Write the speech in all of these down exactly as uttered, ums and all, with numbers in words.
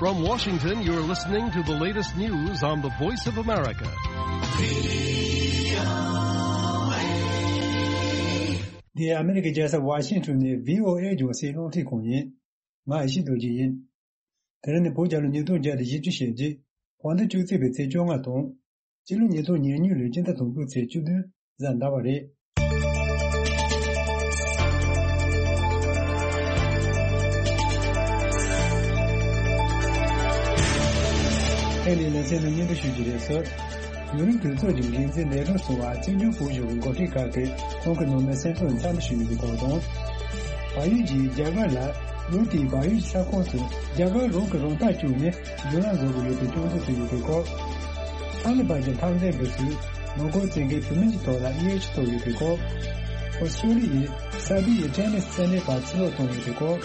From Washington, you're listening to the latest news on the Voice of America. འདི་ཨ་མི་རི་ཀའི་རྒྱལ་ས་ཝ་ཤིང་ཊོན་ནས་བྷི་ཨོ་ཨེ་རྒྱང་སྲིང་རླུང་འཕྲིན་ཁང་ཡིན། ང་ཡེ་ཤེས་རྡོ་རྗེ་ཡིན། དེ་རིང་ནི་བོད་རྒྱལ་ལོ་ཉིས་སྟོང་བརྒྱ་དང་བཞི་བཅུ་ཞེ་གཅིག་དཔང་ཟླ་བཅུ་གཅིག་པའི་ཚེས་བཅོ་ལྔ་དང་། སྤྱི་ལོ་ཉིས་སྟོང་ཉེར་གཉིས་ལོའི་སྤྱི་ཟླ་དང་པོའི་ཚེས་བཅུ་བདུན་གཟའ་ཟླ་བ་རེད། ཨེ་ནི་ལེ་ཚན་ནང་སྙན་སྒྲོན་ཞུ་རྒྱུ་རེད་ཟེར། ཡུན་རིང་དུས་ཚོད་ཀྱི་འགན་འཛིན་ལས་རོགས་སུ་བ་བཙན་བྱོལ་བོད་གཞུང་གི་འགོ་ཁྲིད་ཁག་གིས་ཁོང་གི་ནང་མི་སེམས་ཚོར་འཚམས་ཞུ་ཡོད་པའི་སྐོར་དང་། བལ་ཡུལ་གྱིས་རྒྱ་གར་ལ་ལོ་དེའི་བལ་ཡུལ་གྱི་ས་ཁོངས་སུ་རྒྱ་གར་རང་གིས་རང་ཐག་བཅད་ནས་བསྒྱུར་ལམ་བཟོ་དགོས་ཡོད་པའི་སྐྱོན་འཛུགས་སུ་ཡོད་པའི་སྐོར། ཐ་ལི་བན་གྱི་འཐབ་འཛིང་གི་ཚུལ་མོན་གྷོ་བཙན་རྒོལ་བུད་མེད་ཀྱི་ཐོག་ལ་གཡས་འཁྱིལ་ཐོབ་ཡོད་པའི་སྐོར། ཨོ་སི་ཀྲོ་ལི་ཡས་སར་བྷི་ཡའི་ཊེ་ནི་སི་རྩེད་འགྲན་པ་ཕྱིར་ལོག་བཏང་ཡོད་པའི་སྐོར།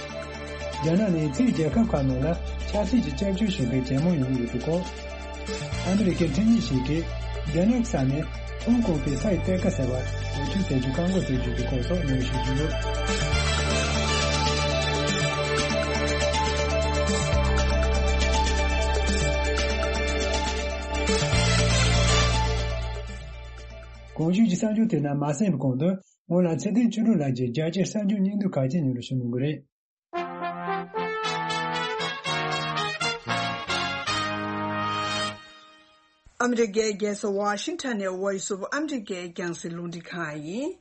རྒྱ་ནག་ནས་ཕྱིའི་རྒྱལ་ཁབ་ཁག་ནང་ལ་ཆབ་སྲིད་ཀྱི་སྐྱབས་བཅོལ་ཞུ་མཁན་ཇེ་མང་ཡོང་གི་ཡོད་པའི་སྐོར། ཨ་མི་རི་ཀའི་ཁྲིམས་ཉིད་ཞིག་གིས་རྒྱ་ནག་གི་ས་ནས་ཧོང་ཀོང་པའི་ས་ཡི་གཏེར་ཁ་ཟེར་བ་འོས་ཤོག་ཟེར་རྒྱུ་བཀག་འགོག་བྱེད་རྒྱུ་གི་སྐོར་སོགས་སྙན་ཞུ་རྒྱུ་ཡོད། གོང་ཞུས་ཀྱི་གསར་འགྱུར་དེ་རྣམས་མ་གསན་པའི་གོང་དུ་སྔོན་ལ་ཚེ་བརྟན་ཆོས་སྒྲོན་ལགས་ཀྱིས་རྒྱ་ཆེའི་གསར་འགྱུར་སྙིང་བསྡུས་ཁག་ཅིག་སྙན་སྒྲོན་ཞུ་གནང་གི་རེད། ཨ་མི་རི་ཀའི་རྒྱལ་ས་ཝ་ཤིང་ཊོན་ནས་Voice of America་རྒྱང་སྲིང་རླུང་འཕྲིན་ཁང་ཡིན།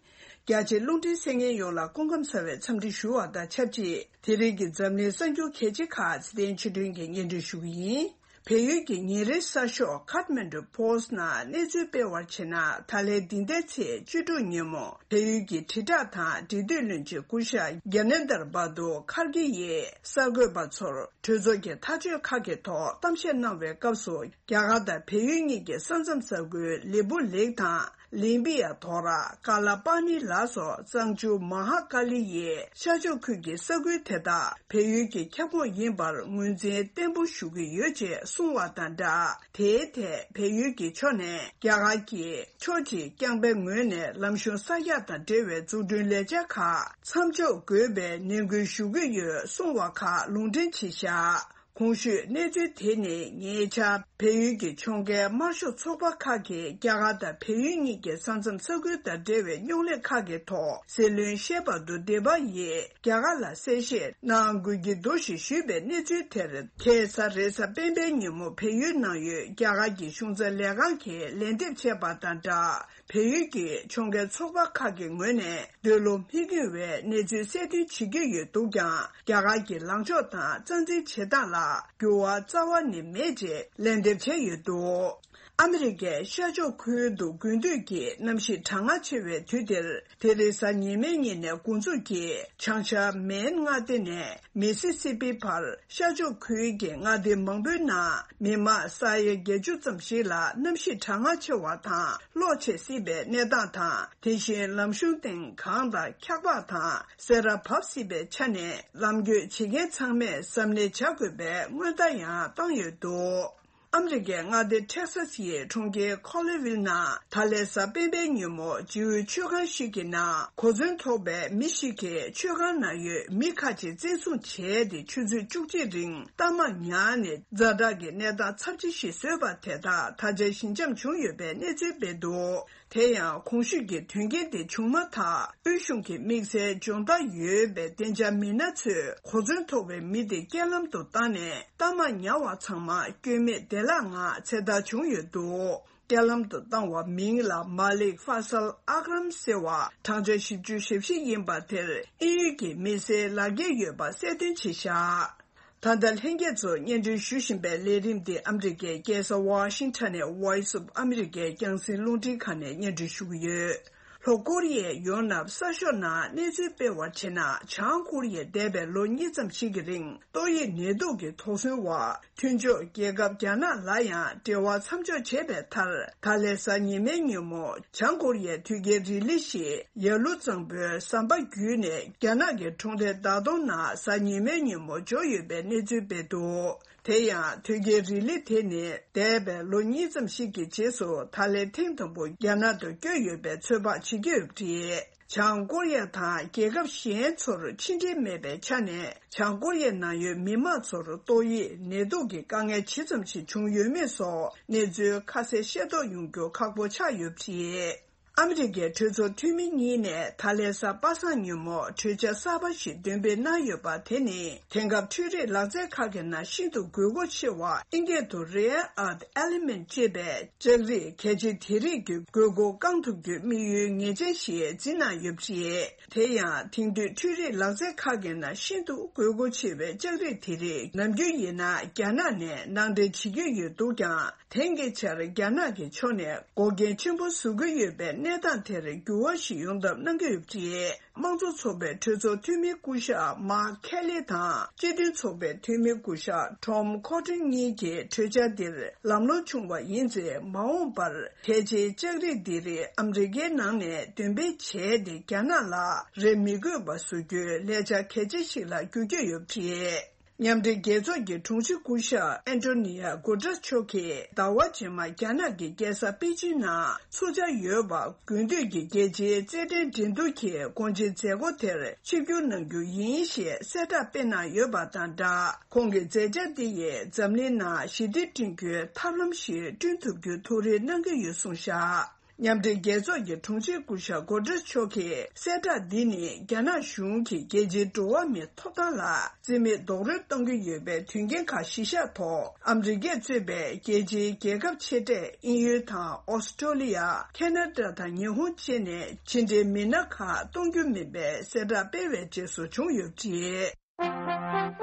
རྒྱ་ཆེའི་རླུང་འཕྲིན་གསན་མཁན་ཡོངས་ལ་སྐུ་ཁམས་བཟང་བའི་འཚམས་འདྲི་ཞུ་བ་དང་ཆབས་ཅིག་དེ་རིང་གི་འཛམ་གླིང་གསར་འགྱུར་གལ་ཆེ་ཁག་ཚེ་བརྟན་ཆོས་སྒྲོན་གྱིས་སྙན་སྒྲོན་ཞུ་གི་ཡིན། བལ་ཡུལ་གྱི་ཉིན་རེའི་གསར་ཤོག་Kathmandu Post་ནང་གནས་ཚུལ་སྤེལ་བར་བྱས་ན། ད་ལན་འདི་ཟླའི་ཚེས་བཅུ་དྲུག་ཉིན་མོ་བལ་ཡུལ་གྱི་དྲིལ་བསྒྲགས་དང་འབྲེལ་མཐུད་བློན་ཆེན་སྐུ་ཞབས་Gyanendra Bahadur Kharge་ཡིས་གསར་འགོད་པ་ཚོར་གྲོས་ཚོགས་ཀྱི་ཐག་གཅོད་ཁག་གི་ཐོག་གཏམ་བཤད་གནང་བའི་སྐབས་སུ། རྒྱ་གར་དང་བལ་ཡུལ་གཉིས་ཀྱི་ས་མཚམས་ས་ཁུལ་ལི་པུ་ལེག་དང་། ལིམ་པི་ཡ་དོ་ར། ཀ་ལ་པ་ནི་ལ་སོགས་གཙང་ཆུ་མ་ཧ་ཀ་ལི་ཡའི་ཤར་ཕྱོགས་ཁུལ་གྱི་ས་ཁུལ་དེ་དག་བལ་ཡུལ་གྱི་ཁྱབ་ཁོངས་ཡིན་པར་ངོས་འཛིན་བརྟན་པོ་ཞུ་གི་ཡོད་ཅེས་གསུངས་བ་དང་སྦྲགས། དེའི་ཐད་བལ་ཡུལ་གྱི་ཕྱོགས་ནས་རྒྱ་གར་གྱིས་ཕྱོགས་གཅིག་རྐྱང་པའི་ངོས་ནས་ལམ་གཞུང་གསར་རྒྱག་དང་འབྲེལ་བའི་འཛུགས་སྐྲུན་ལས་འཆར་ཁག་མཚམས་འཇོག་དགོས་པའི་ནན་སྐུལ་ཞུ་གི་ཡོད་གསུངས་བ་ཁག་ལུང་འདྲེན་བྱས་བཞག་གོང་ཞུས་གནས་ཚུལ་དེ་ནི་ཉེ་ཆར་བལ་ཡུལ་གྱི་ཕྱོགས་འགལ་དམར་ཤོག་ཚོགས་པ་ཁག་གིས་རྒྱ་གར་དང་བལ་ཡུལ་གཉིས་ཀྱི་ས་མཚམས་ས་ཁུལ་དང་འབྲེལ་བའི་རྙོག་གླེང་ཁག་གི་ཐོག་སྲིད་བློན་ཤེས་པ་དུ་སྡེ་པ་ཡིས་རྒྱ་གར་ལ་གསལ་བཤད་གནང་དགོས་ཀྱི་འདུག་ཞེས་ཞུས་པའི་གནས་ཚུལ་དེར། ཁ་སང་རེས་གཟའ་སྤེན་པའི་ཉིན་མོ་བལ་ཡུལ་ནང་ཡོད་རྒྱ་གར་གྱི་གཞུང་ཚབ་ལས་ཁང་གིས་ལན་འདེབས་བྱས་པ་དང་སྦྲགས། བལ་ཡུལ་གྱི་ཕྱོགས་འགལ་ཚོགས་པ་ཁག་གི་ངོས་ནས་འདོད་བློ་མི་འགྱུར་བའི་གནས་ཚུལ་གསལ་སྟོན་བྱེད་ཀྱི་ཡོད་འདུག་ཀྱང་། རྒྱ་གར་གྱི་ལངས་ཕྱོགས་དང་རྩ་འཛིན་བྱེད་སྟངས་ལ་འགྱུར་བ་རྩ་བ་ནས་མེད་ཅེས་ལན་འདེབས་བྱས་ཡོད་འདུག་ཨ་མི་རི་ཀའི་ཤར་ཕྱོགས་ཁུལ་དུ་དགུན་དུས་ཀྱི་གནམ་གཤིས་གྲང་ངར་ཆེ་བའི་དུས་འདིར། དེ་རིང་གཟའ་ཉི་མའི་ཉིན་ནས་འགོ་འཛུགས་ཀྱིས་བྱང་ཤར་མེན་མངའ་སྡེ་ནས་མི་སི་སི་པི་བར་ཤར་ཕྱོགས་ཁུལ་གྱི་མངའ་སྡེ་མང་པོའི་ནང་མི་མང་ས་ཡ་བརྒྱད་ཅུ་ཙམ་ཞིག་ལ་གནམ་གཤིས་གྲང་ངར་ཆེ་བ་དང་གློག་ཆད་སྲིད་པའི་གནས་སྟངས་དང་། དེ་བཞིན་ལམ་གཞུང་སྟེང་གངས་དང་འཁྱགས་པ་དང་སེར་བ་བབས་སྲིད་པའི་ཆ་ནས། ལམ་སྐྱོད་བྱེད་མཁན་ཚང་མས་གཟབ་ནན་བྱ་དགོས་པའི་སྔོན་བརྡ་ཡང་བཏང་ཡོད་འདུག་ཨ་མི་རི་ཀའི་མངའ་སྡེ་ཊེག་སཱ་སི་ཡི་གྲོང་ཁྱེར་ཁོ་ལི་ཝིལ་ནང་ད་ལན་གཟའ་སྤེན་པའི་ཉིན་མོ་སྤྱི་འོས་མཆོད་ཁང་ཞིག་གི་ནང་གོ་མཚོན་ཐོགས་པའི་མི་ཞིག་གིས་མཆོད་ཁང་ནང་ཡོད་མི་ཁག་ཅིག་བཙན་བཟུང་བྱས་ཏེ། ཆུ་ཚོད་བཅུ་གཅིག་རིང་གཏའ་མ་ཉར་ནས་ཛ་དྲག་གི་གནས་སྟངས་ཚབས་ཆེ་ཞིག་བཟོས་པ་དེ་དག་ད་ཆ་ཞི་འཇམ་བྱུང་ཡོད་པའི་གནས་ཚུལ་སྤེལ་འདུག་དེ་ཡང་གོང་ཞུས་ཀྱི་དོན་རྐྱེན་དེ་བྱུང་མ་ཐག་དབུས་གཞུང་གི་དམིགས་བསལ་སྦྱོང་བརྡར་ཡོད་པའི་བདེ་འཇགས་མི་སྣ་ཚོས་གོ་མཚོན་ཐོགས་པའི་མི་དེ་རྐྱེན་ལམ་དུ་བཏང་ནས་གཏའ་མ་ཉར་བ་ཚང་མ་སྐྱོན་མེད་བདེ་བླག་ངང་ཚེ་ཐར་བྱུང་ཡོད་འདུག་རྐྱེན་ལམ་དུ་བཏང་བ་མིང་ལ་མ་ལིག་ཧྥ་སལ་ཨག་རམ་ཟེར་བ། གྲངས་ཆ་བཞི་བཅུ་ཞེ་བཞི་ཡིན་པ་དེར་དབྱིན་ཡུལ་གྱི་མི་སེར་ལག་འཁྱེར་ཡོད་པ་གསལ་སྟོན་བྱས་བཞག་ད་ལྟ་ལྷན་རྒྱས་ཚོ་སྙན་སྒྲོན་ཞུ་བཞིན་པའི་ལས་རིམ་འདི་ཨ་མི་རི་ཀའི་རྒྱལ་ས་ཝ་ཤིང་ཊོན་ནས་Voice of America་རྒྱང་སྲིང་རླུང་འཕྲིན་ཁང་ནས་སྙན་སྒྲོན་ཞུ་གི་ཡོད། ལྷོ་ཀོ་རི་ཡའི་ཡོང་འབབ་གསར་ཤོག་ནང་གནས་ཚུལ་སྤེལ་བར་བྱས་ན། བྱང་ཀོ་རི་ཡས་འདས་པའི་ལོ་གཉིས་ཙམ་ཞིག་གི་རིང་ཏོག་དབྱིབས་ནད་དུག་གི་དོགས་ཟོན་འོག་མཐུན་ཕྱོགས་རྒྱལ་ཁབ་རྒྱ་ནག་ལ་ཡང་འབྲེལ་བ་མཚམས་འཇོག་བྱས་པའི་མཐར། ད་ལན་གཟའ་ཉི་མའི་ཉིན་མོ་བྱང་ཀོ་རི་ཡའི་དུས་རྒྱལ་རི་ལི་ཞིག་ཡར་ཀླུང་གཙང་པོའི་ཟམ་པ་བརྒྱུད་ནས་རྒྱ་ནག་གི་གྲོང་རྡལ་ཟླ་གདོང་ནང་གཟའ་ཉི་མའི་ཉིན་མོ་འབྱོར་ཡོད་པའི་གནས་ཚུལ་སྤེལ་འདུག་དེ་ཡང་དོལ་རྒྱལ་རི་ལི་དེ་ནི་འདས་པའི་ལོ་གཉིས་ཙམ་ཞིག་གི་རྗེས་སུ་ད་ལན་ཐེངས་དང་པོ་རྒྱ་ནག་ཏུ་བསྐྱོད་ཡོད་པའི་ཚོད་དཔག་བྱེད་ཀྱི་ཡོད་པ་རེད། བྱང་ཀོ་རི་ཡ་དང་རྒྱལ་ཁབ་གཞན་ཚོར་ཕྱི་འབྲེལ་མེད་པའི་ཆ་ནས། བྱང་ཀོ་རི་ཡའི་ནང་ཡོད་མི་མང་ཚོར་ཏོག་དབྱིབས་ནད་དུག་གི་དཀའ་ངལ་ཇི་ཙམ་ཞིག་བྱུང་ཡོད་མེད་སོགས་གནས་ཚུལ་ཁ་གསལ་ཤེས་རྟོགས་ཡོང་རྒྱུ་ཁག་པོ་ཆགས་ཡོད་པ་རེད། ཨ་མི་རི་ཀའི་གྲོས་ཚོགས་འཐུས་མི་གཉིས་ནས་ད་ལན་གཟའ་པ་སངས་ཉིན་མོ་གྲོས་འཆར་གསར་པ་ཞིག་འདོན་སྤེལ་གནང་ཡོད་པ་དེ་ནི། དེང་སྐབས་འཕྲུལ་རིག་ལག་རྩལ་ཁག་གི་ནང་ཤིན་ཏུ་དགོས་མཁོ་ཆེ་བ་ཨིན་སྐད་དུ་Rare Earth Element ཅེས་པའི་ལྕགས་རིགས་གལ་ཆེ་དེ་རིགས་ཀྱི་དགོས་མཁོ་བསྐང་ཐུབ་རྒྱུའི་དམིགས་ཡུལ་ངེས་ཅན་ཞིག་འཛིན་གནང་ཡོད་པ་རེད། དེ་ཡང་དེང་དུས་འཕྲུལ་རིག་ལག་རྩལ་ཁག་གི་ནང་ཤིན་ཏུ་དགོས་མཁོ་ཆེ་བའི་ལྕགས་རིགས་དེ་རིགས་ནམ་རྒྱུན་ཡིན་ན་རྒྱ་ནག་ནས་ནང་འདྲེན་བྱེད་ཀྱི་ཡོད་འདུག་ཀྱང་། དེང་གི་ཆར་རྒྱ་ནག་གི་ཕྱོགས་ནས་འགོག་རྐྱེན་ཆེན་པོ་བཟོ་གི་ཡོད་པའི་གནས་སྟངས་དེར་འགྱུར་བ་ཞིག་ཡོང་ཐབས་གནང་གི་ཡོད་པ་རེད། དམངས་གཙོ་ཚོགས་པའི་གྲོས་ཚོགས་འཐུས་མི་སྐུ་ཞབས་མཱག་ཁེ་ལི་དང་སྤྱི་མཐུན་ཚོགས་པའི་འཐུས་མི་སྐུ་ཞབས་ཊོམ་ཁོ་ཊོན་གཉིས་ཀྱིས་གྲོས་འཆར་འདིར་ལམ་ལྷོང་བྱུང་བ་ཡིན་ཚེ། མ་འོངས་པར་གལ་ཆེའི་ལྕགས་རིགས་འདི་རིགས་ཨ་མི་རི་ཀའི་ནང་ནས་འདོན་སྤེལ་བྱས་ཏེ། རྒྱ་ནག་ལ་རེ་མི་དགོས་པ་བཟོ་རྒྱུའི་ལས་འཆར་གལ་ཆེ་ཞིག་ལ་འགྱུར་གྱི་ཡོད་པ་རེད། མཉམ་འབྲེལ་རྒྱལ་ཚོགས་ཀྱི་དྲུང་ཆེ་སྐུ་ཞབས་ཨན་ཏོ་ནི་ཡ་གུ་ཏྲེས་མཆོག་གིས་ཟླ་བ་རྗེས་མ་རྒྱ་ནག་གི་རྒྱལ་ས་པེ་ཅིང་ནང་ཚོགས་འཆར་ཡོད་པ། དགུན་དུས་ཀྱི་རྒྱལ་སྤྱིའི་རྩེད་འགྲན་འགྲན་བསྡུར་གྱི་དགོངས་ཆེན་མཛད་སྒོ་དེར་ཆིབས་བསྒྱུར་གནང་རྒྱུ་ཡིན་ཞེས་གསལ་བསྒྲགས་སྤེལ་གནང་ཡོད་པ་དང་སྦྲགས། ཁོང་གི་མཛད་འཆར་འདི་ཡིས་འཛམ་གླིང་ནང་ཞི་བདེ་བསྐྲུན་རྒྱུའི་ཐབས་ལམ་ཞིག་བསྐྲུན་ཐུབ་རྒྱུའི་ཐུགས་རེ་གནང་གི་ཡོད་གསུངས་བཞག། མཉམ་འབྲེལ་རྒྱལ་ཚོགས་ཀྱི་དྲུང་ཆེ་སྐུ་ཞབས་གོ་ཏྲེས་མཆོག་གིས་གསལ་བསྒྲགས་འདི་ནི་རྒྱ་ནག་གཞུང་གིས་རྒྱལ་སྤྱིའི་འགྲོ་བ་མིའི་ཐོབ་ཐང་ལ་རྩིས་མེད་རྡོག་རོལ་གཏོང་གི་ཡོད་པའི་དོན་རྐྱེན་ཁག་གཞི་བཞག་ཐོག་ཨ་མི་རི་ཀས་གཙོས་པའི་རྒྱལ་སྤྱིའི་རྒྱལ་ཁབ་ཆེ་གྲས་དབྱིན་ཡུལ་དང་ཨོ་སི་ཀྲོ་ལི་ཡ། ཁེ་ན་ཌ་དང་ཉི་ཧོང་བཅས་ནས་ཕྱི་འབྲེལ་མི་སྣ་ཁག་གཏོང་རྒྱུ་མིན་པའི་གསལ་བསྒྲགས་སྤེལ་བའི་རྗེས་སུ་བྱུང་ཡོད་པ་རེད།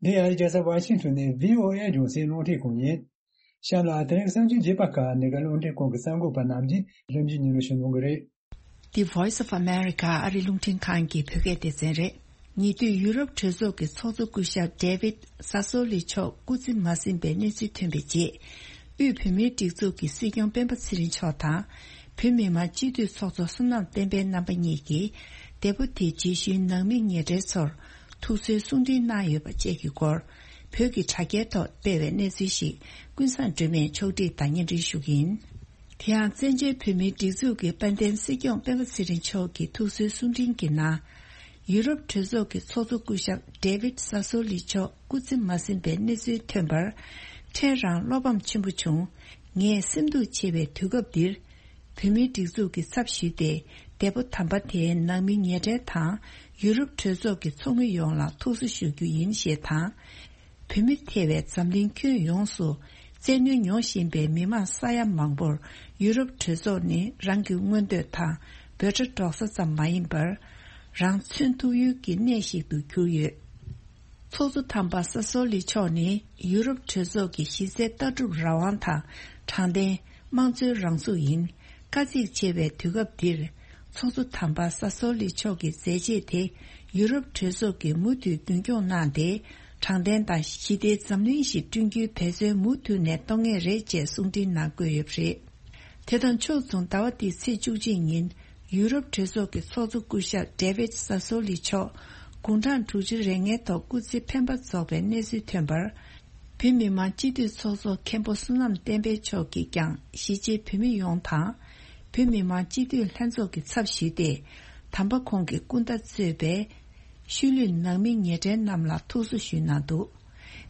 འདི་ཨ་རིའི་རྒྱལ་ས་ཝ་ཤིང་ཊོན་ནས་བྷི་ཨོ་ཨེ་རྒྱང་སྲིང་རླུང་འཕྲིན་ཁང་ཡིན། གཤམ་ལ་དེ་རིང་གསར་འགྱུར་རྒྱས་པ་ཁག་འདི་ག་རླུང་འཕྲིན་ཁང་གི་གསར་འགོད་པ་རྣམས་ཀྱིས་ལྷན་རྒྱས་ཉིན་རེ་ཞུ་གནང་གི་རེད། འདི་Voice of America ཨ་རིའི་རླུང་འཕྲིན་ཁང་གི་བོད་སྐད་སྡེ་ཚན་རེད། ཉེ་དུས་ཡུ་རོབ་གྲོས་ཚོགས་ཀྱི་ཚོགས་གཙོ་སྐུ་ཞབས་David Sassoli མཆོག་སྐུ་ཚེ་མ་ཟིན་པའི་གནས་ཚུལ་ཐོན་པའི་རྗེས། དབུས་བོད་མིའི་སྒྲིག་འཛུགས་ཀྱི་སྲིད་སྐྱོང་སྤེན་པ་ཚེ་རིང་མཆོག་དང་། བོད་མི་མང་སྤྱི་འཐུས་ཚོགས་གཙོ་བསོད་ནམས་བསྟན་འཕེལ་རྣམ་པ་གཉིས་ཀྱིས། འདས་པོ་དེའི་རྗེས་ཤུལ་ནང་མི་ཉེ་གྲས་ཚོར་ཐུགས་གསོའི་གསུང་འཕྲིན་གནང་ཡོད་པ་བཅས་ཀྱི་སྐོར། བོད་ཀྱི་དྲ་རྒྱའི་ཐོག་སྤེལ་བའི་གནས་ཚུལ་ཞིག་ཀུན་བཟང་སྒྲོལ་མས་ཕྱོགས་སྒྲིག་དང་སྙན་སྒྲོན་ཞུ་གི་ཡིན། དེ་ཡང་བཙན་བྱོལ་བོད་མིའི་སྒྲིག་འཛུགས་ཀྱི་དཔལ་ལྡན་སྲིད་སྐྱོང་སྤེན་པ་ཚེ་རིང་མཆོག་གི་ཐུགས་གསོའི་གསུང་འཕྲིན་གྱི་ནང་། ཡུ་རོབ་གྲོས་ཚོགས་ཀྱི་ཚོགས་གཙོ་སྐུ་ཞབས་David Sassoli མཆོག་སྐུ་ཚེ་མ་ཟིན་པའི་གནས་ཚུལ་ཐོན་པར། ཕྲན་རང་བློ་ཕམ་ཆེན་པོ་བྱུང་། ངས་སེམས་སྡུག་ཆེ་བའི་དུས་སྐབས་འདིར། བོད་མིའི་སྒྲིག་འཛུགས་ཀྱི་ཚབ་ཞུས་ཏེ། འདས་པོ་དམ་པ་དེའི་ནང་མི་ཉེ་གྲས་དང་། ཡུ་རོབ་གྲོས་ཚོགས་ཀྱི་ཚོགས་མི་ཡོངས་ལ་ཐུགས་གསོ་ཞུ་རྒྱུ་ཡིན་ཞེས་དང་། བོད་མི་ཐེ་བའི་འཛམ་གླིང་ཁྱོན་ཡོངས་སུ་བཙན་གནོན་མྱོང་བཞིན་པའི་མི་མང་ས་ཡ་མང་པོར་ཡུ་རོབ་གྲོས་ཚོགས་ནི་རང་གི་མངོན་འདོད་དང་འབོད་སྒྲ་སྒྲོག་ས་ཙམ་མ་ཡིན་པར། རང་མཚོན་ཐུབ་ཡུལ་གྱི་གནས་ཤིག་ཏུ་གྱུར་ཡོད། ཚོགས་གཙོ་དམ་པ་ས་སོ་ལི་མཆོག་ནི་ཡུ་རོབ་གྲོས་ཚོགས་ཀྱི་གཞི་རྩའི་ལྟ་གྲུབ་རང་དབང་དང་། དྲང་བདེན། དམངས་གཙོའི་རང་ཚུགས་ཡིན། དཀའ་ཚེགས་ཆེ་བའི་དུས་སྐབས་འདིར། ཚོགས་གཙོ་དམ་པ་ས་སོ་ལི་མཆོག་གི་མཛད་རྗེས་དེ་ཡུ་རོབ་གྲོས་ཚོགས་ཀྱིས་མུ་མཐུད་རྒྱུན་འཁྱོངས་གནང་སྟེ། དྲང་བདེན་དང་ཞི་བདེའི་འཛམ་གླིང་ཞིག་བསྐྲུན་རྒྱུའི་འབད་བརྩོན་མུ་མཐུད་ནས་གཏོང་ངེས་རེད་ཅེས་གསུང་འཕྲིན་ནང་བཀོད་ཡོད་པ་རེད། དེ་དང་ཕྱོགས་མཚུངས་ཟླ་བ་འདིའི་ཚེས་བཅུ་གཅིག་ཉིན། ཡུ་རོབ་གྲོས་ཚོགས་ཀྱི་ཚོགས་གཙོ་སྐུ་ཞབས་ཌེ་བིད་ས་སོ་ལི་མཆོག་དགུང་གྲངས་དྲུག་ཅུ་རེ་ལྔའི་ཐོག་སྐུ་ཚེ་འཕེན་པ་རྫོགས་པའི་གནས་ཚུལ་ཐོན་པར། བོད་མི་མང་སྤྱི་འཐུས་ཚོགས་གཙོ་མཁན་པོ་བསོད་ནམས་བསྟན་འཕེལ་མཆོག་གིས་ཀྱང་གཞིས་བྱེས་བོད་མི་ཡོངས་དང་། བོད་མི་མང་སྤྱི་འཐུས་ལྷན་ཚོགས་ཀྱི་ཚབ་ཞུས་ཏེ། དམ་པ་ཁོང་གི་སྐུ་ཟླ་གཙོས་པའི་ཤུལ་ལུས་ནང་མི་ཉེ་གྲས་རྣམས་ལ་ཐུགས་གསོ་ཞུས་གནང་འདུག་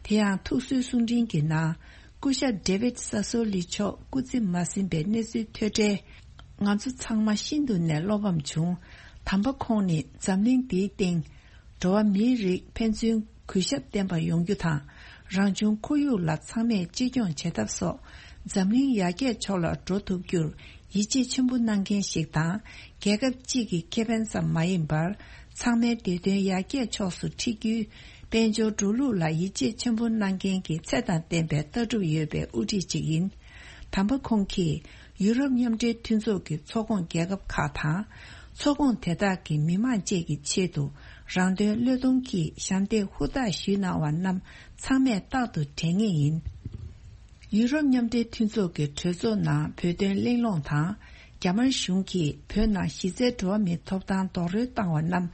དེ་ཡང་ཐུགས་གསོའི་གསུང་འཕྲིན་གྱི་ནང་། སྐུ་ཞབས་ཌེ་བིད་ས་སོ་ལི་མཆོག་སྐུ་ཚེ་མ་ཟིན་པའི་གནས་ཚུལ་ཐོས་འཕྲལ། ང་ཚོ་ཚང་མ་ཤིན་ཏུ་ནས་བློ་ཕམ་བྱུང་། དམ་པ་ཁོང་ནི་འཛམ་གླིང་འདིའི་སྟེང་། འགྲོ་བ་མིའི་རིགས་ཕན་ཚུན་གུས་ཞབས་ལྡན་པ་ཡོང་རྒྱུ་དང་། རང་བྱུང་ཁོར་ཡུག་ལ་ཚང་མས་གཅེས་སྐྱོང་བྱེད་ཐབས་སོགས། འཛམ་གླིང་ཡར་རྒྱས་ཕྱོགས་ལ་འགྲོ་ཐུབ་རྒྱུར་ཡིད་ཆེས་ཆེན་པོ་གནང་མཁན་ཞིག་དང་། རྒྱལ་ཁབ་གཅིག་གི་ཁེ་ཕན་ཙམ་མ་ཡིན་པར། ཚང་མའི་བདེ་དོན་ཡར་རྒྱས་ཕྱོགས་སུ་འཁྲིད་རྒྱུའི་དཔལ་འབྱོར་འགྲོ་ལུགས་ལ་ཡིད་ཆེས་ཆེན་པོ་གནང་མཁན་གྱི་ཚད་དང་ལྡན་པའི་ལྟ་གྲུབ་ཡོད་པའི་དབུ་ཁྲིད་ཅིག་ཡིན། དམ་པ་ཁོང་གིས་ཡུ་རོབ་མཉམ་འབྲེལ་མཐུན་ཚོགས་ཀྱི་ཚོགས་ཁོངས་རྒྱལ་ཁབ་ཁག་དང་། ཚོགས་ཁོངས་དེ་དག་གི་མི་མང་བཅས་ཀྱི་ཆེད་དུ་རང་དོན་བློས་གཏོང་གིས་ཞབས་འདེགས་ཧུར་ཐག་ཞུས་གནང་བ་རྣམས་ཚང་མས་རྟག་ཏུ་དྲན་ངེས་ཡིན། ཡུ་རོབ་མཉམ་འབྲེལ་མཐུན་ཚོགས་ཀྱི་གྲོས་ཚོགས་ནང་བོད་དོན་གླེང་སློང་དང་། རྒྱ་དམར་གཞུང་གིས་བོད་ནང་གཞི་རྩའི་འགྲོ་བ་མིའི་ཐོབ་ཐང་རྡོག་རོལ་བཏང་བ་རྣམས་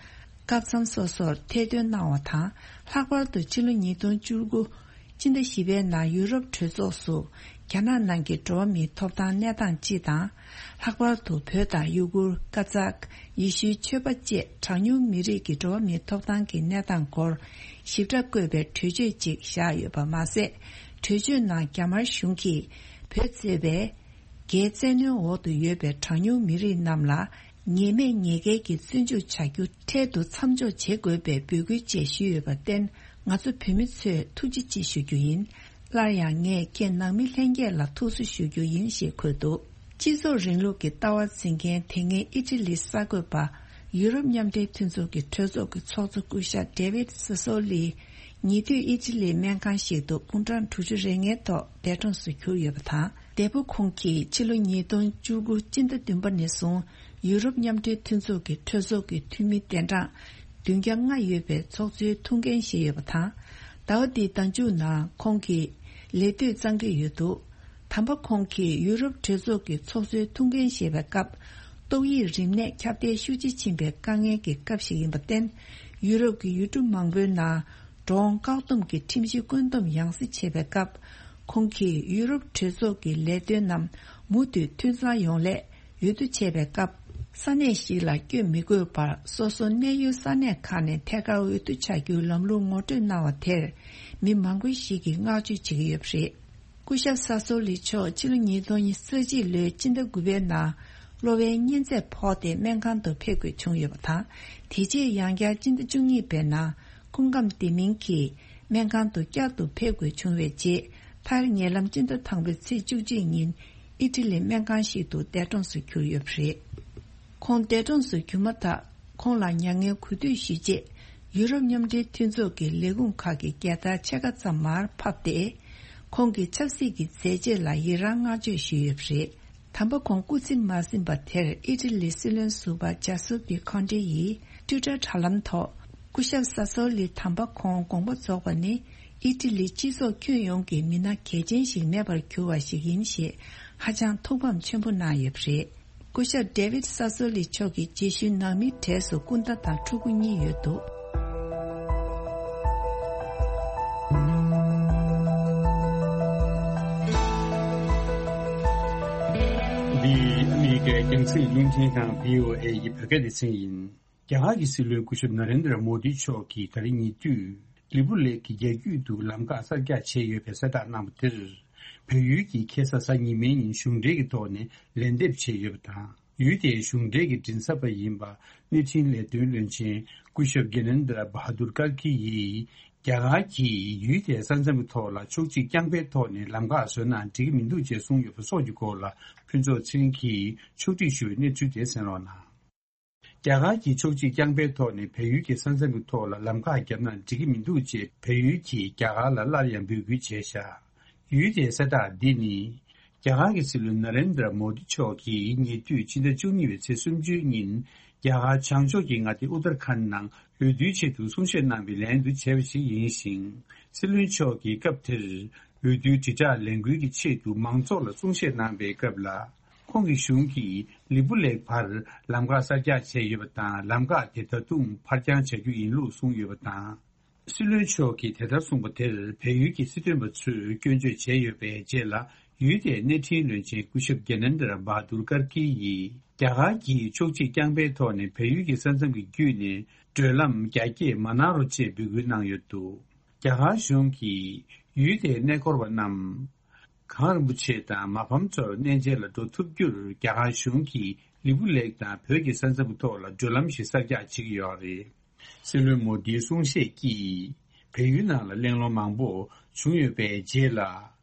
སྐབས་མཚམས་སོ་སོར་ཐེར་འདོན་གནང་བ་དང་། ལྷག་པར་དུ་ཕྱི་ལོ་ཉིས་སྟོང་བཅུ་དགུ་སྤྱི་ཟླ་བཞི་པའི་ནང་ཡུ་རོབ་གྲོས་ཚོགས་སུ་རྒྱ་ནག་ནང་གི་འགྲོ་བ་མིའི་ཐོབ་ཐང་གནས་སྟངས་སྤྱི་དང་། ལྷག་པར་དུ་བོད་དང་ཡུ་གུར། ཀ་ཙག་ཡེ་ཤུའི་ཆོས་པ་བཅས་གྲངས་ཉུང་མི་རིགས་ཀྱི་འགྲོ་བ་མིའི་ཐོབ་ཐང་གི་གནས་སྟངས་སྐོར་ཞིབ་ཕྲ་བཀོད་པའི་གྲོས་ཆོད་ཅིག་བཞག་ཡོད་པ་མ་ཟད། གྲོས་ཆོད་ནང་རྒྱ་དམར་གཞུང་གིས་བོད་ཟེར་བའི་རྒྱའི་བཙན་གནོན་འོག་ཏུ་ཡོད་པའི་གྲངས་ཉུང་མི་རིགས་རྣམས་ལ་ཉེས་མེད་ཉེས་འགེལ་གྱི་བཙོན་འཇུག་བྱ་རྒྱུ་འཕྲལ་དུ་མཚམས་འཇོག་བྱེད་དགོས་པའི་འབོད་སྐུལ་བཅས་ཞུས་ཡོད་པར་བརྟེན། ང་ཚོ་བོད་མི་ཚོས་ཐུགས་རྗེ་ཆེ་ཞུ་རྒྱུ་ཡིན། སླར་ཡང་ངས་ཁྱེད་ནང་མི་ལྷན་རྒྱས་ལ་ཐུགས་གསོ་ཞུ་རྒྱུ་ཡིན་ཞེས་འཁོད་འདུག་སྤྱི་ཚོགས་རིང་ལུགས་ཀྱི་ལྟ་བ་འཛིན་མཁན་དེ་སྔའི་ཨི་ཊ་ལིའི་གསར་འགོད་པ། ཡུ་རོབ་མཉམ་འབྲེལ་མཐུན་ཚོགས་ཀྱི་གྲོས་ཚོགས་ཀྱི་ཚོགས་གཙོ་སྐུ་ཞབས་ཌེ་ཝིད་སེ་སོ་ལི། ཉེ་དུས་ཨི་ཊ་ལིའི་སྨན་ཁང་ཞིག་ཏུ་དགུང་གྲངས་དྲུག་ཅུ་རེ་ལྔའི་ཐོག་འདས་གྲོངས་སུ་གྱུར་ཡོད་པ་དང་། འདས་པོ་ཁོང་གིས་ཕྱི་ལོ་ཉིས་སྟོང་བཅུ་དགུ་སྤྱི་ཟླ་བདུན་པ་ནས་བཟུང་ཡུ་རོབ་མཉམ་འབྲེལ་མཐུན་ཚོགས་ཀྱི་གྲོས་ཚོགས་ཀྱི་འཐུས་མི་གདན་གྲངས་བདུན་བརྒྱ་ལྔ་ཡོད་པའི་ཚོགས་གཙོའི་ཐུགས་འགན་བཞེས་ཡོད་པ་དང་། ཟླ་བ་འདིའི་ཟླ་མཇུག་ནང་ཁོང་གི་ལས་དུས་གཙང་སྦྲ་ཡོད་འདུག་དམ་པ་ཁོང་གིས་ཡུ་རོབ་གྲོས་ཚོགས་ཀྱི་ཚོགས་གཙོའི་ཐུགས་འགན་བཞེས་པའི་སྐབས། ཏོག་དབྱིབས་རིམས་ནད་ཁྱབ་གདལ་ཤུགས་ཆེ་ཕྱིན་པའི་དཀའ་ངལ་གྱི་སྐབས་ཤིག་ཡིན་པར་བརྟེན། ཡུ་རོབ་ཀྱི་ཡུལ་གྲུ་མང་པོའི་ནང་འགྲོ་འོང་བཀག་སྡོམ་གྱི་ཁྲིམས་གཞི་བཀོད་འདོམས་ཡང་སེ་བྱེད་པའི་སྐབས། ཁོང་གིས་ཡུ་རོབ་གྲོས་ཚོགས་ཀྱི་ལས་དོན་རྣམས་མུ་མཐུད་འཐུས་ཚང་ཡོང་སླད་འོས་བསྡུ་བྱས་པའི་སྐབས། ས་གནས་ཤིག་ལ་བསྐྱོད་མི་དགོས་པར་སོ་སོ་གནས་ཡུལ་ས་གནས་ཁག་ནས་ཐད་ཀར་འོས་བསྡུ་བྱ་རྒྱུའི་ལམ་ལུགས་ངོ་སྤྲོད་གནང་བ་དེར་མི་མང་པོ་ཞིག་གིས་བསྔགས་བརྗོད་བྱེད་ཀྱི་ཡོད་པ་རེད། སྐུ་ཞབས་ས་སོ་ལི་མཆོག་ཕྱི་ལོ་ཉིས་སྟོང་ཉི་ཤུ་རྩ་གཅིག་ལོའི་སྤྱི་ཟླ་དགུ་པའི་ནང་གློ་བའི་གཉན་ཚད་ཕོག་སྟེ་སྨན་ཁང་དུ་ཕེབས་དགོས་བྱུང་ཡོད་པ་དང་། དེ་རྗེས་ཡང་བསྐྱར་སྤྱི་ཟླ་བཅུ་གཉིས་པའི་ནང་སྐུ་ཁམས་བདེ་མིན་གྱིས་སྨན་ཁང་དུ་བསྐྱར་དུ་ཕེབས་དགོས་བྱུང་བའི་རྗེས། མཐར་ཉེ་ལམ་སྤྱི་ཟླ་དང་པོའི་ཚེས་བཅུ་གཅིག་ཉིན་ཨི་ཊ་ལིའི་སྨན་ཁང་ཞིག་ཏུ་འདས་གྲོངས་སུ་གྱུར་ཡོད་པ་རེད། ཁོང་འདས་གྲོངས་སུ་གྱུར་མ་ཐག་ཁོང་ལ་མྱ་ངན་གུས་འདུད་ཞུས་རྗེས། ཡུ་རོབ་མཉམ་འབྲེལ་མཐུན་ཚོགས་ཀྱི་ལས་ཁུངས་ཁག་གི་རྒྱལ་དར་ཕྱེད་ཀ་ཙམ་མར་ཕབ་སྟེ། ཁོང་གི་ཆབ་སྲིད་ཀྱི་མཛད་རྗེས་ལ་ཡི་རངས་བསྔགས་བརྗོད་ཞུས་ཡོད་པ་རེད། དམ་པ་ཁོང་སྐུ་ཚེ་མ་ཟིན་པ་དེར་ཨི་ཊ་ལིའི་སྲིད་བློན་ཟུར་པ་ཇཱ་སུ་པི་ཁོན་ཏེ་ཡིས་ཊུའི་ཊར་དྲ་ལམ་ཐོག་སྐུ་ཞབས་ས་སོ་ལི་དམ་པ་ཁོང་དགོངས་པ་རྫོགས་པ་ནི་ཨི་ཊ་ལིའི་སྤྱི་ཚོགས་ཁྱོན་ཡོངས་ཀྱི་མི་སྣ་གལ་ཆེན་ཞིག་མེད་པར་གྱུར་བ་ཞིག་ཡིན་ཞེས་ཧ་ཅང་ཐུགས་ཕམ་ཆེན་པོ་གནང་ཡོད་པ་རེད། སྐུ་ཞབས་ཌེ་ཝིད་ས་སོ་ལི་མཆོག་གི་རྗེས་ཤུལ་ནང་མིའི་གྲས་སུ་སྐུ་ཟླ་དང་ཕྲུ་གུ་གཉིས་ཡོད་འདུག་འདི་ཨ་མི་རི་ཀའི་རྒྱང་སྲིང་རླུང་འཕྲིན་ཁང་བྷི་ཨོ་ཨེ་ཡི་བོད་སྐད་སྡེ་ཚན་ཡིན། རྒྱ་གར་གྱི་སྲིད་བློན་སྐུ་ཞབས་ན་རེན་དྲ་མོ་དི་མཆོག་གིས་ད་རིང་ཉེ་དུས་ལི་པུ་ལེག་གི་རྒྱ་རྒྱུད་དུ་ལམ་ཁ་གསར་རྒྱག་བྱས་ཡོད་པའི་གསལ་བསྒྲགས་གནང་བ་དེར། བལ་ཡུལ་གྱི་ཁ་སང་གཟའ་ཉི་མའི་ཉིན་གཞུང་འབྲེལ་གྱི་ཐོག་ནས་ལན་འདེབས་བྱས་ཡོད་པ་དང་། ཡུལ་དེའི་གཞུང་འབྲེལ་གྱི་མགྲིན་ཚབ་པ་ཡིན་པ་གནས་འཕྲིན་ལས་དོན་བློན་ཆེན་སྐུ་ཞབས་གྷི་ནན་དྲ་བྷ་དུར་ཀར་ཀི་ཡིས། རྒྱ་གར་གྱིས་ཡུལ་དེའི་ས་མཚམས་ཀྱི་ཐོག་ལ་ཕྱོགས་གཅིག་རྐྱང་པའི་ཐོག་ནས་ལམ་ཁ་བཟོས་ན་འགྲིག་གི་མི་འདུག་ཅེས་གསུངས་ཡོད་པ་སོགས་ཀྱི་སྐོར་ལ་ཕུན་ཚོགས་ཚེ་རིང་གིས་ཕྱོགས་སྒྲིག་ཞུ་བའི་གནས་ཚུལ་དེ་གསན་རོགས་གནང་། རྒྱ་གར་གྱིས་ཕྱོགས་གཅིག་རྐྱང་པའི་ཐོག་ནས་བལ་ཡུལ་གྱི་ས་མཚམས་ཀྱི་ཐོག་ལ་ལམ་ཁ་བརྒྱབ་ན་འགྲིག་གི་མི་འདུག་ཅེས་བལ་ཡུལ་གྱིས་རྒྱ་གར་ལ་སླར་ཡང་འབོད་སྐུལ་བྱས་བཞག་ཡུལ་དེའི་གསལ་བསྒྲགས་འདི་ནི། རྒྱ་གར་གྱི་སྲིད་བློན་ན་རེན་དྲ་མོ་དི་མཆོག་གིས་ཉེ་དུས་ཕྱི་ཟླ་བཅུ་གཉིས་པའི་ཚེས་སུམ་ཅུའི་ཉིན། རྒྱ་གར་བྱང་ཕྱོགས་ཀྱི་མངའ་སྡེ་ཨུ་ཏར་ཁན་ནང་འོས་བསྡུའི་ཆེད་དུ་གསུང་བཤད་གནང་བའི་ལན་དུ་བྱས་པ་ཞིག་ཡིན་ཞིང་། སྲིད་བློན་མཆོག་གིས་སྐབས་དེར་འོས་བསྡུའི་དྲིལ་བསྒྲགས་ལས་འགུལ་གྱི་ཆེད་དུ་མང་ཚོགས་ལ་གསུང་བཤད་གནང་བའི་སྐབས་ལ། ཁོང་གི་གཞུང་གིས་ལི་པུ་ལེག་བར་ལམ་ཁ་གསར་རྒྱག་བྱས་ཡོད་པ་དང་། ལམ་ཁ་དེ་ད་དུང་ཕར་འགྱངས་བྱ་རྒྱུ་ཡིན་ལུགས་གསུངས་ཡོད་པ་དང་། སྲིད་བློན་མཆོག་གིས་དེ་ལྟར་གསུངས་པ་དེར་བལ་ཡུལ་གྱི་སྲིད་དོན་པ་ཚོས་སྐྱོན་བརྗོད་བྱས་ཡོད་པའི་རྗེས་ལ། ཡུལ་དེའི་གནས་འཕྲིན་བློན་ཆེན་སྐུ་ཞབས་གྷི་ནན་དྲ་བྷ་དུར་ཀར་ཀི་ཡིས། རྒྱ་གར་གྱིས་ཕྱོགས་གཅིག་རྐྱང་པའི་ཐོག་ནས་བལ་ཡུལ་གྱི་ས་མཚམས་ཀྱི་བརྒྱུད་ནས་བགྲོད་ལམ་རྒྱ་སྐྱེད་མ་གནང་རོགས་ཅེས་འབོད་སྐུལ་གནང་ཡོད་འདུག་རྒྱ་གར་གཞུང་གིས་ཡུལ་དེའི་གནས་སྐོར་བ་རྣམས། གངས་རིན་པོ་ཆེ་དང་མ་ཕམ་ཚོར་གནས་མཇལ་ལ་འགྲོ་ཐུབ་རྒྱུར་རྒྱ་གར་གཞུང་གིས་ལི་པུ་ལེག་དང་བོད་ཀྱི་ས་མཚམས་ཀྱི་ཐོག་ལ་བགྲོད་ལམ་ཞིག་གསར་རྒྱག་བྱེད་ཀྱི་ཡོད་རེད། སྲིད་བློན་མོ་དིའི་གསུང་བཤད་ཀྱིས་བལ་ཡུལ་ནང་ལ་གླེང་སློང་མང་པོ་བྱུང་ཡོད་པའི་རྗེས་ལ།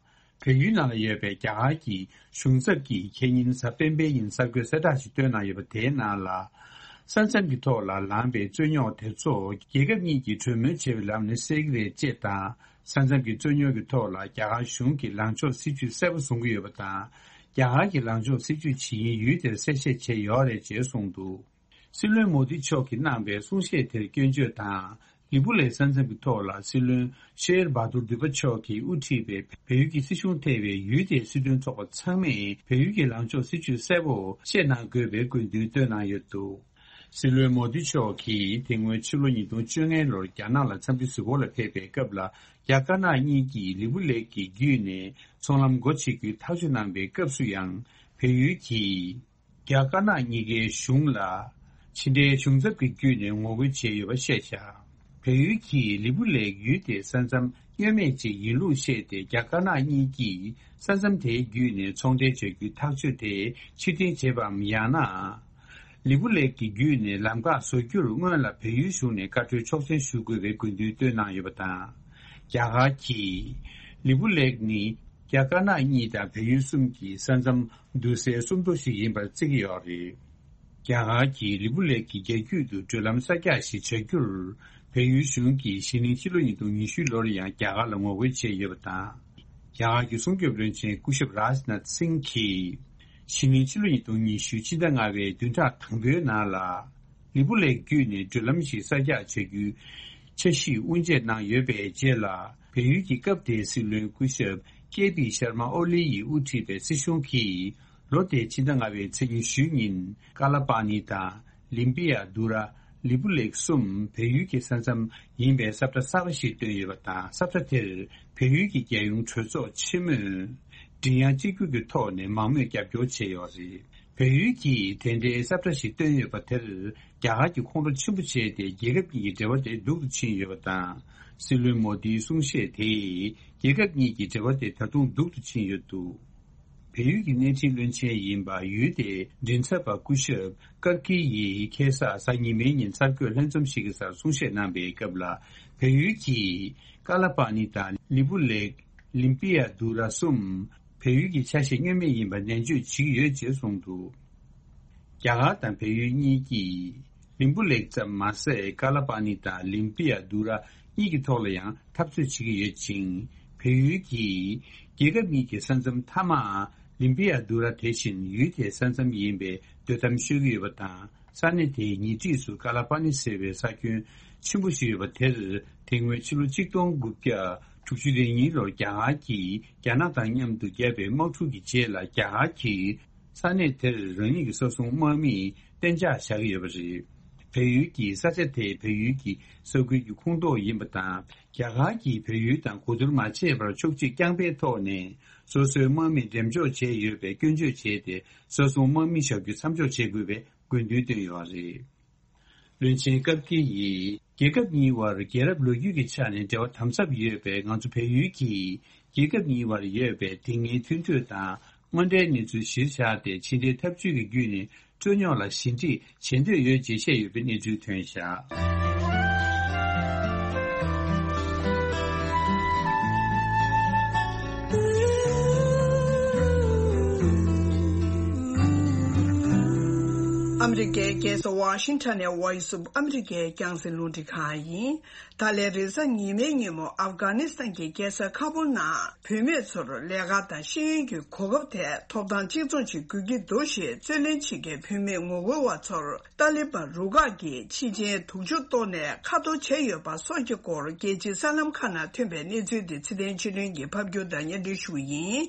བལ་ཡུལ་ནང་ལ་ཡོད་པའི་རྒྱ་གར་གྱི་གཞུང་ཚབ་ཀྱིས་ཁེ་ཉིན་གཟའ་སྤེན་པའི་ཉིན་གསར་འགོད་གསལ་བསྒྲགས་ཤིག་བཏོན་གནང་ཡོད་པ་དེའི་ནང་ལ། ས་མཚམས་ཀྱི་ཐོག་ལ་ལངས་པའི་རྩོད་རྙོག་དེ་ཚོ་རྒྱལ་ཁབ་གཉིས་ཀྱིས་གྲོས་མོལ་བྱེད་པའི་ལམ་ནས་སེལ་གྱི་རེད་ཅེས་དང་། ས་མཚམས་ཀྱི་རྩོད་རྙོག་གི་ཐོག་ལ་རྒྱ་གར་གཞུང་གིས་ལངས་ཕྱོགས་སྲིད་ཇུས་གསལ་པོ་བཟུང་གི་ཡོད་པ་དང་། རྒྱ་གར་གྱི་ལངས་ཕྱོགས་སྲིད་ཇུས་ཇི་ཡིན་ཡུལ་དེར་གསལ་བཤད་བྱས་ཡོད་རེད་ཅེས་གསུངས་འདུག་སྲིད་བློན་མོ་དི་མཆོག་གིས་གནང་བའི་གསུང་བཤད་དེར་སྐྱོན་བརྗོད་དང་། ལི་པུ་ལེ་ས་མཚམས་ཀྱི་ཐོག་ལ་སྲིད་བློན་ཤེར་བྷ་དུར་དུ་པ་མཆོག་གིས་དབུ་ཁྲིད་པའི་བལ་ཡུལ་གྱི་སྲིད་གཞུང་ཐེ་བའི་ཡུལ་དེའི་སྲིད་དོན་ཚོགས་པ་ཚང་མས་བལ་ཡུལ་གྱི་ལངས་ཕྱོགས་སྲིད་ཇུས་གསལ་པོ་བཤད་གནང་དགོས་པའི་དགོས་འདུན་བཏོན་གནང་ཡོད་འདུག་སྲིད་བློན་མོ་དི་མཆོག་གིས་དེ་སྔོན་ཕྱི་ལོ་ཉིས་སྟོང་བཅོ་ལྔ་ལོར་རྒྱ་ནག་ལ་འཚམས་འདྲི་གཟིགས་སྐོར་ལ་ཕེབས་པའི་སྐབས་ལ། རྒྱ་དཀར་ནག་གཉིས་ཀྱིས་ལི་པུ་ལེག་གི་བརྒྱུད་ནས་ཚོང་ལམ་སྒོ་ཕྱེ་རྒྱུའི་ཐག་གཅོད་གནང་པའི་སྐབས་སུ་ཡང་། བལ་ཡུལ་གྱིས་རྒྱ་དཀར་ནག་གཉིས་ཀའི་གཞུང་ལ་ཕྱི་འབྲེལ་གཞུང་ཚབ་ཀྱི་བརྒྱུད་ནས་ངོ་རྒོལ་བྱས་ཡོད་པ་བཤད་བཞག་བལ་ཡུལ་གྱིས་ལི་པུ་ལེག་ཡུལ་དེའི་ས་མཚམས་བསྙོན་མེད་ཅིག་ཡིན་ལུགས་བཤད་དེ། རྒྱ་དཀར་ནག་གཉིས་ཀྱིས་ས་མཚམས་དེའི་བརྒྱུད་ནས་ཚོང་འབྲེལ་བྱ་རྒྱུའི་ཐག་གཅོད་དེ་ཕྱིར་འཐེན་བྱས་པའམ། ཡང་ན། ལི་པུ་ལེག་གི་བརྒྱུད་ནས་ལམ་ཁ་བཟོ་རྒྱུར་སྔོན་ལ་བལ་ཡུལ་གཞུང་ནས་བཀའ་འཁྲོལ་ཆོག་མཆན་ཞུ་དགོས་པའི་དགོས་འདུན་བཏོན་གནང་ཡོད་པ་དང་། རྒྱ་གར་གྱིས་ལི་པུ་ལེག་ནི་རྒྱ་དཀར་ནག་གཉིས་དང་བལ་ཡུལ་གསུམ་གྱི་ས་མཚམས་བསྡུར་སའི་སུམ་མདོ་ཞིག་ཡིན་པར་བརྩི་གི་ཡོད་རེད། རྒྱ་གར་གྱིས་ལི་པུ་ལེག་གི་རྒྱ་རྒྱུད་དུ་བགྲོད་ལམ་གསར་རྒྱག་ཞིག་བྱ་རྒྱུར། བལ་ཡུལ་གཞུང་གིས་གཞེས་ནིང་ཕྱི་ལོ་ཉིས་སྟོང་ཉི་ཤུ་ལོར་ཡང་རྒྱ་གར་ལ་ངོ་རྒོལ་བྱས་ཡོད་པ་དང་། རྒྱ་གར་གྱི་སྲུང་སྐྱོབ་བློན་ཆེན་སྐུ་ཞབས་རཱཇ་ནཱཐ་སིང་གིས། གཞེས་ནིང་ཕྱི་ལོ་ཉིས་སྟོང་ཉི་ཤུ་ཕྱི་ཟླ་ལྔ་པའི་བདུན་ཕྲག་དང་པོའི་ནང་ལ། ལི་པུ་ལེག་བརྒྱུད་ནས་བགྲོད་ལམ་ཞིག་གསར་རྒྱག་བྱ་རྒྱུའི་འཆར་གཞི་དབུ་འབྱེད་གནང་ཡོད་པའི་རྗེས་ལ། བལ་ཡུལ་གྱི་སྐབས་དེའི་སྲིད་བློན་སྐུ་ཞབས་ཀེ་པི་ཤར་མ་ཨོ་ལི་ཡིས་དབུ་ཁྲིད་པའི་སྲིད་གཞུང་གིས། ལོ་དེའི་ཕྱི་ཟླ་ལྔ་པའི་ཚེས་ཉི་ཤུའི་ཉིན། ཀ་ལ་པ་ནི་དང་། ལིམ་པི་ཡ་དུ་ར། ལི་པུ་ལེག་གསུམ་བལ་ཡུལ་གྱི་ས་མཚམས་ཡིན་པའི་ས་ཁྲ་གསར་པ་ཞིག་བཏོན་ཡོད་པ་དང་། ས་ཁྲ་དེར་བལ་ཡུལ་གྱི་རྒྱལ་ཡོངས་གྲོས་ཚོགས་ཆེན་མོས་མགྲིན་དབྱངས་གཅིག་གྱུར་གྱི་ཐོག་ནས་མང་མོས་རྒྱབ་སྐྱོར་བྱས་ཡོད་རེད། བལ་ཡུལ་གྱིས་དེ་འདྲའི་ས་ཁྲ་ཞིག་བཏོན་ཡོད་པ་དེར་རྒྱ་གར་གྱིས་ཁོང་ཁྲོ་ཆེན་པོ་བྱས་ཏེ། རྒྱལ་ཁབ་གཉིས་ཀྱི་འབྲེལ་བ་དེ་སྡུག་ཏུ་ཕྱིན་ཡོད་པ་དང་། སྲིད་བློན་མོ་དིའི་གསུང་བཤད་དེས་རྒྱལ་ཁབ་གཉིས་ཀྱི་འབྲེལ་བ་དེ་ད་དུང་སྡུག་ཏུ་ཕྱིན་ཡོད་འདུག་བལ་ཡུལ་གྱི་གནས་འཕྲིན་བློན་ཆེན་ཡིན་པ། ཡུལ་དེའི་མགྲིན་ཚབ་པ་སྐུ་ཞབས་ཀར་ཀི་ཡིས་ཁ་སང་གཟའ་ཉི་མའི་ཉིན་གསར་འགོད་ལྷན་འཛོམས་ཤིག་གི་སར་གསུང་བཤད་གནང་པའི་སྐབས་ལ། བལ་ཡུལ་གྱིས་ཀ་ལ་པ་ནི་དང་ལི་པུ་ལེག། ལིམ་པི་ཡ་དུ་ར་གསུམ་བལ་ཡུལ་གྱི་ཆ་ཤས་བསྙོན་མེད་ཡིན་པར་ནན་བརྗོད་བྱེད་ཀྱི་ཡོད་ཅེས་གསུངས་འདུག་རྒྱ་གར་དང་བལ་ཡུལ་གཉིས་ཀྱིས་ལིམ་པུ་ལེག་ཙམ་མ་ཟད། ཀ་ལ་པ་ནི་དང་ལིམ་པི་ཡ་དུ་ར་གཉིས་ཀྱི་ཐོག་ལ་ཡང་འཐབ་རྩོད་བྱེད་ཀྱི་ཡོད་ཅིང་། བལ་ཡུལ་གྱིས་རྒྱལ་ཁབ་གཉིས་ཀྱི་ས་མཚམས་མཐའ་མ་ལིམ་པི་ཡ་དུ་ར་དེ་བཞིན་ཡུལ་དེའི་ས་མཚམས་ཡིན་པའི་འདོད་གཏམ་ཤོད་ཀྱི་ཡོད་པ་དང་། ས་གནས་དེའི་ཉེ་འཁྲིས་སུ་ཀ་ལ་པ་ནི་ཟེར་བའི་ས་ཁྱོན་ཆེན་པོ་ཞིག་ཡོད་པ་དེར། དེ་སྔོན་ཕྱི་ལོ་གཅིག་སྟོང་དགུ་བརྒྱ་དྲུག་ཅུ་རེ་གཉིས་ལོར་རྒྱ་གར་གྱིས་རྒྱ་ནག་དང་མཉམ་དུ་བརྒྱབ་པའི་དམག་འཁྲུག་གི་རྗེས་ལ། རྒྱ་གར་གྱིས་ས་གནས་དེར་རང་ཉིད་ཀྱི་ས་སྲུང་དམག་མིའི་གཏན་འཇགས་བཞག་གི་ཡོད་པ་རེད། བལ་ཡུལ་གྱི་ས་ཆ་དེ་བལ་ཡུལ་གྱི་ས་ཁུལ་གྱི་ཁོངས་གཏོགས་ཡིན་པ་དང་། རྒྱ་གར་གྱིས་བལ་ཡུལ་དང་གོ་བསྡུར་མ་བྱས་པར་ཕྱོགས་གཅིག་རྐྱང་པའི་ཐོག་ནས་སོ་སོའི་དམག་མི་འགྲེམས་འཇོག་བྱས་ཡོད་པའི་སྐྱོན་བརྗོད་བྱས་ཏེ། ས་སྲུང་དམག་མི་བཞག་རྒྱུ་མཚམས་འཇོག་བྱེད་དགོས་པའི་དགོས་འདུན་བཏོན་ཡོད་པ་རེད། བློན་ཆེན་ཀར་ཀི་ཡིས། རྒྱལ་ཁབ་གཉིས་དབར་རྒྱལ་རབས་ལོ་རྒྱུས་ཀྱི་ཆ་ནས་འབྲེལ་བ་དམ་ཟབ་ཡོད་པས། ང་ཚོ་བལ་ཡུལ་གྱིས་རྒྱལ་ཁབ་གཉིས་དབར་ཡོད་པའི་དེ་སྔའི་མཐུན་གྲོས་དང་དངོས་འབྲེལ་གནས་ཚུལ་གཞིར་བཞག་སྟེ། ཕྱི་འབྲེལ་འཐབ་ཇུས་ཀྱི་བརྒྱུད་ནས་སྤྲོ་ཉོག་ལ་ཞི་འགྲིག་བྱེད་འདོད་ཡོད་ཅེས་བཤད་ཡོད་པའི་གནས་ཚུལ་ཐོན་བཞག་ཨ་མི་རི་ཀའི་རྒྱལ་ས་ཝ་ཤིང་ཊོན་ནས་Voice of America རྒྱང་སྲིང་རླུང་འཕྲིན་ཁང་ཡིན། ད་ལན་རེས་གཟའ་ཉི་མའི་ཉིན་མོ་ཨབ་གྷ་ནི་སི་ཐན་གྱི་རྒྱལ་ས་ཁ་བུལ་ནང་བུད་མེད་ཚོར་ལས་ཀ་དང་ཤེས་ཡོན་གྱི་གོ་སྐབས་ཐད་ཐོབ་ཐང་གཅིག་མཚུངས་ཤིག་དགོས་ཀྱི་འདུག་ཞེས་རྩོད་ལེན་བྱེད་མཁན་བུད་མེད་ངོ་རྒོལ་བ་ཚོར་ཏཱ་ལི་བན་རུ་ཁག་གིས་ཕྱི་རྐྱེན་སྡུག་སྦྱོང་བཏོན་ནས་མཁའ་གཏོར་བྱས་ཡོད་པ་སོགས་ཀྱི་སྐོར་རྒྱལ་སྤྱིའི་གསར་ལམ་ཁག་ནང་ཐོན་པའི་གནས་ཚུལ་འདི་ཚེ་བརྟན་ཆོས་སྒྲོན་གྱིས་ཕབ་སྒྱུར་དང་སྙན་སྒྲོན་ཞུ་གི་ཡིན།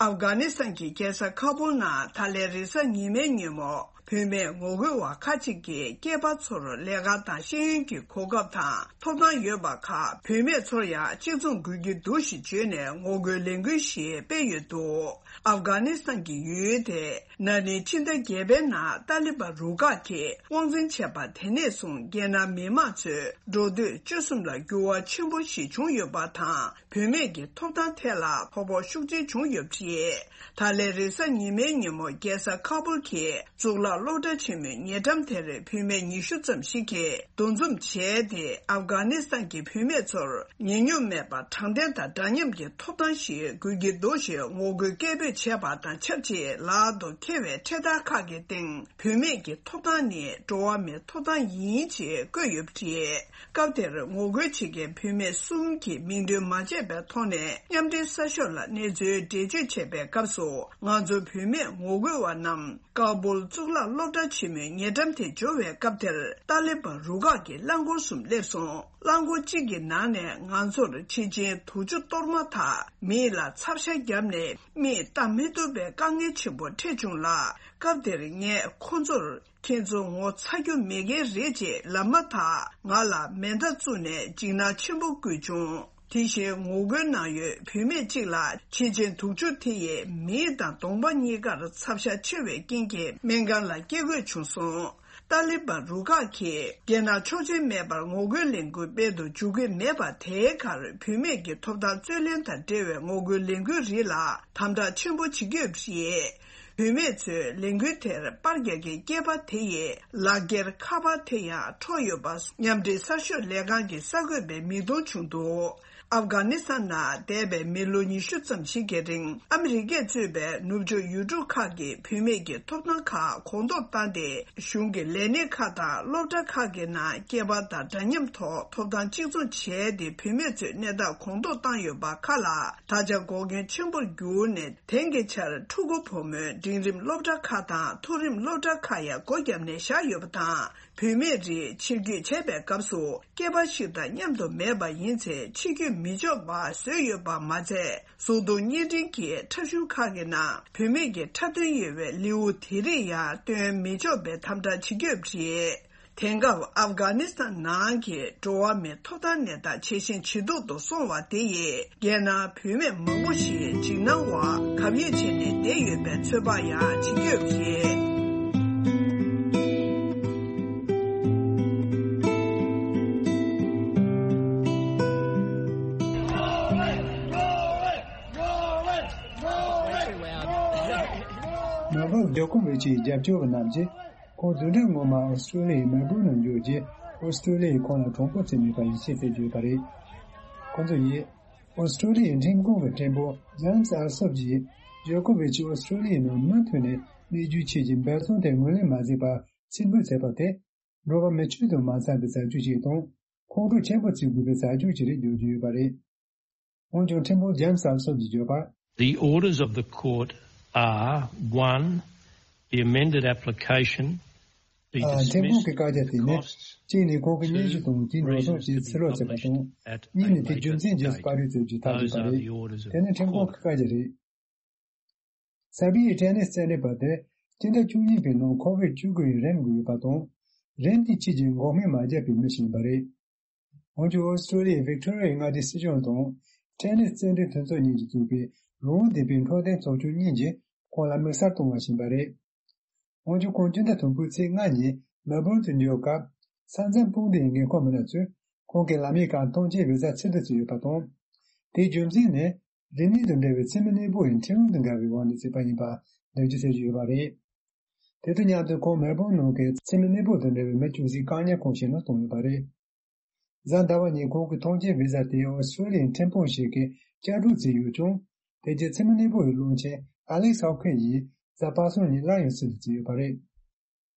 ཨབ་གྷ་ནི་སི་ཐན་གྱི་རྒྱལ་ས་ཁ་བུལ་ནང་ད་ལན་རེས་གཟའ་ཉི་མའི་ཉིན་མོ་བུད་མེད་ངོ་རྒོལ་བ་ཁག་ཅིག་གིས་སྐྱེས་པ་ཚོར་ལས་ཀ་དང་ཤེས་ཡོན་གྱི་གོ་སྐབས་དང་ཐོབ་ཐང་ཡོད་པ་ཁག་བུད་མེད་ཚོར་ཡང་གཅིག་མཚུངས་དགོས་ཀྱི་འདུག་ཞེས་བརྗོད་ནས་ངོ་རྒོལ་ལས་འགུལ་ཞིག་སྤེལ་ཡོད་འདུག་ཨབ་གྷ་ནི་སི་ཐན་གྱི་ཡུལ་དེ་ན་ནིང་ཕྱི་ཟླ་བརྒྱད་པའི་ནང་ཏཱ་ལི་བན་རུ་ཁག་གིས་དབང་འཛིན་བྱས་པ་དེ་ནས་བཟུང་རྒྱལ་ནང་མི་མང་ཚོའི་འགྲོ་སྡོད་སྤྱོད་གསུམ་ལ་འགྱུར་བ་ཆེན་པོ་ཞིག་བྱུང་ཡོད་པ་དང་། བུད་མེད་ཀྱི་ཐོབ་ཐང་ཐད་ལ་ཕོ་ཕོ་ཤུགས་ཆེན་བྱུང་ཡོད་པ་རེད། ད་ལན་རེས་གཟའ་ཉི་མའི་ཉིན་མོ་རྒྱལ་ས་ཁ་བུལ་གྱི་གཙུག་ལག་སློབ་གྲྭ་ཆེན་མོའི་ཉེ་འགྲམ་དེར་བུད་མེད་ཉི་ཤུ་ཙམ་ཞིག་གིས་འདུ་འཛོམས་བྱས་ཏེ། ཨབ་གྷ་ནི་སི་ཐན་གྱི་བུད་མེད་ཚོར་ཉེ་སྙོམས་མེད་པར་དྲང་བདེན་དང་འདྲ་མཉམ་གྱི་ཐོབ་ཐང་ཞིག་དགོས་ཀྱི་འདུག་ཞེས་ངོ་རྒོལ་སྐད་འབོད་བྱས་པ་དང་ཆབས་ཅིག་ལག་ཏུ་འཁྱེར་བའི་འཕྲེད་དར་ཁག་གི་སྟེང་། བུད་མེད་ཀྱི་ཐོབ་ཐང་ནི་འགྲོ་བ་མིའི་ཐོབ་ཐང་ཡིན་ཅེས་བཀོད་ཡོད་པ་རེད། སྐབས་དེར་ངོ་རྒོལ་བྱེད་མཁན་བུད་མེད་གསུམ་གྱིས་མིང་འདོན་མ་བྱས་པའི་ཐོག་ནས་མཉམ་འབྲེལ་གསར་ཤོག་ལ་གནས་ཚུལ་འགྲེལ་བརྗོད་བྱས་པའི་སྐབས་སུ། ང་ཚོ་བུད་མེད་ངོ་རྒོལ་བ་རྣམས་ཀ་བུལ་གཙུག་ལག་སློབ་གྲྭ་ཆེན་མོའི་ཉེ་འགྲམ་དེ་འབྱོར་བའི་སྐབས་དེར། ཏཱ་ལི་བན་རུ་ཁག་གི་རླངས་འཁོར་གསུམ་སླེབས་སོང་། རླངས་འཁོར་གཅིག་གི་ནང་ནས་ང་ཚོར་ཕྱི་ཆེན་དུག་ཆུ་གཏོར་མ་དག་མིག་ལ་ཚབ་ཤ་བརྒྱབ་ནས། མིག་ལྟ་མི་ཐུབ་པའི་དཀའ་ངལ་ཆེན་པོ་འཕྲད་བྱུང་ལ། སྐབས་དེར་ངས་ཁོ་ཚོར། ཁྱེད་ཚོ་ངོ་ཚ་རྒྱུ་མེད་མཁན་རེད་ཅེས་ལབ་མ་ཐག་ང་ལ་མེ་མདའ་བཙུགས་ནས་འཇིགས་སྣང་ཆེན་པོ་བསྐུལ་བྱུང་། དེ་བཞིན་ངོ་རྒོལ་གནང་ཡུལ་བུད་མེད་ཅིག་ལ་ཕྱི་ཆེན་དུག་ཆུ་དེ་ཡིས་མིག་དང་གདོང་པ་གཉིས་ཀར་ཚབ་ཤ་ཆེ་བའི་རྐྱེན་གྱིས་སྨན་ཁང་ལ་སྐྱེལ་དགོས་བྱུང་སོང་། ཏཱ་ལི་བན་རུ་ཁག་གིས་རྒྱལ་ནང་ཆོག་མཆན་མེད་པར་ངོ་རྒོལ་ལས་འགུལ་སྤེལ་དུ་འཇུག་གི་མེད་པ། དེའི་ཁར་བུད་མེད་ཀྱི་ཐོབ་ཐང་རྩོད་ལེན་དང་འབྲེལ་བའི་ངོ་རྒོལ་ལས་འགུལ་རིགས་ལ་དམ་དྲག་ཆེན་པོ་བྱེད་ཀྱི་ཡོད་པ་རེད། བུད་མེད་ཚོས་ལས་འགུལ་དེར་པར་རྒྱག་མཁན་སྐྱེས་པ་དེ་ཡི་ལག་འཁྱེར་ཁ་པར་དེ་ཡང་འཕྲོག་ཡོད་པ་མཉམ་འབྲེལ་གསར་ཤོག་ལས་ཁང་གི་གསར་འགོད་པས་མིག་མཐོང་བྱུང་འདུག་ཨབ་གྷ་ནི་སི་ཐན་ནང་འདས་པའི་མི་ལོ་ཉི་ཤུ་ཙམ་ཞིག་གི་རིང་ཨ་མི་རི་ཀས་གཙོས་པའི་ནུབ་ཕྱོགས་ཡུལ་གྲུ་ཁག་གིས་བུད་མེད་ཀྱི་ཐོབ་ཐང་ཁག་གོང་མཐོར་བཏང་སྟེ། གཞུང་གི་ལས་གནས་ཁག་དང་སློབ་གྲྭ་ཁག་གི་ནང་སྐྱེས་པ་དང་འདྲ་མཉམ་ཐོག་ཐོབ་ཐང་གཅིག་མཚུངས་བྱས་ཏེ། བུད་མེད་ཚོའི་གནས་སྟངས་གོང་མཐོར་བཏང་ཡོད་པ་ཁག་ལ་ད་ཆ་འགོག་རྐྱེན་ཆེན་པོར་གྱུར་ནས། དེང་གི་ཆར་ཕྲུ་གུ་བུ་མོའི་འབྲིང་རིམ་སློབ་གྲྭ་ཁག་དང་མཐོ་རིམ་སློབ་གྲྭ་ཁག་ཡང་སྒོ་བརྒྱབ་ནས་བཞག་ཡོད་པ་དང་། བུད་མེད་རིགས་ཕྱིར་སྐྱོད་བྱས་པའི་སྐབས་སུ། སྐྱེས་པ་ཞིག་དང་མཉམ་དུ་མེད་པ་ཡིན་ཚེ། ཕྱིར་སྐྱོད་མི་ཆོག་པ་བཟོས་ཡོད་པ་མ་ཚད། གཟུགས་མཐོང་བརྙན་འཕྲིན་གྱི་འཁྲབ་གཞུང་ཁག་གི་ནང་བུད་མེད་ཀྱི་འཁྲབ་སྟོན་ཡོད་པའི་ལེའུ་དེ་རིགས་ཡང་སྟོན་མི་ཆོག་པའི་དམ་དྲག་བྱེད་ཀྱི་ཡོད་པ་རེད། དེང་སྐབས་ཨབ་གྷ་ནི་སི་ཐན་ནང་གི་འགྲོ་བ་མིའི་ཐོབ་ཐང་གནས་སྟངས་ཇེ་ཞན་ཇེ་སྡུག་ཏུ་སོང་བ་དེ་ཡིས། རྒྱལ་ནང་བུད་མེད་མང་པོ་ཞིག་འཇིགས་སྣང་འོག་གབ་ཡིབ་བྱས་ནས་བསྡད་ཡོད་པའི་ཚོད་དཔག་ཡང་བྱེད་ཀྱི་ཡོད་པ་རེད། མ་བབ་ཇོ་ཀོ་ཝིཆ་ཡི་རྒྱབ་སྐྱོར་བ་རྣམས་ཀྱིས། ཁོང་བདུན་ཕྲག་སྔོན་མ་ཨོ་སི་ཀྲོ་ལི་ཡའི་མེལ་བོར་ནང་འབྱོར་རྗེས། ཨོ་སི་ཀྲོ་ལི་ཡས་ཁོང་ལ་གྲོགས་པོ་བཙལ་ནུས་པ་ཡིད་ཆེས་བསྟན་ཡོད་པ་རེད། ཁོང་ཚོ་ཡིས། ཨོ་སི་ཀྲོ་ལི་ཡའི་ཁྲིམས་ཁང་གི་ཁྲིམས་དཔོན་ཇེམ་སི་ཨལ་སོབ་ཀྱིས། ཇོ་ཀོ་ཝིཆ་ཨོ་སི་ཀྲོ་ལི་ཡའི་ནང་མུ་མཐུད་ནས་གནས་རྒྱུ་ཆེད་ཀྱི་འབད་བརྩོན་དེ་ངོས་ལེན་མ་མཛད་པར་ཕྱིར་འབུད་མཛད་པ་དེ། འགྲོ་བ་མི་ཆོས་དང་མ་འཚམ་པའི་བྱ་སྤྱོད་ཅིག་དང་། ཁོང་ཁྲོ་ཆེན་པོ་བྱེད་དགོས་པའི་བྱ་སྤྱོད་ཅིག་རེད་བརྗོད་ཀྱི་ཡོད་པ་རེད། འོན་ཀྱང་ཁྲིམས་དཔོན་ཇེམ་སི་ཨལ་སོབ་ཀྱིས་བརྗོད་པར། The orders of the court are, one, the amended application be dismissed. ཁྲིམས་ཁང་གི་བཀའ་རྒྱ་དེ་ནི། གཅིག་ནས་ཁོང་གི་སྙན་ཞུ་དང་དེའི་འགྲོ་སོང་དེ་ཕྱིར་སློག་བྱེད་པ་དང་། གཉིས་ནས་དེ་རྒྱུ་མཚན་རྗེས་སུ་པར་རིས་བཙལ་རྒྱུའི་ཐག་གཅོད་པ་རེད། དེ་ནི་ཁྲིམས་ཁང་གི་བཀའ་རྒྱ་རེད། སར་བྷི་ཡའི་ཊེ་ནིས་རྩེད་འགྲན་པ་དེ་སྤྱི་ཟླ་བཅུ་གཉིས་པའི་ནང་ཁོ་བིད་བཅུ་དགུ་ཡི་རིམས་འགོས་ཡོད་པ་དང་། རིམས་དེའི་ཆེད་ཀྱི་འགོག་སྨན་མ་བརྒྱབ་པའི་མི་ཞིག་ཡིན་པ་རེད། འོན་ཀྱང་ཨོ་སི་ཀྲོ་ལི་ཡའི་ཝིག་ཏོ་རི་ཡའི་མངའ་སྡེའི་སྲིད་གཞུང་དང་། ཊེ་ནིས་རྩེད་འགྲན་མཐུན་ཚོགས་གཉིས་ཀྱིས་བཙུགས་པའི་རང་དབང་ལྡན་པའི་འཕྲོད་བསྟེན་ཚོགས་ཆུང་གཉིས་ཀྱིས་ཁོང་ལ་དམིགས་བསལ་གཏོང་བ་བྱིན་པ་རེད། འོན་ཀྱང་ཁོང་སྤྱི་ཟླ་དང་པོའི་ཚེས་ལྔ་ཉིན་མེལ་བོར་དུ་འབྱོར་སྐབས། ས་མཚམས་དཔུང་སྡེའི་འགན་འཁུར་མི་སྣ་ཚོས་ཁོང་གི་ལམ་ཡིག་ཁག་ཐོངས་མཆན་བི་ཟ་ཚིག་ཐོ་བཙུགས་ཡོད་པ་དང་། དེའི་རྒྱུ་མཚན་ནི། རིམས་ནད་དང་འབྲེལ་བའི་མཚན་མོའི་གནས་སྤོ་ཡི་ཁྲིམས་ལུགས་དང་འགལ་བའི་འོག་ནས་བརྩིས་པ་ཡིན་པ་འགྲེལ་བརྗོད་བྱེད་ཀྱི་ཡོད་པ་རེད། དེ་དང་མཉམ་དུ་ཁོང་མེལ་བོར་ནང་གི་མཚན་མོའི་གནས་སྤོ་དང་འབྲེལ་བའི་མི་བཅུ་གཅིག་བཀག་ཉར་ཁང་ཞིག་ནང་བཏང་ཡོད་པ་རེད། གཟའ་ཟླ་བ་ཉིན་ཁོང་གི་ཐོངས་མཆན་བི་ཟ་དེ་ཨོ་སི་ཀྲོ་ལི་ཡའི་ཁྲིམས་དཔོན་ཞིག་གིས་བསྐྱར་སྒྲུག་བྱས་ཡོད་ཀྱང་། དེ་རྗེས་མཚན་མོའི་གནས་སྤོ་ཡི་བློན་ཆེན་ཨ་ལེག་སི་ཧོབ་ཁིན་ཡིས་གཟའ་པ་སངས་ཉིན་སླར་ཡང་ཚིག་ཐོ་བརྩིས་ཡོད་པ་རེད།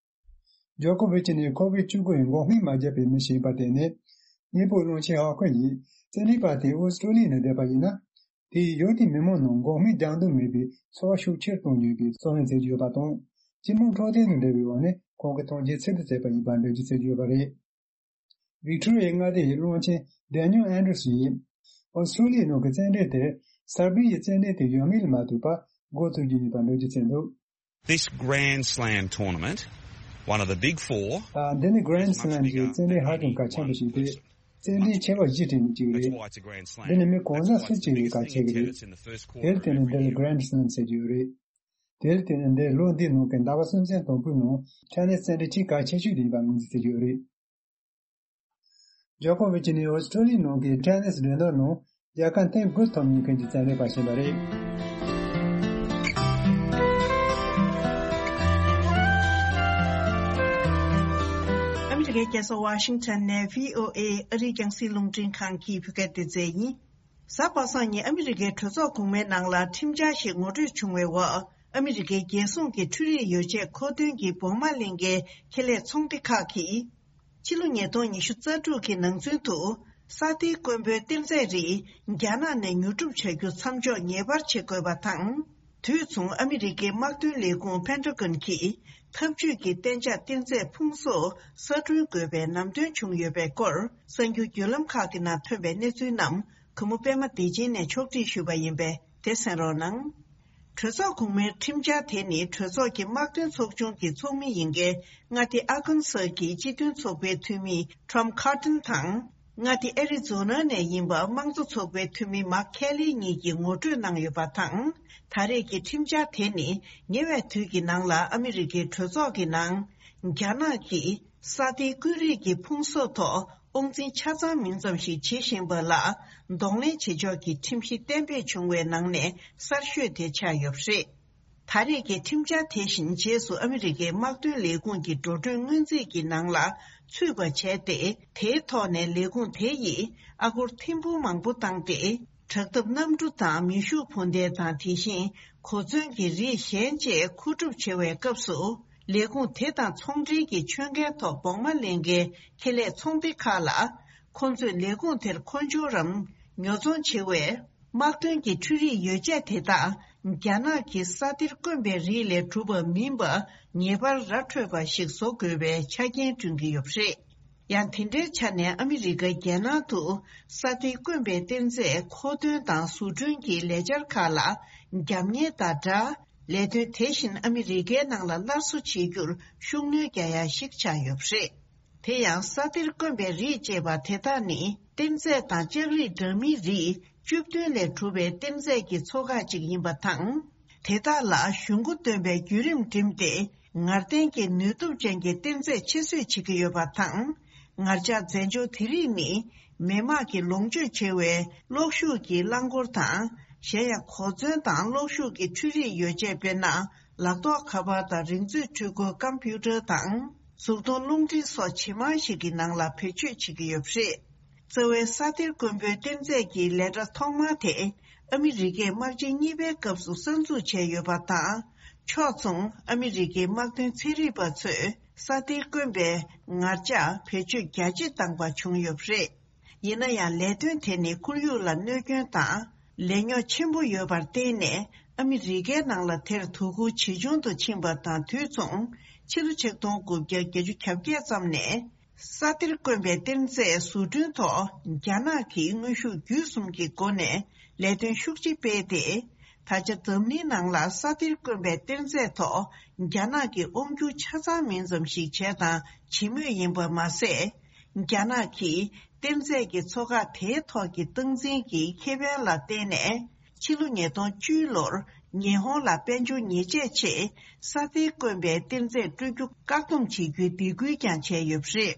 ཇོ་ཀོ་ཝིཆ་ནི་ཁོ་བིད་བཅུ་དགུ་ཡི་འགོག་སྨན་མ་བརྒྱབ་པའི་མི་ཞིག་ཡིན་པར་བརྟེན་ནས། གཉེན་པོ་བློན་ཆེན་ཧོབ་ཁིན་ཡིས་རྩེད་འགྲན་པ་དེ་ཨོ་སི་ཀྲོ་ལི་ཡ་ནང་བསྡད་པ་ཡིན་ན། དེས་ཡུལ་དེའི་མི་མང་ནང་འགོག་སྨན་རྒྱག་འདོད་མེད་པའི་ཚོར་བ་ཤུགས་ཆེར་གཏོང་རྒྱུ་ཡིན་པའི་གསུང་ཡང་བྱེད་ཀྱི་ཡོད་པ་དང་། སྤྱི་དམངས་འཕྲོད་བསྟེན་དང་འབྲེལ་བའི་འོག་ནས་ཁོང་གི་ཐོངས་མཆན་ཚིག་ཐོ་བརྩིས་པ་ཡིན་པར་འགྲེལ་བརྗོད་བྱེད་ཀྱི་ཡོད་པ་རེད། ཝིག་ཏོ་རི་ཡའི་མངའ་སྡེ་ཡི་བློན་ཆེན་ཌེ་ནིལ་ཨན་ཌར་སན་ཡིས། ཨོ་སི་ཀྲོ་ལི་ཡའི་ནང་གི་རྩེད་འགྲན་དེར་སར་བྷི་ཡའི་རྩེད་འགྲན་དེ་ཡོད་མེད་ལ་མ་ལྟོས་པར་འགོ་ཚུགས་རྒྱུ་ཡིན་པར་འགྲེལ་བརྗོད་བྱས་འདུག This Grand Slam tournament, one of the big four, ཨ། འདི་ནི་Grand Slam གྱི་རྩེད་འགྲན་ཧ་ཅང་གལ་ཆེན་པོ་ཞིག་སྟེ། རྩེད་འགྲན་ཆེ་བ་བཞི་སྒྲིལ་ནས་བྱུང་བ་རེད། འདི་ནི་མི་གང་ཟག་སུ་གཅིག་ཡིན་གལ་ཆེ་གི་རེད། དེར་བརྟེན་ནས་འདི་ལ་Grand Slam ཟེར་གྱི་ཡོད་རེད། དེར་བརྟེན་ནས་འདིར་ལོ་འདིའི་ནང་གི་ཟླ་བ་གསུམ་ཚན་དང་པོའི་ནང་ཊེ་ནིས་རྩེད་འགྲན་ཆེས་གལ་ཆེ་ཤོས་དེ་ཡིན་པ་ངོས་འཛིན་བྱེད་ཀྱི་ཡོད་རེད། ཇོ་ཀོ་ཝིཆ་ནི་ཨོ་སི་ཀྲོ་ལི་ཡའི་ནང་གི་ཊེ་ནིས་འགྲན་བསྡུར་ནང་རྒྱལ་ཁ་ཐེངས་དགུ་ཐོབ་མྱོང་མཁན་གྱི་རྩེད་འགྲན་པ་ཞིག་ཡིན་པ་རེད། ཨ་མི་རི་ཀའི་རྒྱལ་ས་ཝ་ཤིང་ཊོན་ནས་བྷི་ཨོ་ཨེ་ཨ་རིའི་རྒྱང་སྲིང་རླུང་འཕྲིན་ཁང་གི་བོད་སྐད་སྡེ་ཚན་ཡིན། གཟའ་པ་སངས་ཉིན་ཨ་མི་རི་ཀའི་གྲོས་ཚོགས་གོང་མའི་ནང་ལ་ཁྲིམས་འཆར་ཞིག་ངོ་སྤྲོད་བྱུང་བའི་འོག་ཨ་མི་རི་ཀའི་རྒྱལ་སྲུང་གི་འཕྲུལ་རིག་ཡོ་ཆས་མཁོ་འདོན་གྱི་བོགས་མ་ལེན་མཁན་ཁེ་ལས་ཚོང་སྡེ་ཁག་གིས། ཕྱི་ལོ་ཉིས་སྟོང་ཉི་ཤུ་རྩ་དྲུག་གི་ནང་ཚུན་དུ། ས་མཐོའི་དཀོན་པོའི་གཏེར་རྫས་རིགས་རྒྱ་ནག་ནས་ཉོ་སྒྲུབ་བྱ་རྒྱུ་མཚམས་འཇོག་ངེས་པར་བྱེད་དགོས་པ་དང་། དུས་མཚུངས་ཨ་མི་རི་ཀའི་དམག་དོན་ལས་ཁུངས་Pentagon་གྱིས། འཐབ་ཇུས་ཀྱི་གཏན་འཇགས་གཏེར་མཛོད་ཕུང་གསོག་གསར་སྐྲུན་དགོས་པའི་ལམ་སྟོན་བྱུང་ཡོད་པའི་སྐོར། གསར་འགྱུར་བརྒྱུད་ལམ་ཁག་གི་ནང་ཐོན་པའི་གནས་ཚུལ་རྣམས་གུས་མོ་པད་མ་བདེ་ཆེན་ནས་ཕྱོགས་སྒྲིག་ཞུས་པ་ཡིན་པས་དེ་གསན་རོགས་གནང་། གྲོས་ཚོགས་གོང་མའི་ཁྲིམས་འཆར་དེ་ནི་གྲོས་ཚོགས་ཀྱི་དམག་དོན་ཚོགས་ཆུང་གི་ཚོགས་མི་ཡིན་མཁན་མངའ་སྡེ་ཨ་ཀན་སཱ་གི་སྤྱི་མཐུན་ཚོགས་པའི་འཐུས་མི་Tom Cotton དང་། མངའ་སྡེ་ཨེ་རི་ཛོ་ན་ནས་ཡིན་པ་དམངས་གཙོ་ཚོགས་པའི་འཐུས་མི་Mark Kelly གཉིས་ཀྱིས་ངོ་སྤྲོད་གནང་ཡོད་པ་དང་། ད་རེས་ཀྱི་ཁྲིམས་འཆར་དེ་ནི་ཉེ་བའི་དུས་ཀྱི་ནང་ལ་ཨ་མི་རི་ཀའི་གྲོས་ཚོགས་ཀྱི་ནང་རྒྱ་ནག་གིས་ས་མཐོའི་ཀུན་རིག་གི་ཕུང་གསོག་ཐོག་དབང་འཛིན་ཆ་ཚང་མིན་ཙམ་ཞིག་བྱེད་བཞིན་པ་ལ་གདོང་ལེན་བྱེད་ཕྱོགས་ཀྱི་ཁྲིམས་གཞི་གཏན་འབེབས་བྱུང་བའི་ནང་ནས་གསར་ཤོས་དེ་ཆགས་ཡོད་པ་རེད། ད་རེས་ཀྱི་ཁྲིམས་འཆར་དེ་བཞིན་རྗེས་སུ་ཨ་མི་རི་ཀའི་དམག་དོན་ལས་ཁུངས་ཀྱི་འགྲོ་གྲོན་སྔོན་རྩིས་ཀྱི་ནང་ལ་ཚུད་པ་བྱས་ཏེ། དེའི་ཐོག་ནས་ལས་ཁུངས་དེ་ཡིས་ཨ་སྒོར་ཐེར་འབུམ་མང་པོ་བཏང་སྟེ། དྲག་འཐབ་གནམ་གྲུ་དང་མེ་ཤུགས་འཕུར་མདེལ་དང་། དེ་བཞིན་གོ་མཚོན་གྱི་རིགས་གཞན་བཅས་མཁོ་སྒྲུབ་བྱེད་པའི་སྐབས་སུ། ལས་ཁུངས་དེ་དང་ཚོང་འབྲེལ་གྱི་ཆོད་མཁན་ཐོག་བོགས་མ་ལེན་མཁན་ཁེ་ལས་ཚོང་སྡེ་ཁག་ལ། ཁོ་ཚོས་ལས་ཁུངས་དེར་མཁོ་སྦྱོར་རམ་ཉོ་ཚོང་བྱེད་པའི། དམག་དོན་གྱི་འཕྲུལ་རིག་ཡོ་བྱད་དེ་དག་རྒྱ་ནག་གི་ས་གཏེར་དཀོན་པའི་རིགས་ལས་གྲུབ་པ་མིན་པ་ངེས་པར་ར་འཕྲོད་པ་ཞིག་བཟོ་དགོས་པའི་ཆ་རྐྱེན་བསྐྲུན་གྱི་ཡོད་པ་རེད། ཡང་དེ་འདྲའི་ཆ་ནས་ཨ་མི་རི་ཀ་རྒྱལ་ནང་དུ་ས་གཏེར་དཀོན་པའི་གཏེར་རྫས་མཁོ་འདོན་དང་བཟོ་སྐྲུན་གྱི་ལས་འཆར་ཁག་ལ་རྒྱབ་གཉེར་དང་སྦྲགས། ལས་དོན་དེ་བཞིན་ཨ་མི་རི་ཀའི་ནང་ལ་སླར་གསོ་བྱེད་རྒྱུར་ཤུགས་སྣོན་རྒྱག་ཡ་ཞིག་ཆགས་ཡོད་པ་རེད། དེ་ཡང་ས་གཏེར་དཀོན་པའི་རིགས་ཅེས་པ་དེ་དག་ནི་གཏེར་རྫས་དང་ལྕགས་རིགས་འདྲ་མིན་རིགས་བཅུ་བདུན་ལས་གྲུབ་པའི་གཏེར་རྫས་ཀྱི་ཚོ་ཁག་ཅིག་ཡིན་པ་དང་། དེ་དག་ལ་གཞུང་མགོ་འདོན་པའི་བརྒྱུད་རིམ་བསྒྲིམས་ཏེ་ངར་ལྡན་གྱི་ནུས་སྟོབས་ཅན་གྱི་གཏེར་རྫས་ཆེད་བཟོས་བྱེད་ཀྱི་ཡོད་པ་དང་། ངར་ལྕགས་རྫས་སྦྱོར་དེ་རིགས་ནི་མི་དམངས་ཀྱིས་ལོངས་སྤྱོད་བྱེད་པའི་གློག་ཤུགས་ཀྱི་རླངས་འཁོར་དང་། གཞན་ཡང་གོ་མཚོན་དང་གློག་ཤུགས་ཀྱི་འཕྲུལ་རིག་ཡོ་བྱད། དཔེར་ན། ལག་ཐོགས་ཁ་པར་དང་རིག་མཛོད་འཕྲུལ་འཁོར་ཀམ་པུ་ཊར་དང་། གཟུགས་མཐོང་རླུང་འཕྲིན་སོགས་ཇེ་མང་ཞིག་གི་ནང་ལ་བེད་སྤྱོད་བྱེད་ཀྱི་ཡོད་པ་རེད། རྩ་བའི་ས་གཏེར་དཀོན་པོའི་གཏེར་རྫས་ཀྱི་ལས་གྲྭ་ཐོག་མ་དེ་ཨ་མི་རི་ཀས་དམག་ཆེན་གཉིས་པའི་སྐབས་སུ་གསར་འཛུགས་བྱས་ཡོད་པ་དང་། ཕྱོགས་མཚུངས་ཨ་མི་རི་ཀའི་དམག་དོན་ཚན་རིག་པ་ཚོས་ས་གཏེར་དཀོན་པའི་ངར་ལྕགས་བེད་སྤྱོད་རྒྱ་ཇེ་བཏང་བ་བྱུང་ཡོད་པ་རེད། ཡིན་ན་ཡང་ལས་དོན་དེ་ནི་ཁོར་ཡུག་ལ་གནོད་སྐྱོན་དང་ལས་ཉོག་ཆེན་པོ་ཡོད་པར་བརྟེན་ནས། ཨ་མི་རི་ཀའི་ནང་ལ་དེར་དོ་ཁུར་ཇེ་ཆུང་དུ་ཕྱིན་པ་དང་། དུས་མཚུངས་ཕྱི་ལོ་ཆིག་སྟོང་དགུ་བརྒྱ་བརྒྱད་ཅུ་གྱ་བརྒྱད་ཙམ་ནས་ས་གཏེར་དཀོན་པའི་གཏེར་རྫས་བཟོ་སྐྲུན་ཐོག་རྒྱ་ནག་གིས་དངོས་ཤུགས་བརྒྱུད་གསུམ་གྱི་སྒོ་ནས་ལས་དོན་ཤུགས་ཆེ་སྤེལ་ཏེ། ད་ཆ་འཛམ་གླིང་ནང་ལ་ས་གཏེར་དཀོན་པའི་གཏེར་རྫས་ཐོག་རྒྱ་ནག་གིས་དབང་སྒྱུར་ཆ་ཚང་མིན་ཙམ་ཞིག་བྱས་དང་བྱེད་མུས་ཡིན་པ་མ་ཟད། རྒྱ་ནག་གིས་གཏེར་རྫས་ཀྱི་མཚོ་ཁག་དེའི་ཐོག་གི་སྟངས་འཛིན་གྱི་ཁེ་ཕན་ལ་བརྟེན་ནས། ཕྱི་ལོ་ཉིས་སྟོང་བཅུ་ལོར་ཉི་ཧོང་ལ་དཔལ་འབྱོར་ཉེས་ཆད་ཆེད་ས་གཏེར་དཀོན་པའི་གཏེར་རྫས་སྤྲོད་རྒྱུ་བཀག་སྡོམ་བྱེད་རྒྱུའི་སྡིགས་སྐུལ་ཀྱང་བྱས་ཡོད་པ་རེད།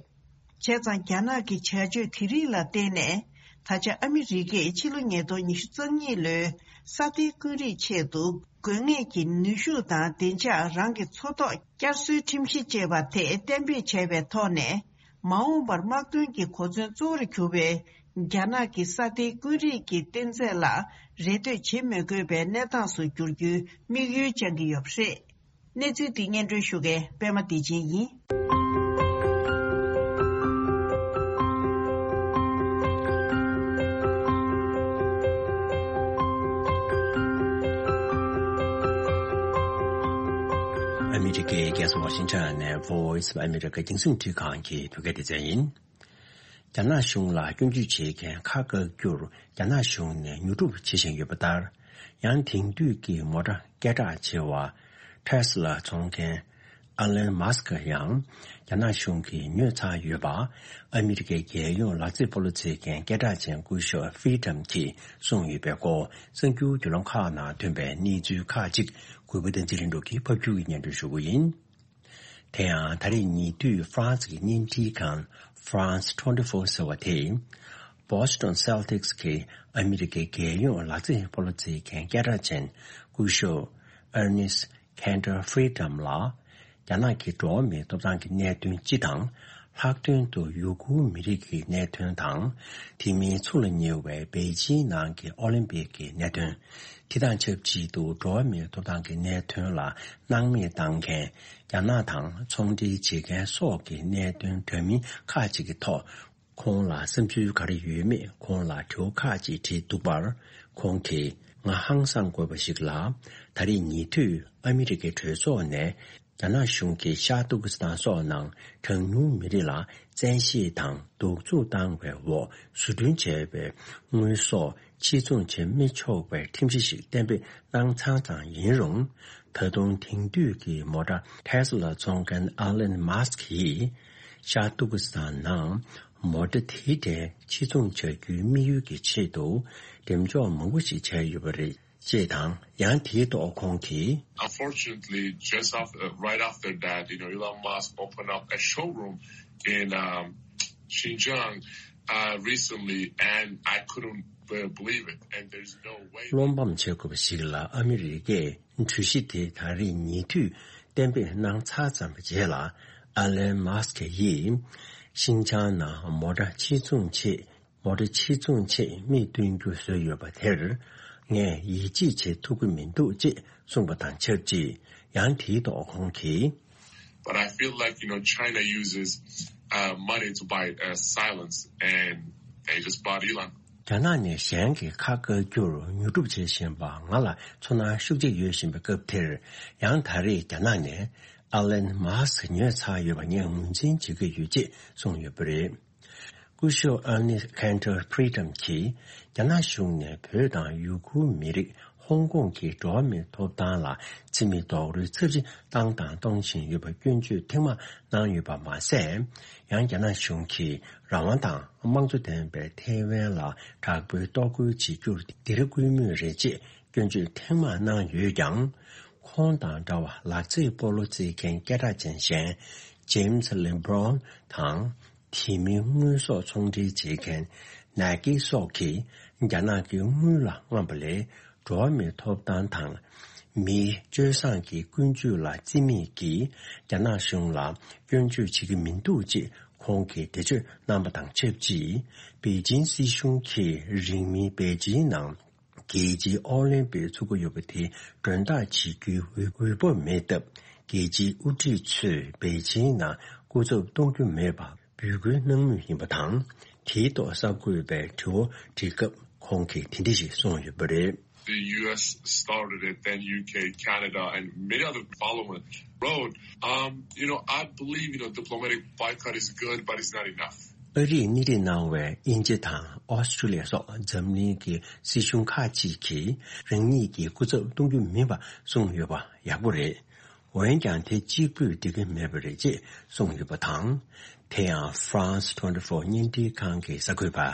བྱས་ཙང་རྒྱ་ནག་གི་བྱ་སྤྱོད་དེ་རིགས་ལ་བརྟེན་ནས། ད་ཆ་ཨ་མི་རི་ཀས་ཕྱི་ལོ་ཉིས་སྟོང་ཉི་ཤུ་རྩ་གཉིས་ལོའི་ས་གཏེར་དཀོན་རིགས་ཆེད་དུ་དགོས་ངེས་ཀྱི་ནུས་ཤུགས་དང་བདེ་འཇགས་རང་གི་མཚོ་ཐོག་བསྐྱར་གསོའི་ཁྲིམས་གཞི་ཅེས་པ་དེ་གཏན་འབེབས་བྱས་པའི་ཐོག་ནས། མ་འོངས་པར་དམག་དོན་གྱི་གོ་མཚོན་གཙོ་བོར་གྱུར་པའི་རྒྱ་ནག་གི་ས་གཏེར་དཀོན་རིགས་ཀྱི་གཏེར་རྫས་ལ་རེ་ལྟོས་བྱེད་མི་དགོས་པའི་གནས་སྟངས་སུ་འགྱུར་རྒྱུའི་དམིགས་ཡུལ་བཅངས་ཀྱི་ཡོད་པ་རེད། གནས་ཚུལ་འདི་སྙན་སྒྲོན་ཞུ་མཁན་པད་མ་བདེ་ཆེན་ཡིན། ཨ་མི་རི་ཀའི་རྒྱལ་ས་ཝ་ཤིང་ཊོན་ནས་Voice of America རྒྱང་སྲིང་འཕྲིན་ཁང་གི་བོད་སྐད་སྡེ་ཚན་ཡིན། རྒྱ་ནག་གཞུང་ལ་སྐྱོན་བརྗོད་བྱེད་མཁན་ཁག་བཀག་རྒྱུར་རྒྱ་ནག་གཞུང་ནས་ཉོ་སྒྲུབ་བྱེད་བཞིན་ཡོད་པ་ལྟར། ཡང་དེང་དུས་ཀྱི་མོ་ཊ་སྐད་གྲགས་ཆེ་བ་Tesla འཚོང་མཁན་Elon Musk ཡང་རྒྱ་ནག་གཞུང་གིས་ཉོས་ཚར་ཡོད་པ། ཨ་མི་རི་ཀའི་རྒྱལ་ཡོངས་ལག་རྩེད་སྤོ་ལོ་རྩེད་མཁན་སྐད་གྲགས་ཅན་སྐུ་ཞབས་Freedom གྱིས་གསུངས་ཡོད་པའི་སྐོར། གསར་འགྱུར་བརྒྱུད་ལམ་ཁག་ནང་ཐོན་པའི་གནས་ཚུལ་ཁག་ཅིག་གུས་པ་བསྟན་འཛིན་ལྷུན་གྲུབ་ཀྱིས་ཕབ་སྒྱུར་གྱིས་སྙན་སྒྲོན་ཞུ་རྒྱུ་ཡིན། དེ་ཡང་ད་རེས་ཉེ་དུས་ཧྥ་རན་སི་གི་བརྙན་འཕྲིན་ཁང་France twenty-four ཟེར་བ་དེས། Boston Celtics གི་ཨ་མི་རི་ཀའི་རྒྱལ་ཡོངས་ལག་རྩེད་སྤོ་ལོ་རྩེད་མཁན་སྐད་གྲགས་ཅན་སྐུ་ཞབས་Enes Kanter Freedom ལ། རྒྱ་ནག་གི་འགྲོ་བ་མིའི་ཐོབ་ཐང་གི་གནད་དོན་སྤྱི་དང་། ལྷག་དོན་དུ་ཡུ་གུར་མི་རིགས་ཀྱི་གནད་དོན་དང་། དེ་མིན་ཚུར་ལ་ཉེ་བའི་པེ་ཅིན་ནང་གི་ཨོ་ལིམ་པིག་གི་གནད་དོན། དེ་དང་ཆབས་ཅིག་ཏུ་འགྲོ་བ་མིའི་ཐོབ་ཐང་གི་གནད་དོན་ལ་སྣང་མེད་བཏང་མཁན། རྒྱ་ནག་དང་ཚོང་འབྲེལ་བྱེད་མཁན་སོགས་ཀྱི་གནད་དོན་འདྲ་མིན་ཁག་ཅིག་གི་ཐོག་ཁོང་ལ་བསམ་ཚུལ་ག་རེ་ཡོད་མེད་ཁོང་ལ་དྲི་བ་ཁག་ཅིག་དྲིས་འདུག་པར། ཁོང་གིས། ང་ཧང་སང་དགོས་པ་ཞིག་ལ། ད་རེས་ཉེ་དུས་ཨ་མི་རི་ཀའི་གྲོས་ཚོགས་ནས། རྒྱ་ནག་གཞུང་གིས་ཤར་ཏུར་ཀི་སི་ཐན་སོགས་ནང་གྲངས་ཉུང་མི་རིགས་ལ་བཙན་ཤེད་དང་གདུག་རྩུབ་བཏང་བའི་འོག་བཟོ་སྐྲུན་བྱས་པའི་དངོས་ཟོག་ཕྱིར་ཚོང་བྱེད་མི་ཆོག་པའི་ཁྲིམས་གཞི་ཞིག་གཏན་འབེབས་གནང་ཚར་ཙམ་ཡིན་རུང་། ད་དུང་དེང་དུས་ཀྱི་མོ་ཊ་ཊེ་སི་ལ་བཙོང་མཁན་ཨ་ལན་མཱ་སི་ཀི་ཡིས་ཤར་ཏུར་ཀི་སི་ཐན་ནང་མོ་ཊ་དེ་འདྲའི་ཕྱིར་ཚོང་བྱ་རྒྱུའི་དམིགས་ཡུལ་གྱི་ཆེད་དུ་འགྲེམས་འཇོག་མང་པོ་ཞིག་བྱས་ཡོད་པ་རེད། ཅེས་དང་། ཡང་དེའི་ཐོག་ཁོང་གིས། Unfortunately, just after, uh, right after that, you know, Elon Musk opened up a showroom in, um, Xinjiang, uh, recently, and I couldn't, uh, believe it. And there's no way. བློ་ཕམ་བྱེད་དགོས་པ་ཞིག་ལ། ཨ་མི་རི་ཀས་གྲོས་གཞི་དེ་ད་རེས་ཉེ་དུས་གཏན་འབེབས་གནང་ཚར་ཙམ་པའི་རྗེས་ལ། ཨ་ལན་མཱ་སི་ཀི་ཡིས་ཤིན་ཅང་ནང་མོ་ཊ་ཕྱིར་ཚོང་ཆེད། མོ་ཊ་ཕྱིར་ཚོང་ཆེད་མིས་སྟོན་རྒྱུ་བཟོས་ཡོད་པ་དེར། ངས་ཡིད་ཆེས་བྱེད་ཐུབ་ཀྱི་མི་འདུག་ཅེས་གསུངས་པ་དང་ཆབས་ཅིག། ཡང་དེའི་ཐོག་ཁོང་གིས། But I feel like, you know, China uses, uh, money to buy, uh, silence, and they just bought Elon. རྒྱ་ནག་ནས་གཞན་གྱི་ཁ་བཀག་རྒྱུར་ཉོ་སྒྲུབ་བྱེད་བཞིན་པ་ང་ལ་ཚོར་སྣང་ཤུགས་ཆེ་ཡོད་བཞིན་པའི་སྐབས་དེར། ཡང་ད་རེས་རྒྱ་ནག་ནས་ཨ་ལན་མཱ་སི་ཉོས་ཚར་ཡོད་པ་ངས་ངོས་འཛིན་བྱེད་ཀྱི་ཡོད་ཅེས་གསུངས་ཡོད་པ་རེད། སྐུ་ཞབས་Ernest Cantor Freedom གྱིས་རྒྱ་ནག་གཞུང་ནས་བོད་དང་ཡུ་གུར་མི་རིགས་ཧོང་ཀོང་གི་འགྲོ་བ་མིའི་ཐོབ་ཐང་ལ་འཛིན་མེད་རྡོག་རོལ་ཚབས་ཆེ་བཏང་དང་གཏོང་བཞིན་ཡོད་པར་སྐྱོན་བརྗོད་ཐེངས་མང་གནང་ཡོད་པ་མ་ཟད། ཡང་རྒྱ་ནག་གཞུང་གིས་རང་དབང་དང་དམངས་གཙོ་ལྡན་པའི་ཐའེ་ཝན་ལ་དྲག་པོའི་གཏོར་རྒོལ་བྱེད་རྒྱུར་སྡིགས་ར་བསྐུལ་མུས་རེད་ཅེས་སྐྱོན་བརྗོད་ཐེངས་མང་གནང་ཡོད་ཀྱང་། ཁོང་དང་འདྲ་བར་ལག་རྩེད་སྤོ་ལོ་རྩེད་མཁན་སྐད་གྲགས་ཅན་གཞན་James LeBron དང་། དེ་མིན་དངོས་ཟོག་ཚོང་འབྲེལ་བྱེད་མཁན་Nike སོགས་ཀྱིས་རྒྱ་ནག་གི་དངུལ་ལ་རྔམ་པ་ལས། འགྲོ་བ་མིའི་ཐོབ་ཐང་དང་། མིའི་སྤྱོད་བཟང་གི་ཀུན་སྤྱོད་ལ་བརྩི་མེད་ཀྱིས་རྒྱ་ནག་གཞུང་ལ་སྐྱོན་བརྗོད་བྱེད་ཀྱི་མི་འདུག་ཅེས་ཁོང་གིས་འགྲེལ་བརྗོད་གནང་པ་དང་ཆབས་ཅིག། པེ་ཅིན་སྲིད་གཞུང་གིས་རིང་མིན་པེ་ཅིན་ནང་རྒྱལ་སྤྱིའི་ཨོ་ལིམ་པིག་ཚུགས་ཀྱི་ཡོད་པ་དེ་མགྲོན་བདག་བྱེད་རྒྱུའི་འོས་འོས་བབ་མེད་སྟབས། རྒྱལ་སྤྱིའི་དབུ་ཁྲིད་ཚོས་པེ་ཅིན་ནང་སྐུ་ཚབ་གཏོང་རྒྱུ་མེད་པ་འབོད་སྐུལ་གནང་མུས་ཡིན་པ་དང་། དེའི་ཐོག་གསར་འགོད་པས་དྲི་བ་དྲིས་སྐབས། ཁོང་གིས་དེ་འདྲ་ཞིག་གསུངས་ཡོད་པ་རེད། The U S started it, then U K, Canada, and many other followed road. Um, you know, I believe, you know, diplomatic boycott is good, but it's not enough. ཨ་རིས་སྣེ་ཁྲིད་གནང་བའི་དབྱིན་ཇི་དང་ཨོ་སི་ཀྲུ་ལི་ཡ་སོགས་འཛམ་གླིང་གི་སྲིད་གཞུང་ཁག་ཅིག་གིས་རང་ཉིད་ཀྱི་སྐུ་ཚབ་གཏོང་རྒྱུ་མིན་པ་གསུངས་ཡོད་པ་ཡག་པོ་རེད། འོན་ཀྱང་དེ་གཅིག་པུས་འགྲིག་གི་མེད་པ་རེད་ཅེས་གསུངས་ཡོད་པ་དང་། དེ་ཡང་France twenty-four བརྙན་འཕྲིན་ཁང་གི་གསར་འགོད་པ།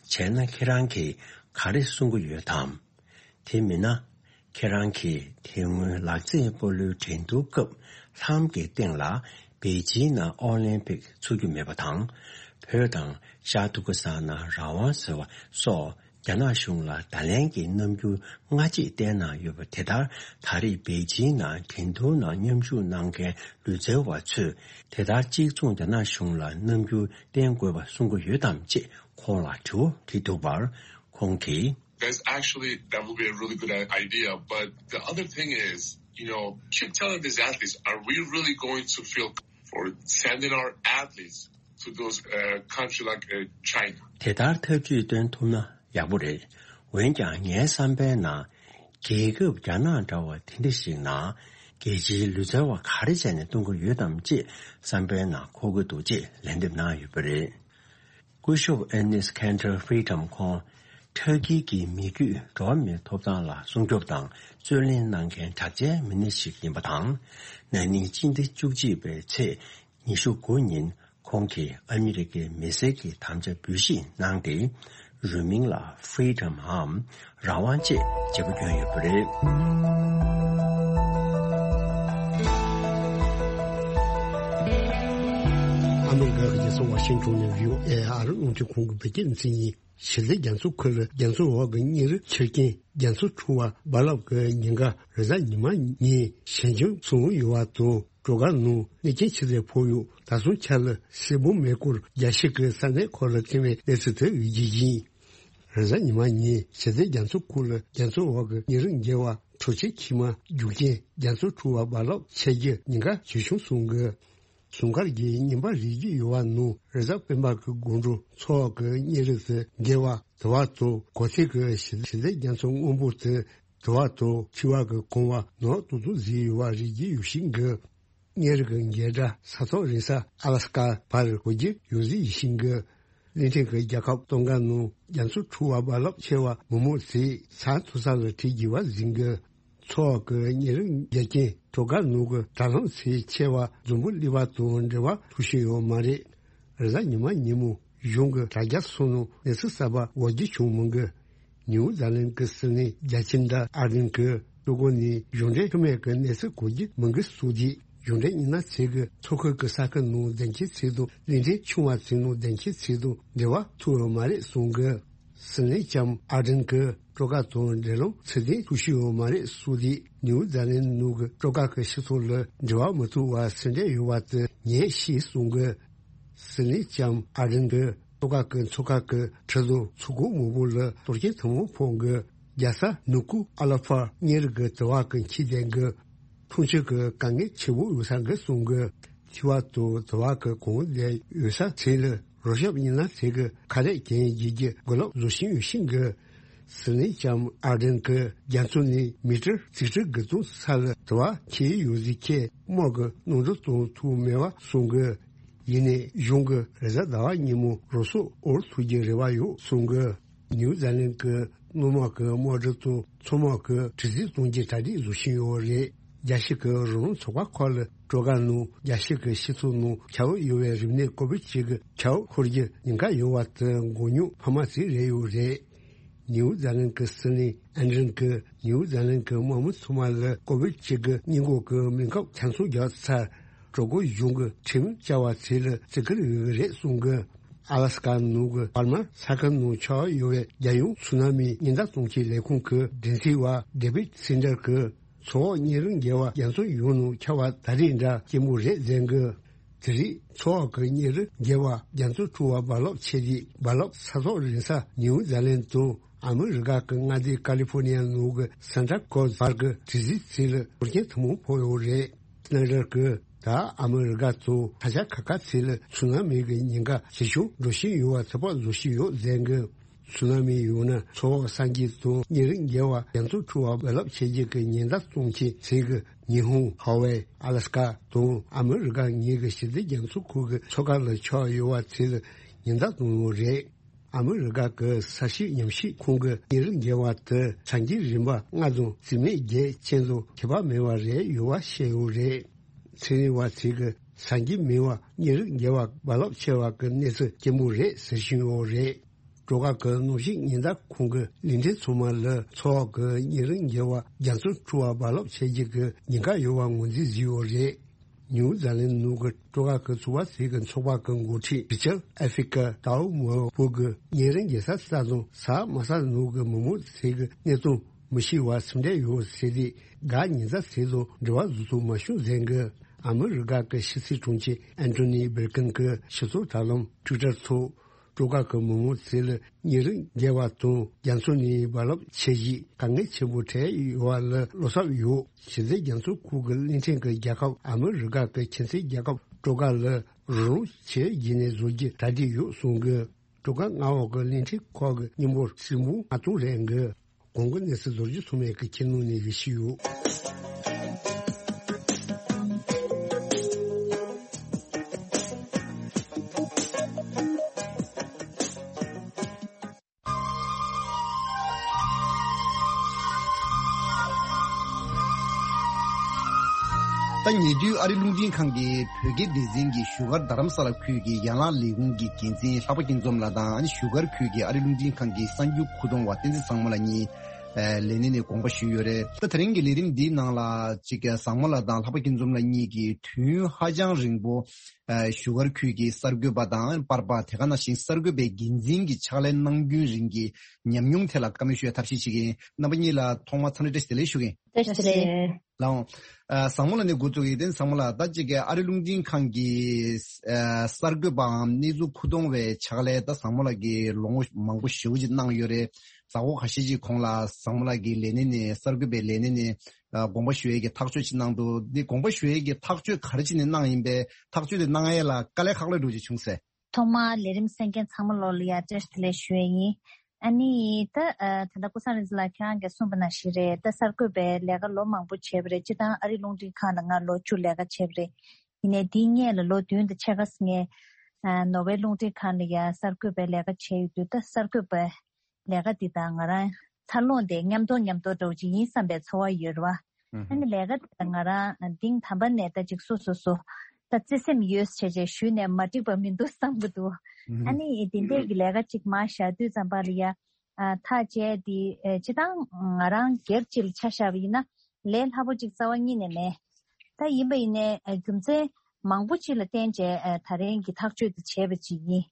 བྱས་ན་ཁྱེད་རང་གིས་ག་རེ་གསུང་གི་ཡོད་དམ། དེ་མིན་ན། ཁྱེད་རང་གིས་དེ་སྔོན་ལག་རྩེད་སྤོ་ལོའི་འགྲན་བསྡུར་སྐབས་ལྷམ་གྱི་སྟེང་ལ་པེ་ཅིན་ནང་ཨོ་ལིམ་པིག་ཚུགས་རྒྱུ་མེད་པ་དང་། བོད་དང་ཤར་ཏུར་ཀི་སི་ཐན་ནང་རང་དབང་ཟེར་བ་སོགས། རྒྱ་ནག་གཞུང་ལ་བརྡ་ལན་གྱི་རྣམ་འགྱུར་སྔ་རྗེས་བསྟན་གནང་ཡོད་པ་དེ་ལྟར། ད་རེས་པེ་ཅིན་ནང་འགྲན་བསྡུར་ནང་མཉམ་ཞུགས་གནང་མཁན་ལུས་རྩལ་བ་ཚོས་དེ་ལྟར་གཅིག་མཚུངས་རྒྱ་ནག་གཞུང་ལ་རྣམ་འགྱུར་བསྟན་དགོས་པ་གསུང་གི་ཡོད་དམ་ཅེས་ཁོང་ལ་དྲི་བ་དྲིས་འདུག་པར། ཁོང་གིས། That's actually, that would be a really good i- idea. But the other thing is, you know, keep telling these athletes, are we really going to feel for sending our athletes to those, uh, country like, uh, China? དེ་ལྟར་ཐབས་ཇུས་བཏོན་ཐུབ་ན་ཡག་པོ་རེད། འོན་ཀྱང་ངའི་བསམ་པའི་ནང་། རྒྱལ་ཁབ་རྒྱ་ནག་འདྲ་བ་དེ་འདྲ་ཞིག་ནང་། རྒྱལ་སྤྱིའི་ལུས་རྩལ་བ་ག་རེ་བྱས་ནས་གཏོང་གི་ཡོད་དམ་ཅེས་བསམ་པའི་ནང་འཁོར་གྱི་འདུག་ཅེས་ལན་འདེབས་གནང་ཡོད་པ་རེད། སྐུ་ཞབས་Ernest Cantor Freedom ཁོང་། ཊར་ཀི་གི་མི་རྒྱུད་འགྲོ་བ་མིའི་ཐོབ་ཐང་ལ་སྲུང་སྐྱོབ་དང་རྩོད་ལེན་གནང་མཁན་གྲགས་ཅན་མི་སྣ་ཞིག་ཡིན་པ་དང་། ན་ནིང་སྤྱི་ཟླ་བཅུ་གཅིག་པའི་ཚེས་ཉི་ཤུ་དགུ་ཉིན། ཁོང་གིས་ཨ་མི་རི་ཀའི་མི་སེར་གྱི་དམ་བཅའ་འབུལ་བཞེས་གནང་སྟེ། རུས་མིང་ལ་Freedom འམ་རང་དབང་ཅེས་བརྗེ་པོ་བསྐྱོན་ཡོད་པ་རེད། ཨ་མི་རི་ཀ་གི་རྒྱལ་ས་ཝ་ཤིང་ཊོན་ནས་བྷི་ཨོ་ཨེ་ཨར་རླུང་འཕྲིན་ཁང་གི་བོད་སྐད་སྡེ་ཚན་ཡིན། གཞི་རྩའི་རྒྱ་མཚོ་ཁུལ་རྒྱ་མཚོ་འོག་གི་གཉན་རིམས་ཆེ་རྐྱེན་རྒྱ་མཚོ་འཁྲུག་པ་རྦ་རླབས་ཀྱི་ཉེན་ཁ་རེས་གཟའ་ཉི་མ་ཉིན་ཞན་ཆུང་སོང་ཡོད་པ་དང་། སྒྲོལ་དཀར་ནང་གནོད་རྐྱེན་ཆེ་ཙམ་ཕོག་ཡོད། ད་སོང་ཆ་ལ་སིལ་བུ་མེ་འཁོར་རྒྱ་ཤིག་གི་ས་གནས་ཁག་ལ་ཐོན་པའི་གནས་ཚུལ་དེ་ཡོད་རྒྱུ་ཡིན། རེས་གཟའ་ཉི་མ་ཉིན་གཞི་རྩའི་རྒྱ་མཚོ་ཁུལ་རྒྱ་མཚོ་འོག་གི་གཉན་རིམས་བརྒྱལ་བ་གྲོ་ཆས་ཁྱི་མ་རྒྱུག་རྐྱེན་རྒྱ་མཚོ་འཁྲུག་པ་རྦ་རླབས་ཆེ་རྒྱུ་ཉེན་ཁ་ཇེ་ཆུང་སོང་གི། ཟུང་སྐར་གྱི་བརྙན་པར་རིག་རྒྱུ་ཡོད་པ་ནང་རེས་གཟའ་སྤེན་པ་གི་དགོང་དྲོ་མཚོ་འོག་གི་གཉན་རིམས་དེ་བརྒལ་བ་དུ་བ་དང་གོ་ཐིག་གི་གཞི་གཞི་རྩའི་རྒྱ་མཚོ་སྔོན་པོ་དེ་དུ་བ་དང་མཁྲིས་པ་གི་གོང་བ་ནག་ཏོག་ཏོ་ཟིག་ཡོད་པ་རིག་རྒྱུ་ཡོད་ཤིང་གི། གཉེར་གྱི་འགལ་ཟླ་ས་ཐོག་རིང་ས་ཨ་ལ་སི་ཀ་བར་གོ་རྒྱུ་ཡོད་རྒྱུ་ཡིན་ཤིང་གི། གླིང་ཕྲན་གྱི་རྒྱལ་ཁབ་སྟོང་ག་ནང་རྒྱ་མཚོ་འཕྲོ་བ་རྦ་རླབས་ཆེ་བ་མང་མོ་ཚོས་ས་མཐོ་ས་ལ་ཁྲིད་རྒྱུ་བ་ཟིན་གི། མཚོ་འོག་གི་གཉེར་རིམ་རྒྱ་ཅན་བྲོ་གར་ནང་གི་དྲ་ལམ་ཚད་ཆེ་བ་འཛམ་བུ་གླིང་པ་དང་འབྲེལ་བ་ཐུག་བཞིན་ཡོད་མ་རེད། རེས་གཟའ་ཉི་མ་ཉིན་མོ་གཞུང་གི་དྲ་རྒྱ་སོགས་ནང་གནས་ཚུལ་གསར་པ་འགོད་རྒྱུ་བྱུང་མི་འདུག། ནིའུ་ཛི་ལན་གྱི་སྲིད་བློན་རྒྱལ་ཆེན་ཟླ་ཨར་ཌེན་གྱིས་ཀྲུང་གོ་ནས་གཞུང་འབྲེལ་མཆོད་མེ་གི་གནས་ཚུལ་འགོད་རྒྱུ་མི་འདུག་གསུངས་རྗེས། གཞུང་འབྲེལ་མི་སྣ་ཚོས་ཀྱི་མཚོ་ཁུལ་གྱི་ས་ཁུལ་ནང་བདེ་འཁོད་ཚད་དང་གླིང་ཕྲན་ཆུང་བ་ཚོའི་ནང་བདེ་འཁོད་ཚད་དང་འབྲེལ་བ་ཐུག་ཡོད་མ་རེད་གསུངས་གི། སྲིད་བློན་ལྕམ་ཨར་ཌེན་གྱིས་བྲོ་གར་དང་འབྲེལ་ལམ་ཚུལ་ལྡན་ཐུག་ཤེས་ཡོད་མ་རེད་གསུངས་ཏེ། ནིའུ་ཛི་ལན་ནང་གི་བྲོ་གར་གྱི་སྤྱི་ཚོགས་ལ་འབྲེལ་བ་མི་ཐུབ་པ་སེམས་ཁྲལ་ཡོད་པ་དེ་ངས་ཤེས་གསུངས་གི། སྲིད་བློན་ལྕམ་ཨར་ཌེན་གྱིས་བྲོ་གར་གྱི་མཚོ་ཁ་གི་གྲུ་དང་མཚོ་ཁུག་མང་པོ་ལ་གཏོར་སྐྱོན་ཐེངས་མང་ཕོག་གི། རྒྱལ་ས་ནུ་ཀུ་ཨ་ལ་ཕར་གཉེར་གྱི་དུ་བ་གི་འཁྱིལ་ལྡན་གྱི་འཐུང་ཆུ་གི་དཀའ་ངལ་ཆེན་པོ་ཡོད་ས་འགའ་གསུངས་གི། འཁྱིལ་བ་དང་དུ་བ་གི་གོང་ལྡན་ཡོད་ས་ཚོ་ལ་རོགས་སྐྱོབ་མི་སྣ་ཚོས་ཀྱི་ཁ་རས་གྱོན་རྒྱུ་གི་གོ་སྐབས་བཟོ་བཞིན་ཡོད་ཤིང་གི། སྲིད་བློན་ལྕམ་ཨར་ཌེན་གྱིས་རྒྱ་མཚོ་ནས་མི་ཊར་ཆིག་ཁྲི་དགུ་སྟོང་ས་ལ་དུ་བ་འཁྱིལ་ཡོད་ཟེར་ཁྱེད་དམག་གི་གནམ་གྲུ་གཏོང་ཐུབ་མེད་པ་གསུངས་གི། ཡིན་ནའི་གཞུང་གིས་རེས་གཟའ་ཟླ་བ་ཉིན་མོ་རང་སྲོག་འོར་ཐུག་རྒྱུའི་རེ་བ་ཡོད་གསུངས་གི། ནིའུ་ཛི་ལན་གྱི་སྣོལ་དམག་གི་དམག་གྲུ་དང་མཚོ་དམག་གི་དྲི་རྩད་གཏོང་རྒྱུའི་གྲ་སྒྲིག་བཟོ་བཞིན་ཡོད་རེད། རྒྱལ་སྤྱི་གི་རང་དབང་ཚོགས་པ་ཁག་ལ་བྲོ་གར་ནང་རྒྱལ་སྤྱི་གི་སྤྱི་ཚོགས་ནང་ཁྱབ་ཡོད་པའི་རིམས་ནད་ཀོ་བིད་བཅུ་དགུ་ཁྱབ་ཤོར་རྒྱུ་ཉེན་ཁ་ཡོད་པ་དེ་མགོ་རྙོག་འཕར་མ་ཞིག་རེད་ཡོད་རེད། ནིའུ་ཛི་ལན་གྱི་སྲིད་བློན་ཨན་ཌྲེན་གྱིས་ནིའུ་ཛི་ལན་གྱི་དམག་མི་ཚང་མ་ལ་ཀོ་བིད་བཅུ་དགུ་སྔོན་འགོག་གི་སྨན་ཁབ་ཆ་ཚང་བརྒྱབ་ཚར། གྲོས་འགོ་གཞུང་གི་ཁྲིམས་བཅའ་བ་ཚོ་ལ་བརྩི་བཀུར་ཡོད་ཀྱི་རེད་གསུངས་གི། ཨ་ལ་སི་ཀ་ནང་གི་པར་མ་ས་ཁུལ་ནང་ཆགས་ཡོད་པའི་རྒྱལ་ཡོངས་ཚུ་ན་མི་ཉེན་བརྡ་གཏོང་ཆེད་ལས་ཁུངས་ཀྱི་འགན་འཛིན་པ་ཌེ་བིད་སེན་ཏར་གྱིས། མཚོ་འོག་གཉེར་རིམ་བརྒལ་བ་རྒྱ་མཚོ་ཡོངས་ནང་ཁྱབ་པ་ད་རེས་འདྲ་སྐྱེན་པོ་རེད་ཟེར་གི། དེ་རིང་མཚོ་འོག་གི་གཉེར་རིམ་བརྒལ་བ་རྒྱ་མཚོ་འཕྲོ་བ་རྦ་རླབས་ཆེ་རྗེས་རྦ་རླབས་ས་ཐོག་རིང་ས་ནིའུ་ཛི་ལན་དང་ཨ་མི་རི་ཀ་གི་མངའ་སྡེ་ཀ་ལི་ཕོར་ནི་ཡ་ནང་གི་སན་ཏྲ་ཀོ་བར་གྱི་དྲི་རྩད་ཚོ་ལ་གཏོར་སྐྱོན་ཐེངས་མང་ཕོག་ཡོད་རེད། སན་ཏར་གྱིས་ད་ཨ་མི་རི་ཀ་དང་ས་ཆ་ཁག་ཁག་ཚོ་ལ་ཚུ་ན་མི་གི་ཉེན་ཁ་ཇེ་ཆུང་འགྲོ་བཞིན་ཡོད་པ་ཚོད་དཔག་བཟོ་བཞིན་ཡོད་ཟེར་གི། ཚུ་ན་མི་ཡོང་ན་མཚོ་འོག་སངས་རྒྱས་དང་གཉེར་རིམ་བརྒལ་བ་རྒྱ་མཚོ་འཕྲོ་བ་རྦ་རླབས་ཆེ་རྒྱུ་གི་ཉེན་བརྡ་གཏོང་ཆེད་ཚོ་གི་ཉི་ཧོང་ཧ་ཝའི་ཨ་ལ་སི་ཀ་དང་ཨ་མི་རི་ཀ་གཉིས་ཀྱི་ཞི་བདེ་རྒྱ་མཚོ་ཁུལ་གྱི་མཚོ་ཁ་ལ་ཆགས་ཡོད་པ་ཚོ་ལ་ཉེན་བརྡ་གཏོང་ཡོད་རེད། ཨ་མི་རི་ཀ་གི་ས་ཤུགས་ཉམས་ཞིབ་ཁང་གི་གཉེར་རིམ་བརྒལ་བ་དེ་གྲངས་ཀྱི་རིམ་པ་ལྔ་དང་བརྩི་མེད་བརྒྱད་ཅན་དང་ཁྱད་པར་མེད་པ་རེད་ཡོད་པ་བཤད་ཡོད་རེད། ཚན་རིག་པ་ཚོས་ཀྱི་གཟའ་མཇུག་མིན་པ་གཉེར་རིམ་བརྒལ་བ་རྦ་རླབས་ཆེ་བ་གི་གནས་ཚུལ་སྐྱེན་པོ་རེད་ཟེར་བཞིན་ཡོད་རེད། བྲོ་གར་གྱི་གནམ་གཤིས་ཉེན་བརྡ་ཁང་གི་གླིང་ཕྲན་ཚང་མ་ལ་མཚོ་འོག་གི་གཉེར་རིམ་བརྒལ་བ་རྒྱ་མཚོ་འཕྲོ་བ་རྦ་རླབས་ཆེ་རྒྱུ་གི་ཉེན་ཁ་ཡོད་པ་ངོས་འཛིན་བཟོས་ཡོད་རེད། ནིའུ་ཛི་ལན་ནང་གི་བྲོ་གར་གྱི་ཚོགས་པ་ཞིག་གི་ཚོགས་པ་གི་འགོ་ཁྲིད་རི་ཅར་ཨེ་ཧྥི་ཀ་ཏའོ་མོ་བོ་གིས་གཉེར་རིམ་བརྒལ་ས་ས་དང་ས་དམའ་ས་ནང་གི་མི་མང་ཞིག་གི་གནས་སྟངས་མི་ཤེས་པ་སེམས་ཁྲལ་ཡོད་ཟེར་ཏེ། འགག་ཉེན་བརྡ་ཟེར་དང་འབྲེལ་བ་བཟོ་ཐུབ་མ་བྱུང་ཟེར་གི། ཨ་མི་རི་ཀ་གི་ཕྱི་སྲིད་དྲུང་ཆེ་ཨན་ཐོ་ནི་བྷིལ་ཀིན་གྱིས་སྤྱི་ཚོགས་དྲ་ལམ་ཊུའི་ཊར་ཐོག་བྲོ་གར་གྱི་མི་མང་ཚོ་ལ་གཉེར་རིམ་བརྒལ་བ་དང་རྒྱ་མཚོ་ནས་རྦ་རླབས་ཆེ་རྗེས་དཀའ་ངལ་ཆེན་པོ་འཕྲད་ཡོད་པ་ལ་བློ་འཚབ་ཡོད། ཞི་བདེ་རྒྱ་མཚོ་ཁུལ་གྱི་གླིང་ཕྲན་གྱི་རྒྱལ་ཁབ་ཨ་མི་རི་ཀ་གི་ཁྱིམ་མཚེས་རྒྱལ་ཁབ་བྲོ་གར་ལ་རོགས་རམ་བྱེད་བགྱིས་ནས་བཟོ་རྒྱུ་གྲ་སྒྲིག་ཡོད་གསུངས་གི། བྲོ་གར་མངའ་འོག་གི་གླིང་ཕྲན་ཁག་གི་མི་འབོར་ཧྲིལ་པོ་ལྔ་སྟོང་རེད་འགི། གོང་གི་གནས་ཚུལ་ལོ་རྒྱུས་ཚང་མས་ཀྱི་ཁྱེར་ནང་ནས་ཡིད་ཆེས་ཡོད། ད་ཉེ་དུས་ཨ་རི་རླུང་འཕྲིན་ཁང་གི་བོད་སྐད་སྡེ་ཚན་གྱི་བཞུགས་སྒར་རྡ་རམ་ས་ལ་ཁུལ་གྱི་ཡན་ལག་ལས་ཁུངས་ཀྱི་འགན་འཛིན་ལྷག་པ་སྐྱིད་འཛོམས་ལགས་དང་། བཞུགས་སྒར་ཁུལ་གྱི་ཨ་རི་རླུང་འཕྲིན་ཁང་གི་གསར་འགྱུར་མཁོ་གཏོང་བ་བསྟན་འཛིན་བཟང་མོ་ལགས་གཉིས་ལས་གནས་ནས་དགོངས་པ་ཞུས་ཡོད་རེད། ད་དེ་རིང་གི་ལས་རིམ་འདིའི་ནང་ལ་ཅིག་བཟང་མོ་ལགས་དང་ལྷག་པ་སྐྱིད་འཛོམས་ལགས་གཉིས་ཀྱིས་དུས་ཡུན་ཧ་ཅང་རིང་པོ་བཞུགས་སྒར་ཁུལ་གྱི་གསར་འགོད་པ་དང་པར་པ། དེ་ག་ནང་བཞིན་གསར་འགོད་པའི་འགན་འཛིན་གྱི་ཕྱག་ལས་གནང་རྒྱུན་རིང་གི་ཉམས་མྱོང་ཐད་ལ་བཀའ་མོལ་ཞུ་བའི་ཐབས་ཤེས་བྱེད་ཀྱི་ཡིན། རྣམ་པ་གཉིས་ལ་ཐོག་མར་འཚམས་འདྲི་བཀྲ་ཤིས་བདེ་ལེགས་ཞུ་གི་ཡིན། བཀྲ་ཤིས་བདེ་ལེགས། ལགས་འོང་། ཨ། བཟང་མོ་ལགས་ནས་འགོ་བཙུགས་ཡིན། བསྟན་བཟང་མོ་ལགས། ད་ཅིག་གི་ཨ་རི་རླུང་འཕྲིན་ཁང་གི་ཨ་གསར་འགོད་པའམ་གནས་ཚུལ་མཁོ་གཏོང་བའི་ཕྱག་ལས་ད་བཟང་མོ་ལགས་ཀྱིས་ལོ་ངོ་མང་པོ་ཞེ་པོ་ཅིག་གནང་ཡོད་རེད། ཟླ་གོ་ཁ་ཤས་ཅིག་གོང་ལ་བཟང་མོ་ལགས་ཀྱིས་ལས་གནས་ནས་གསར་འགོད་པའི་ལས་གནས་ནས་ཨ་དགོངས་པ་ཞུ་ཡས་ཀྱི་ཐག་གཅོད་ཅིག་གནང་འདུག། འདི་དགོངས་པ་ཞུ་ཡས་ཀྱི་ཐག་གཅོད་ག་རེ་བྱས་ནས་གནང་ཡིན་པས། ཐག་གཅོད་དེ་གནང་ཡས་ལ་དཀའ་ལས་ཁག་པོ་འདྲ་བོ་ཅིག་བྱུང་ཟེར། ཐོག་མར་ལས་རིམ་གསན་མཁན་ཚང་མ་ལོ་ལ་ཡ་བཀྲ་ཤིས་བདེ་ལེགས་ཞུ་ཡས་ཡིན། ཨ་ནི་ད་ཨ་ད་ལྟ་ཀུན་བཟང་རིག་འཛིན་ལགས་ཁྱེད་རང་གིས་གསུངས་པ་ནང་བཞིན་རེད། ད་གསར་འགོད་པའི་ལས་ཀ་ལོ་མང་པོ་བྱས་པ་རེད། སྤྱིར་བཏང་ཨ་རི་རླུང་འཕྲིན་ཁང་ལ་ང་ལོ་བཅུ་ལས་ཀ་བྱས་པ་རེད། ཡིན་ནའི་འདིའི་སྔོན་ལ་ལོ་བདུན་དང་ཕྱེད་ཀ་ངས་ཨ་ནོར་ཝེ་རླུང་འཕྲིན་ཁང་ལ་ཡ་གསར་འགོད་པའི་ལས་ཀ་བྱས་ཡོད་དུས། ད་གསར་འགོད་པའི་ལས་ཀ་འདི་དང་ང་རང་འཚར་ལོངས་དེ་མཉམ་དུ་མཉམ་དུ་འདྲ་བོ་ཅིག་ཡིན་བསམ་པའི་ཚོར་བ་ཡོད་རེད་བ། ཨ་ནི་ལས་ཀ་འདི་ང་རང་གཏིང་དམ་པ་ནས་ད་ཅིག་སོ་སོ་སོ་ད་བརྩེ་སེམས་ཡོད་བྱས་བྱས་ཞུས་ནས་མ་འགྲིག་པ་མི་འདུག་བསམ་གྱི་འདུག་ཨ་ནི་འདི་འདྲས་ཀྱི་ལས་ཀ་ཅིག་མར་བཞག་དུས་ཙམ་པ་ལ་ཡ་ཨ་ཐག་བཅད་དེ་ཨ་སྤྱིར་བཏང་ང་རང་སྒེར་གཅིག་ལ་ཆ་བཞག་པ་ཡིན་ན་ལས་སླ་པོ་ཅིག་རྩ་བ་ཉིད་ནས་མེད། ད་ཡིན་པ་ཡིན་ནའི་ཨ་རྒྱུ་མཚན་མང་པོ་ཅིག་ལ་བརྟེན་བྱས་ཨ་ད་རིང་གི་ཐག་གཅོད་དེ་བྱས་པ་ཅིག་ཡིན།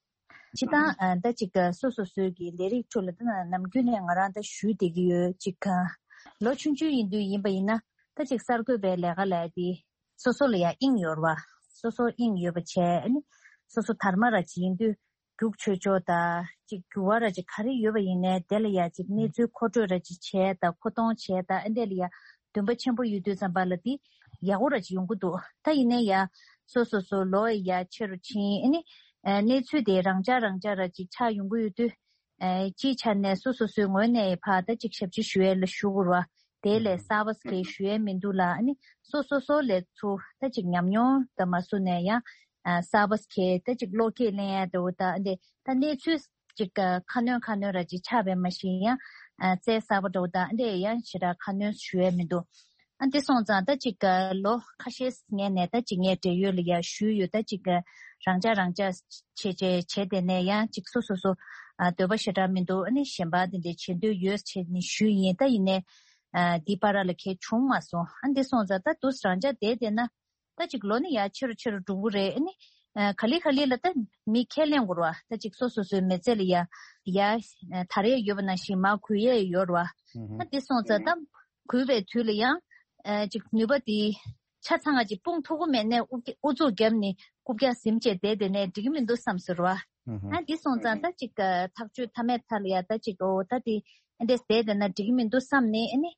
སྤྱིར་བཏང་ཨ་ད་ཅིག་ཨ་སོ་སོ་སོའི་གི་ལས་རིགས་ཁྲོད་ལ་ད་ནམ་རྒྱུན་ནས་ང་རང་ད་ཞུས་བསྡད་ཀྱི་ཡོད། ཅིག་ཨ་ལོ་ཆུང་ཆུང་ཡིན་དུས་ཡིན་པ་ཡིན་ན་ད་ཅིག་གསར་འགོད་པའི་ལས་ཀ་ལས་དེ་སོ་སོ་ལ་ཡང་དབྱིངས་ཡོད་རེད་བ། སོ་སོ་དབྱིངས་ཡོད་པ་བྱས་ཨ་ནི་སོ་སོ་དར་མ་ར་ཅིག་ཡིན་དུས་རྒྱུགས་ཆོད་ཆོག་ད་ཅིག་རྒྱུགས་པ་ར་ཅིག་ག་རེ་ཡོད་པ་ཡིན་ནའི་དེ་ལ་ཡང་ཅིག་གནས་ཚུལ་མཁོ་སྤྲོད་ར་ཅིག་བྱས་ད་མཁོ་གཏོང་བྱས་ད་ཨ་འདྲས་ལ་ཡང་འདུན་པ་ཆེན་པོ་ཡོད་དུས་ཙམ་པ་ལ་དེ་ཡག་པོ་ར་ཅིག་ཡོང་གི་འདུག་ད་ཡིན་ནའི་ཡ་སོ་སོ་སོ་ལོ་ཡ་ཆེ་རུ་ཕྱིན་ཨ་ནི་ཨ་གནས་ཚུལ་དེ་རང་འཇགས་རང་འཇགས་ར་ཅིག་ཆགས་ཡོང་གི་ཡོད་དུས། ཨ་སྤྱིའི་ཆ་ནས་སོ་སོ་སོའི་ངོས་ནས་ཕར་ད་ཅིག་ཞབས་ཕྱི་ཞུ་ཡས་ལ་ཞུ་དགོས་ར། དེ་ལས་གསར་པ་གས་ཞུ་ཡས་མི་འདུག་ལ་ཨ་ནི་སོ་སོ་སོ་ལས་ཚུར་ད་ཅིག་ཉམས་མྱོང་དང་མ་སུ་ནས་ཡང་ཨ་གསར་པ་གས་ད་ཅིག་བློ་སྐྱེད་ལེན་ཡས་འདྲ་བོ་ད་འདི་ད་གནས་ཚུལ་ཅིག་ཁ་སྣོན་ཁ་སྣོན་ར་ཅིག་ཆགས་པའི་མ་གཞི་ཡང་ཨ་རྩལ་གསར་པ་འདྲ་བོ་ད་འདི་ཡང་ཞེ་དྲག་ཁ་སྣོན་ཞུ་ཡས་མི་འདུག་ཨ་འདི་སོང་ཙང་ད་ཅིག་ལོ་ཁ་ཤས་ངས་ནས་ད་ཅིག་ངས་འབྲེལ་ཡོད་ལ་ཡ་ཞུས་ཡོད། ད་ཅིག་རང་འཇགས་རང་འཇགས་བྱས་བྱས་བྱས་དེ་ནས་ཡང་ཅིག་སོ་སོ་སོ་ཨ་འདོད་པ་ཞེ་དྲག་མི་འདུག་ཨ་ནི་གཞན་པ་དེ་འདྲས་བྱེད་འདོད་ཡོད་བྱས་ནས་ཞུས་ཡིན། ད་ཡིན་ནས་ཨ་འདི་བར་ལ་གས་བྱུང་མ་སོང་། ཨ་འདི་སོང་ཙང་ད་དུས་རང་འཇགས་བསྡད་བསྡད་ན་ད་ཅིག་ལོ་ནི་ཡ་ཆེ་རུ་ཆེ་རུ་འགྲོ་གི་རེད། ཨ་ནི་ཨ་ག་ལེ་ག་ལེ་ལ་ད་མི་ཁས་ལེན་དགོས་ར་བ། ད་ཅིག་སོ་སོ་སོའི་མི་ཚེ་ལ་ཡ་ཡ་ད་རེས་ཡོད་པ་ནང་བཞིན་མར་གུས་ཡས་ཡོད་ར་བ། ཨ་འདི་སོང་ཙང་ད་གུས་པའི་དུས་ལ་ཡང་ཨ་ཅིག་ནུས་པ་དེ་ཆ་ཚང་ང་ཅིག་སྤུངས་ཐུབ་ཀྱི་མེད་ནས་ཨུ་ཨུ་ཚུགས་བརྒྱབ་ནས་རྐུབ་བཀྱག་ཟིན་བྱས་བསྡད་དེ་ནས་འགྲིག་གི་མི་འདུག་བསམ་ཟེར་བ། ཨ་འདི་སོང་ཙང་ད་ཅིག་ཐག་གཅོད་མཐའ་མའི་མཐའ་ལ་ཡ་ད་ཅིག་ཨོ་ད་དེ་ཨ་འདྲས་བསྡད་དེ་ན་འགྲིག་གི་མི་འདུག་བསམ་ནས་ཨ་ནི་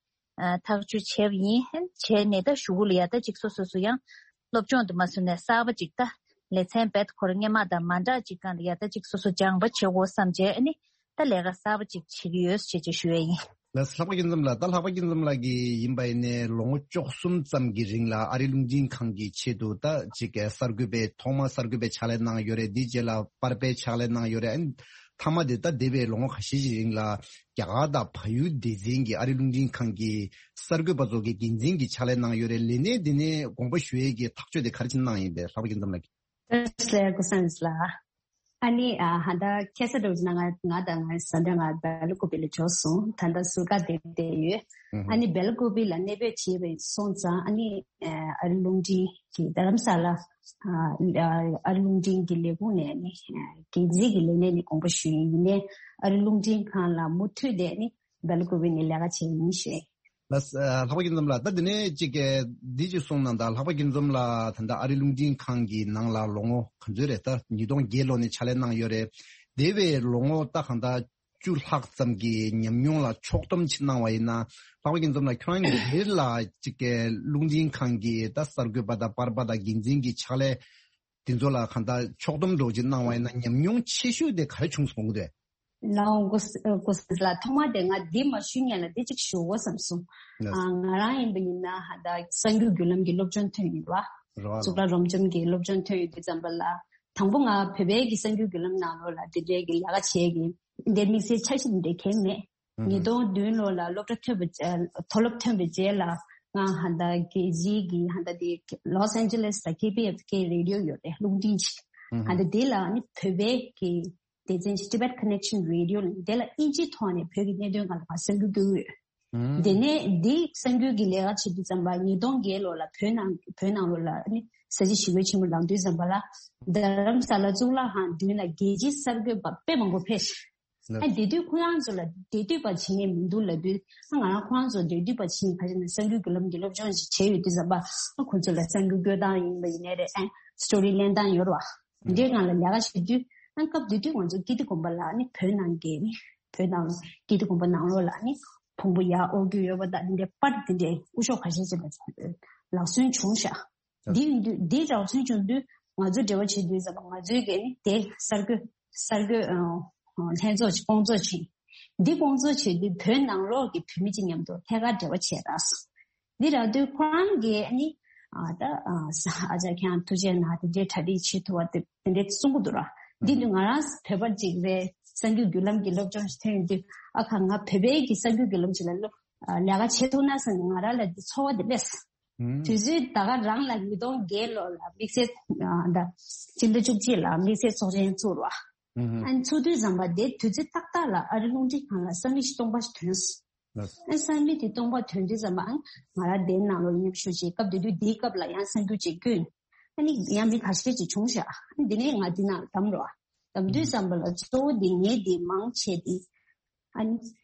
ཐག་གཅོད་བྱས་པ་ཡིན། བྱས་ནས་ད་གཞུག་གུ་ལ་ཡ་ད་ཅིག་སོ་སོ་སོ་ཡང་སློབ་སྦྱོང་དུ་མ་སོང་ནས་གསར་པ་ཅིག་ད་ལེ་ཚན་རྦད་ཁོ་རང་སྔོན་མ་དང་མ་འདྲ་ཅིག་སྒང་ལ་ཡ་ད་ཅིག་སོ་སོ་སྦྱངས་པ་བྱེད་དགོས་བསམ་བྱས་ཨ་ནི། ད་ལས་ཀ་གསར་པ་ཅིག་བྱེད་ཀྱི་ཡོད་ཞེས་ཅིག་ཞུ་ཡས་ཡིན། ལགས་སོ། ལྷག་པ་སྐྱིད་འཛོམས་ལགས། ད་ལྷག་པ་སྐྱིད་འཛོམས་ལགས་ཀྱིས་ཡིན་པ་ཡིན་ནའི་ལོ་ངོ་བཅུ་གསུམ་ཙམ་གྱི་རིང་ལ་ཨ་རི་རླུང་འཕྲིན་ཁང་གི་ཆེད་དུ་ད་ཅིག་གསར་འགོད་པའི་ཐོག་མ་གསར་འགོད་པའི་ཕྱག་ལས་གནང་ཡོད་རེད། དེའི་རྗེས་ལ་པར་པའི་ཕྱག་ལས་གནང་ཡོད་རེད། ཨ་ནི་མཐའ་མ་དེ་ད་འདས་པའི་ལོ་ངོ་ཁ་ཤས་ཀྱི་རིང་ལ་རྒྱ་གར་དང་བལ་ཡུལ་སྡེ་ཚན་གྱི་ཨ་རི་རླུང་འཕྲིན་ཁང་གི་གསར་འགོད་པ་ཚོ་གི་འགན་འཛིན་གྱི་ཕྱག་ལས་གནང་ཡོད་རེད། ལས་གནས་དེ་ནས་དགོངས་པ་ཞུ་ཡས་ཀྱི་ཐག་གཅོད་དེ་ག་རེ་བྱས་གནང་ཡིན་པས། ལྷག་པ་སྐྱིད་འཛོམས་ལགས་ཀྱིས། བཀྲ་ཤིས་བདེ་ལེགས་ཀུན་བཟང་རིག་འཛིན་ལགས། ཨ་ནི་ཨ་ཧ་ད་ཁ་སང་འདྲ་བོ་ཅིག་ན་ང་ང་དང་ང་ས་འདྲ་ང་སྦེལ་ཀོབ་ལ་འབྱོར་སོང་། ད་ལྟ་ཟུར་བཀག་སྡོད་བསྡད་ཡོད། ཨ་ནི་སྦེལ་ཀོབ་ལ་གནས་སྤོས་བྱས་པ་སོང་ཙང་ཨ་ནི་ཨ་ཨ་རི་རླུང་འཕྲིན་གྱི་རྡ་རམ་ས་ལ་ཨ་ཨ་རི་རླུང་འཕྲིན་གྱི་ལས་ཁུངས་ནས་ནི་འགན་འཛིན་གྱི་ལས་གནས་ནས་དགོངས་པ་ཞུས་ཡིན། ཡིན་ནའི་ཨ་རི་རླུང་འཕྲིན་ཁང་ལ་མུ་མཐུད་དེ་ནི་སྦེལ་ཀོབ་ནས་ལས་ཀ་བྱས་ཡིན་ཞེས། ལགས་སོ། ལྷག་པ་སྐྱིད་འཛོམས་ལགས། ད་དེ་ནས་ཅིག་འདི་ཅིག་གསུངས་གནང་དང་། ལྷག་པ་སྐྱིད་འཛོམས་ལགས་ད་ལྟ་ཨ་རི་རླུང་འཕྲིན་ཁང་གི་ནང་ལ་ལོ་ངོ་ག་ཚོད་རེད། ད་ཉིས་སྟོང་བརྒྱད་ལོ་ནས་ཕྱག་ལས་གནང་ཡོད་རེད། འདས་པའི་ལོ་ངོ་ད་གང་ལྟར་བཅུ་ལྷག་ཙམ་གྱི་ཉམས་མྱོང་ལ་ཕྱོགས་བསྡོམས་ཅིག་གནང་བ་ཡིན་ན། ལྷག་པ་སྐྱིད་འཛོམས་ལགས་ཁྱོད་རང་གིས་འདིར་ལ་ཅིག་རླུང་འཕྲིན་ཁང་གི་ད་གསར་འགོད་པ་དང་པར་པ་དང་འགན་འཛིན་གྱི་ཕྱག་ལས་དེ་ཚོ་ལ་གང་ལྟར་ཕྱོགས་བསྡོམས་འདྲ་བོ་ཅིག་གནང་བ་ཡིན་ན་ཉམས་མྱོང་ཆེ་ཤོས་དེ་ག་རེ་བྱུང་སོང་གི་འདུག་ལའོ་ཀོ་ཀོ་སི་ལ་ཐོག་མ་དེ་ང་འདི་མ་ཞུ་ཉན་ལ་འདི་གཅིག་ཞུ་དགོས་བསམ་སོང་། ལགས་སོ། ང་རང་ཡིན་པ་ཡིན་ན་ཧ་ད་གསར་འགྱུར་བརྒྱུད་ལམ་གྱི་སློབ་སྦྱོང་ཐོན་ཡོད་པ། རེད་བ། གཙུག་ལག་རབ་འབྱམས་ཀྱི་སློབ་སྦྱོང་ཐོན་ཡོད་དུས་ཙམ་པ་ལ་དང་པོ་ང་བོད་པའི་གི་གསར་འགྱུར་བརྒྱུད་ལམ་ནང་ལོགས་ལ་འདི་འདྲའི་གི་ལས་ཀ་བྱས་གི་འདི་དམིགས་བསལ་འཆར་གཞི་འདི་གང་མེད། ཉིས་སྟོང་བདུན་ལོ་ལ་སློབ་གྲྭ་ཐོན་པ་མཐོ་སློབ་ཐོན་པའི་རྗེས་ལ་ང་ཧ་ད་རྒྱལ་སྤྱིའི་གི་ཧ་ད་དེ་ལོས་ཨན་ཇེ་ལེས་ལ་ཀེ་བི་ཨེཕ་ཀེ་རེ་ཌི་ཡོ་ཡོད་རེད། རླུང་འཕྲིན་ཅིག་ཧ་ད་དེ་ལ་ནི་བོད་པའི་གི་སྡེ་ཚན་Tibet Connection Radio ལ་དེ་ལ་དབྱིན་ཇིའི་ཐོག་ནས་བོད་ཀྱི་གནད་དོན་སྒང་ལ་ང་གསར་འགྱུར་བསྐྱོན་གྱི་ཡོད། དེ་ནས་འདི་གསར་འགྱུར་གྱི་ལས་ཀ་བྱེད་དུས་ཙམ་པ་ཉིས་སྟོང་བརྒྱད་ལོ་ལ་བོད་ནང་བོད་ནང་ལོགས་ལ་ནི་ས་བྱི་ཞི་རྒོལ་ཆེན་མོ་ལངས་དུས་ཙམ་པ་ལ་རྡ་རམ་ས་ལ་གཙུག་ལག་ཁང་མདུན་ལ་རྒྱལ་སྤྱིའི་གསར་འགོད་པ་དཔེ་མང་པོ་ཕེབས་ཤག་ཨ་དེ་དུས་ཁོ་རང་ཚོ་ལ་འབྲེལ་མཐུད་པ་བྱེད་མཁན་མི་འདུག་ལབ་དུས་ཨ་ང་རང་ཁོ་རང་ཚོ་འབྲེལ་མཐུད་པ་བྱེད་མཁན་ག་ཅིག་ན་གསར་འགྱུར་བརྒྱུད་ལམ་གྱི་སློབ་སྦྱོང་ཞིག་བྱས་ཡོད་དུས་ཙམ་པ་ཨ་ཁོ་ཚོ་ལ་གསར་འགྱུར་བཀོད་སྟངས་ཡིན་པ་ཡིན་ནའི་རེད། ཨ་སི་ཊོ་རི་ལེན་སྟངས་ཡོད་རེད་བ། འདིའི་སྒང་ལ་ལས་ཀ་བྱེད་དུས་ཨ་སྐབས་དེ་དུས་ང་ཚོ་ཀིརྟི་དགོན་པ་ལ་ནི་བོད་ནང་གི་ནི་བོད་ནང་ཀིརྟི་དགོན་པ་ནང་ལོགས་ལ་ནི་ཕུང་པོ་ཡར་དབོར་རྒྱུ་ཡོད་པ་དང་འདི་འདྲའི་པར་འདི་འདྲའི་སྐུ་ཞབས་ཁ་ཤས་ཅིག་ལ་ལག་སོན་བྱུང་ཤག་འདི་ཡིན་དུས་འདི་རག་ཚུལ་བྱུང་དུས་ང་ཚོ་འབྲེལ་བ་བྱེད་དུས་ཙམ་པ་ང་ཚོའི་གི་ནི་དེ་གསར་འགོད་གསར་འགོད་ལྷན་ཚོགས་ཀྱི་སྐོང་ཚོགས་ཆེན་ འདི་སྐོང་ཚོགས་བྱེད་དུས་བོད་ནང་ལོགས་ཀྱི་བོད་མི་གཅིག་མཉམ་དུ་ཐད་ཀར་འབྲེལ་བ་བྱས་རག་སོང་། འདི་རག་དུས་ཁོ་རང་གིས་ཨ་ནི་ཨ་ད་ཨ་ས་ཨ་ཅག་ཁྱེད་རང་ཐུགས་རྗེ་གནང་དེ་འདྲའི་གྲ་སྒྲིག་བྱེད་ཐུབ་པ་དེ་དེ་འདྲའི་གསུང་གི་འདུག་ར། འདི་ནི་ང་རང་བོད་པ་ཅིག་རེད། གསར་འགྱུར་བརྒྱུད་ལམ་གྱི་སློབ་སྦྱོང་ཞིག་ཐོན་ཡོང་དུས་ཨ་ཁ་ང་བོད་པའི་གི་གསར་འགྱུར་བརྒྱུད་ལམ་ཞིག་ལ་སློབ་ཨ་ལས་ཀ་བྱེད་ཐུབ་ན་བསམ་ནས་ང་རང་ལ་འདི་ཚོར་བ་དེ་སླེབས། དུས་ཚོད་ད་ག་རང་ལ་ཉིས་སྟོང་བརྒྱད་ལོ་ལ་དམིགས་བསལ་ཨ་ད་སྤྱི་ཟླ་བཅུ་གཅིག་ལ་དམིགས་བསལ་ཚོགས་ཆེན་ཚུགས་ར། ཨ་ནི་ཚུགས་དུས་ཙམ་པ་དེ་དུས་ཚོད་ཏག་ཏག་ལ་ཨ་རི་རླུང་འཕྲིན་ཁང་ལ་གསར་མི་ཞིག་སྟོང་པ་ཞིག་ཐོན་སོང་། ཨ་གསར་མི་དེ་སྟོང་པ་ཐོན་དུས་ཙམ་པ་ཨ་ང་རང་དེའི་ནང་ལ་མཉམ་ཞུགས་བྱས། སྐབས་དེ་དུས་དེའི་སྐབས་ལ་ཡང་གསར་འགྱུར་ཅིག་བསྐྱོན། ཨ་ནི་ཡང་མི་ཁ་ཤས་ཅིག་བྱུང་ཤག་ཨ་ནི་དེ་ནས་ང་དེ་ནང་བདམས་རོགས། བདམས་དུས་ཙམ་པ་ལ་གཙོ་བོ་དེ་ངས་དེ་མང་ཆེ་དེ་ཨ་ནི་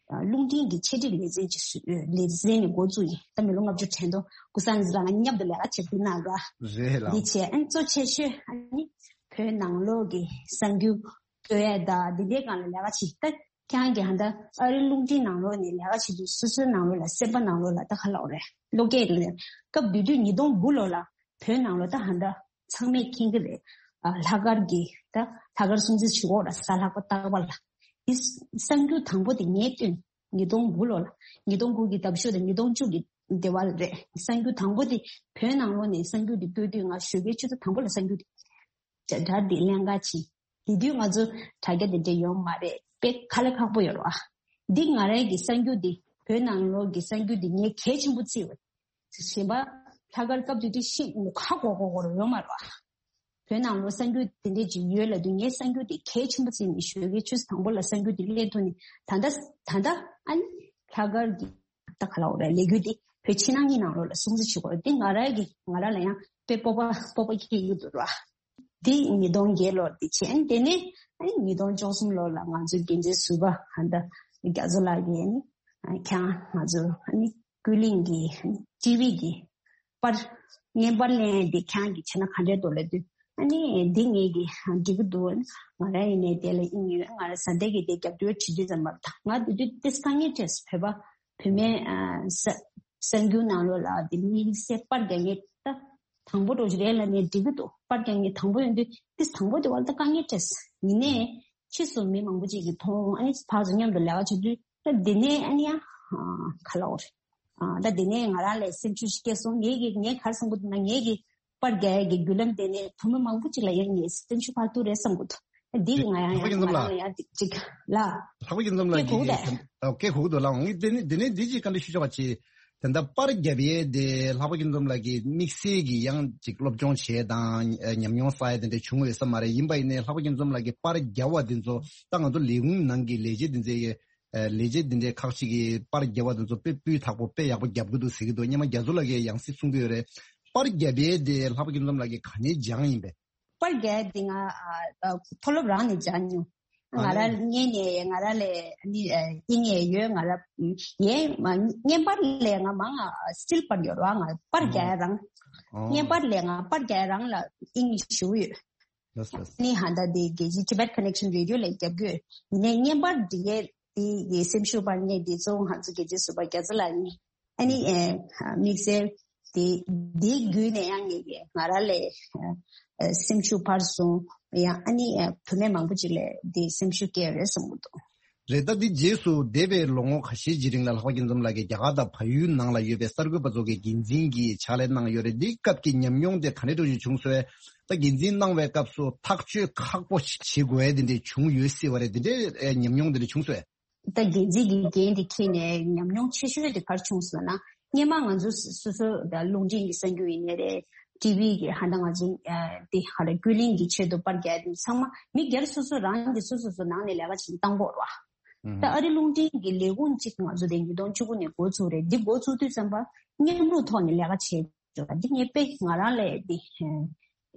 རླུང་འཕྲིན་གྱི་འཆད་ཁྲིད་ལེ་ཚན་ཅིག་བཟོས་ཡོད། ལེ་ཚན་ནས་འགོ་བཙུགས་ཡིན། ད་མི་ལོ་ལྔ་བཅུ་དྲན་ཐོག་ཀུ་སང་ཟི་རང་མཉམ་དུ་ལས་ཀ་བྱེད་དུས་ནང་ར། རེད་ལགས། འདི་བྱས་ཨ་ནི་གཙོ་ཆེ་ཤོས་ཨ་ནི་བོད་ནང་ལོགས་ཀྱི་གསར་འགྱུར་བཀོད་ཡས་དང་འདི་འདྲའི་སྒང་ལ་ལས་ཀ་བྱེད། ད་ཁྱེད་རང་གི་ཧ་ད་ཨ་རི་རླུང་འཕྲིན་ནང་ལོགས་ནས་ལས་ཀ་བྱེད་དུས་སོ་སོའི་ནང་ལོགས་ལ་སེམས་པ་ནང་ལོགས་ལ་ད་ག་ལབ་དགོས་རེད། བློ་སྐྱེད་རེད། སྐབས་དེ་དུས་ཉིས་སྟོང་དགུ་ལོ་ལ་བོད་ནང་ལོགས་ད་ཧ་ད་ཚང་མས་མཁྱེན་གྱི་རེད། ཨ་ལྷག་དཀར་གྱི་ད་ལྷག་དཀར་སྲུང་བརྩི་བྱེད་དགོས་ར། གཟའ་ལྷག་པ་རྟག་པར་ལ། དེ་གསར་འགྱུར་དང་པོ་དེ་ངས་བཏོན། ཉིས་སྟོང་དགུ་ལོ་ལ། ཉིས་སྟོང་དགུ་གི་ཟླ་བཞི་དང་ཉིས་སྟོང་བཅུ་གི་སྡེ་བ་ལ་རེད། གསར་འགྱུར་དང་པོ་དེ་བོད་ནང་ལོགས་ནས་གསར་འགྱུར་དེ་བཀོད་དུས་ང་ཞོགས་ཀའི་ཆུ་ཚོད་དང་པོ་ལ་གསར་འགྱུར་དེ་དྲ་དྲ་དེ་ལེན་ག་ཕྱིན། དེ་དུས་ང་ཚོ་དྲ་རྒྱ་དེ་འདྲ་ཡོད་མ་རེད། དཔེ་དཀའ་ལས་ཁག་པོ་ཡོད་རེད་བ། འདི་ང་རང་གི་གསར་འགྱུར་འདི་བོད་ནང་ལོགས་ཀྱི་གསར་འགྱུར་འདི་ངས་གལ་ཆེན་པོ་བརྩིས་པ། གཞན་པ་ལྷག་དཀར་སྐབས་དེ་དུས་ཤི་ངོ་ཁ་གོ་གོ་གོ་ར་ཡོད་མ་རེད་བ། བོད་ནང་ལོགས་གསར་འགྱུར་དེ་འདྲས་ཅིག་ཡོད་ལབ་དུས་ངས་གསར་འགྱུར་དེ་གལ་ཆེན་པོ་བརྩིས་ནས་ཞོགས་ཀའི་ཆུ་ཚོད་དང་པོ་ལ་གསར་འགྱུར་དེ་ལེན་ཐུབ་ནས། ད་ལྟ་ད་ལྟ་ཨ་ནི་ལྷག་དཀར་གྱི་ད་ག་ལབ་དགོས་རེད། ལས་འགུལ་དེ་བོད་ཕྱི་ནང་གཉིས་ནང་ལོགས་ལ་སྲུང་བརྩི་བྱེད་དགོས་རེད། དེ་ང་རང་གི་ང་རང་ལ་ཡང་དཔེ་སྤོབས་པ་སྤོབས་པ་སྐྱེ་གི་འདུག་ར། དེ་ཉིས་སྟོང་བརྒྱད་ལོར་དེ་བྱས། དེ་ནས་ཨ་ནི་ཉིས་སྟོང་བཅུ་གསུམ་ལོ་ལ་ང་ཚོའི་འགན་འཛིན་ཟུར་པ་ཧ་ད་རྒྱ་མཚོ་ལགས་ཀྱིས་ཨ་ནི་ཁྱེད་རང་ང་ཚོ་ཨ་ནི་ཀུན་གླེང་གི་ཊི་ཝི་གི་པར་བརྙན་པར་ལེན་འདི་ཁྱེད་རང་གིས་བྱས་ན་ག་འདྲས་འདུག་ལབ་དུས། ཨ་ནི་འདི་ངེད་ཀྱིས་འགྲིག་གི་འདུག་ང་རང་ཡིན་ནའི་དེ་ལ་དབྱིངས་ཡོད། ང་རང་བཟའ་ཟླ་གིས་དེ་རྒྱབ་སྐྱོར་བྱེད་དུས་ཙམ་པ་ད་ང་དེ་དུས་ཏིས་དཀའ་ངལ་འཕྲད་སོང་། བོད་པ་བུད་མེད་ཨ་ས་གསར་འགྱུར་ནང་ལོགས་ལ་དེ་དམིགས་བསལ་པར་རྒྱག་མཁན་ད་དང་པོ་འགྲོ་རྒྱུ་རེད་ལབ་ནས་འགྲིག་གི་འདུག་པར་རྒྱག་མཁན་དང་པོ་ཡིན་དུས་ཏིས་དང་པོ་དེ་བར་ད་དཀའ་ངལ་འཕྲད་སོང་། ཡིན་ནའི་ཕྱིས་སུ་མི་མང་པོ་ཅིག་གིས་མཐོང་། ཨ་ནི་ཕར་ཚུར་མཉམ་དུ་ལས་ཀ་བྱེད་དུས་ད་དེ་ནས་ཨ་ནི་ཡང་ག་ལབ་དགོས་རེད། ཨ་ད་དེ་ནས་ང་རང་ལ་སེམས་ཤུགས་ཤིག་སྐྱེས་སོང་། ངེད་ཀྱིས་ངས་ག་རེ་བསམ་གྱི་འདུག་ན། ངེད་ཀྱིས་པར་རྒྱག་ཡས་ཀྱི་བརྒྱུད་ལམ་དེ་ནས་བུད་མེད་མང་པོ་ཅིག་ལ་ཡང་ངས་སེམས་ཤུགས་འཕར་ཐུབ་རེད་བསམ་གྱི་འདུག་འདི་ང་ཡང་ལྷག་པ་ཡིན་ཙམ་ང་ལ་རང་ལ་ཡང་ཅིག་ལ། ལྷག་པ་ཡིན་ཙམ་ལ་སྐད་གོ་གི་གི་འདུག་ད། སྐད་གོ་གི་འདུག་ལགས། ངས་དེ་ནས་དེ་ནས་འདི་ཅིག་བཀའ་འདྲི་ཞུ་ཆོག་པ་ཅིག་དེ་འདྲ་པར་རྒྱབ་ཡས་དེ་ལྷག་པ་ཡིན་ཙམ་ལགས་ཀྱིས་དམིགས་བསལ་གྱི་ཡང་ཅིག་སློབ་སྦྱོང་བྱས་དང་ཉམས་མྱོང་བསགས་ཡས་དེ་འདྲ་བྱུང་ཡོད་ས་མ་རེད། ཡིན་པ་ཡིན་ནའི་ལྷག་པ་ཡིན་ཙམ་ལགས་ཀྱིས་པར་རྒྱབ་པ་དེ་ཚོ་ད་ང་ཚོ་ལས་ཁུངས་ནང་གི་ལས་བྱེད་དེ་ཚོའི་ལས་བྱེད་འདི་འདྲའི་ཁག་ཅིག་གིས་པར་རྒྱབ་པ་དེ་ཚོ་དཔེ་སྤུས་དག་པོ་དཔེ་ཡག་པོ་རྒྱབ་ཀྱི་འདུག་ཟེར་གྱི་འདུག་སྔོན་མ་རྒྱ་མཚོ་ལགས་ཀྱིས་ཡང་སེ་གསུང་གི་ཡོད་རེད། པར་རྒྱབ་ཡས་དེ་ལྷག་པ་ཡིན་ཙམ་ལགས་ཀྱིས་ག་ནས་སྦྱངས་ཡིན་པས། པར་རྒྱག་ཡས་དེ་ང་ཨ་ཨ་མཐོ་སློབ་རང་ནས་སྦྱངས་མྱོང་། ང་ཨ་རང་ལས་ནས་ང་རང་ལས་ནི་ཨ་ཨིན་ཡས་ཡོད། ང་རང་ཡས་མ་བརྙན་པར་ལས་ང་མང་ང་སི་ཊིལ་པར་ཡོད་ར། ང་པར་རྒྱག་ཡས་རང་། ཨོ། བརྙན་པར་ལས་ང་པར་རྒྱག་ཡས་རང་ལ་དབྱིངས་ཞུ་ཡོད། ལགས་སོ། ནི་ཧ་ད་དེ་རྒྱལ་སྤྱིའི་Tibet Connection Radio ལ་རྒྱབ་ཀྱི་ཡོད། ཡིན་ནའི་བརྙན་པར་འབྲི་ཡས་དེ་ཡི་སེམས་ཤུགས་སྤར་མཁན་དེ་གཙོ་བོ་ང་ཚོ་རྒྱལ་སྤྱིའི་ཟུར་པ་རྒྱ་ཚ་ལགས་ཡིན། ཨ་ནི་ཨ་དམིགས་བསལ་དེ་དེའི་བརྒྱུད་ནས་ཡང་ངེད་ཀྱིས་ང་རང་ལས་ཨ་སེམས་ཤུགས་འཕར་སོང་། ཡང་ཨ་ནི་ཨ་བུད་མེད་མང་པོ་ཅིག་ལ་དེ་སེམས་ཤུགས་སྐྱེས་རེད་བསམ་གྱི་འདུག་རེད། ད་འདི་རྗེས་སུ་འདས་པའི་ལོ་ངོ་ཁ་ཤས་ཀྱི་རིང་ལ་ལྷག་པ་སྐྱིད་འཛོམས་ལགས་ཀྱིས་རྒྱ་གར་དང་བལ་ཡུལ་ནང་ལ་ཡོད་པའི་གསར་འགོད་པ་ཚོ་གི་འགན་འཛིན་གྱི་ཕྱག་ལས་གནང་ཡོད་རེད། འདིའི་སྐབས་ཀྱི་ཉམས་མྱོང་དེ་ག་འདྲ་འདྲ་ཞིག་བྱུང་སོང་། ད་འགན་འཛིན་གནང་བའི་སྐབས་སུ་ཐག་གཅོད་ཁག་པོ་ཞིག་བྱེད་དགོས་ཡས་དེ་འདྲ་བྱུང་ཡོད་སྲིད་པ་རེད། དེ་འདྲའི་ཉམས་མྱོང་དེ་འདྲ་བྱུང་སོང་། ད་འགན་འཛིན་གྱི་འགན་དེ་འཁྱེར་ནས་ཉམས་མྱོང་ཆེ་ཤོས་དེ་ག་རེ་བྱུང་སོང་ན། སྔོན་མ་ང་ཚོ་སོ་སོ་ད་རླུང་འཕྲིན་གྱི་གསར་འགྱུར་ཡིན་ནའི་རེད། ཊི་ཝི་གི་ཧ་ད་ང་ཚོ་ཨ་དེ་ཧ་ལ་ཀུན་གླེང་གི་ཆེད་དུ་པར་རྒྱག་དེ་ཚང་མ་མི་སྒེར་སོ་སོ་རང་གི་སོ་སོ་སོ་ནང་ནས་ལས་ཀ་བྱེད་བཏང་དགོས་རེད་བ། ད་ཨ་རི་རླུང་འཕྲིན་གྱི་ལས་ཁུངས་གཅིག་ང་ཚོ་དེ་ཉིས་སྟོང་བཅུ་དགུ་ནས་འགོ་ཚུགས་རེད། འདི་འགོ་ཚུགས་དུས་ཙམ་པ་མཉམ་རུབ་ཐོག་ནས་ལས་ཀ་བྱས་འདུག་འདི་ངས་དཔེ་ང་རང་ལས་འདི་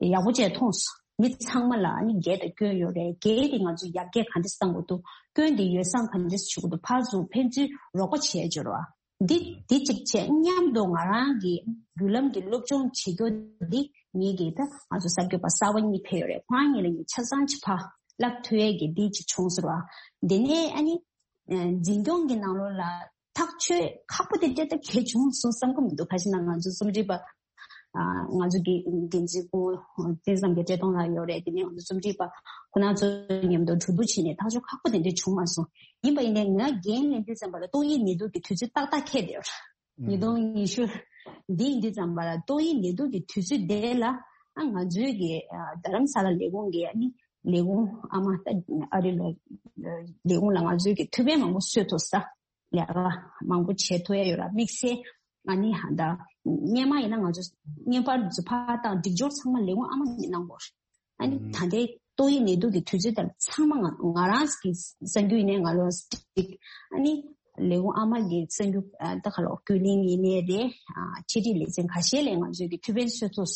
ཡག་པོ་བྱས་མཐོང་སོང་། མི་ཚང་མ་ལ་ཨ་ནི་འགན་དང་སྐྱོན་ཡོད་རེད། འགན་དེ་ང་ཚོ་ཡར་རྒྱས་ག་འདྲས་གཏང་དགོས་འདུག་སྐྱོན་དེ་ཡོ་བསྲང་ག་འདྲས་བྱེད་དགོས་འདུག་ཕར་ཚུར་ཕན་ཚུན་རོགས་པ་བྱས་འབྱོར་བ། འདི་འདི་གཅིག་བྱས། མཉམ་དུ་ང་རང་གི་བརྒྱུད་ལམ་གྱི་སློབ་སྦྱོང་བྱེད་རྒྱུ་འདི་ངེད་ཀྱི་ད་ང་ཚོ་གསར་འགོད་པ་གསར་པ་གཉིས་ཕེབས་ཡོད་རེད། ཁོ་རང་གཉིས་ལ་ངས་ཆ་ཚང་ཅིག་ཕར་བསླབ་ཐུབ་ཡས་ཀྱི་འདི་གཅིག་བྱུང་ཟེར་བ། འདི་ནས་ཨ་ནི་འཛིན་སྐྱོང་གི་ནང་ལོགས་ལ་ཐག་གཅོད་ཁག་པོ་དེ་འདྲ་ད་གལ་བྱུང་སོང་བསམ་གི་མི་འདུག་ག་ཞིག་ན་ང་ཚོ་རྩོམ་སྒྲིག་པ་ ང་ཚོ་གི་འགན་འཛིན་སྐུ་དེ་ཙམ་གྱི་བཀྲས་མཐོང་ལགས་ཡོད་རེད། དེ་ནས་ང་ཚོ་རྩོམ་སྒྲིག་པ་ཁོ་ན་ཚོ་མཉམ་དུ་གྲོས་བསྡུར་བྱས་ནས་ཐག་གཅོད་ཁག་པོ་དེ་འདྲ་བྱུང་མ་སོང་། ཡིན་པ་ཡིན་ནའི་ང་འགན་ལེན་དུས་ཙམ་པ་ལ་ཏོག་དབྱིབས་ནད་དུག་གི་དུས་ཚོད་ཏག་ཏག་འཁེལ་བསྡད་ཡོད་རེད། ཉིས་སྟོང་ཉི་ཤུ་འདི་ཡིན་དུས་ཙམ་པ་ལ་ཏོག་དབྱིབས་ནད་དུག་གི་དུས་ཚོད་དེ་ལ་ཨ་ང་ཚོའི་གི་ཨ་རྡ་རམ་ས་ལ་ལས་ཁུངས་ཀྱི་ཨ་ནི་ལས་ཁུངས་ཨ་མ་ད་ཨ་རི་ལ་ལས་ཁུངས་ལ་ང་ཚོའི་གི་ཐུགས་ཕན་མང་པོ་གསོས་ཐུབ་ས། ལས་ཀ་མང་པོ་བྱེད་ཐུབ་ཡ་ཡོད་ར། དམིགས་བསལ་ཨ་ནི་ཧ་ད་སྔོན་མ་ཡིན་ན་ང་ཚོ་བརྙན་པར་ཚོ་ཕར་བཏང་སྒྲིག་སྦྱོར་ཚང་མ་ལས་ཁུངས་ཨ་མ་ནས་གནང་དགོས་རེད། ཨ་ནི་ད་ལྟའི་ཏོག་དབྱིབས་ནད་དུག་གི་དུས་ཚོད་ལྟར་ཚང་མ་ང་ང་རང་གི་གསར་འགྱུར་ཡིན་ནའི་ང་ལོ་སྒྲིག་ཨ་ནི་ལས་ཁུངས་ཨ་མ་གི་གསར་འགྱུར་ད་ག་ལོ་བརྒྱུད་ལམ་ཡིན་ནའི་རེད། ཆེད་སྒྲིག་ལེ་ཚན་ཁ་ཤས་ལས་ང་ཚོས་ཀྱི་ཐུགས་ཕན་གསོས་ཐུབ།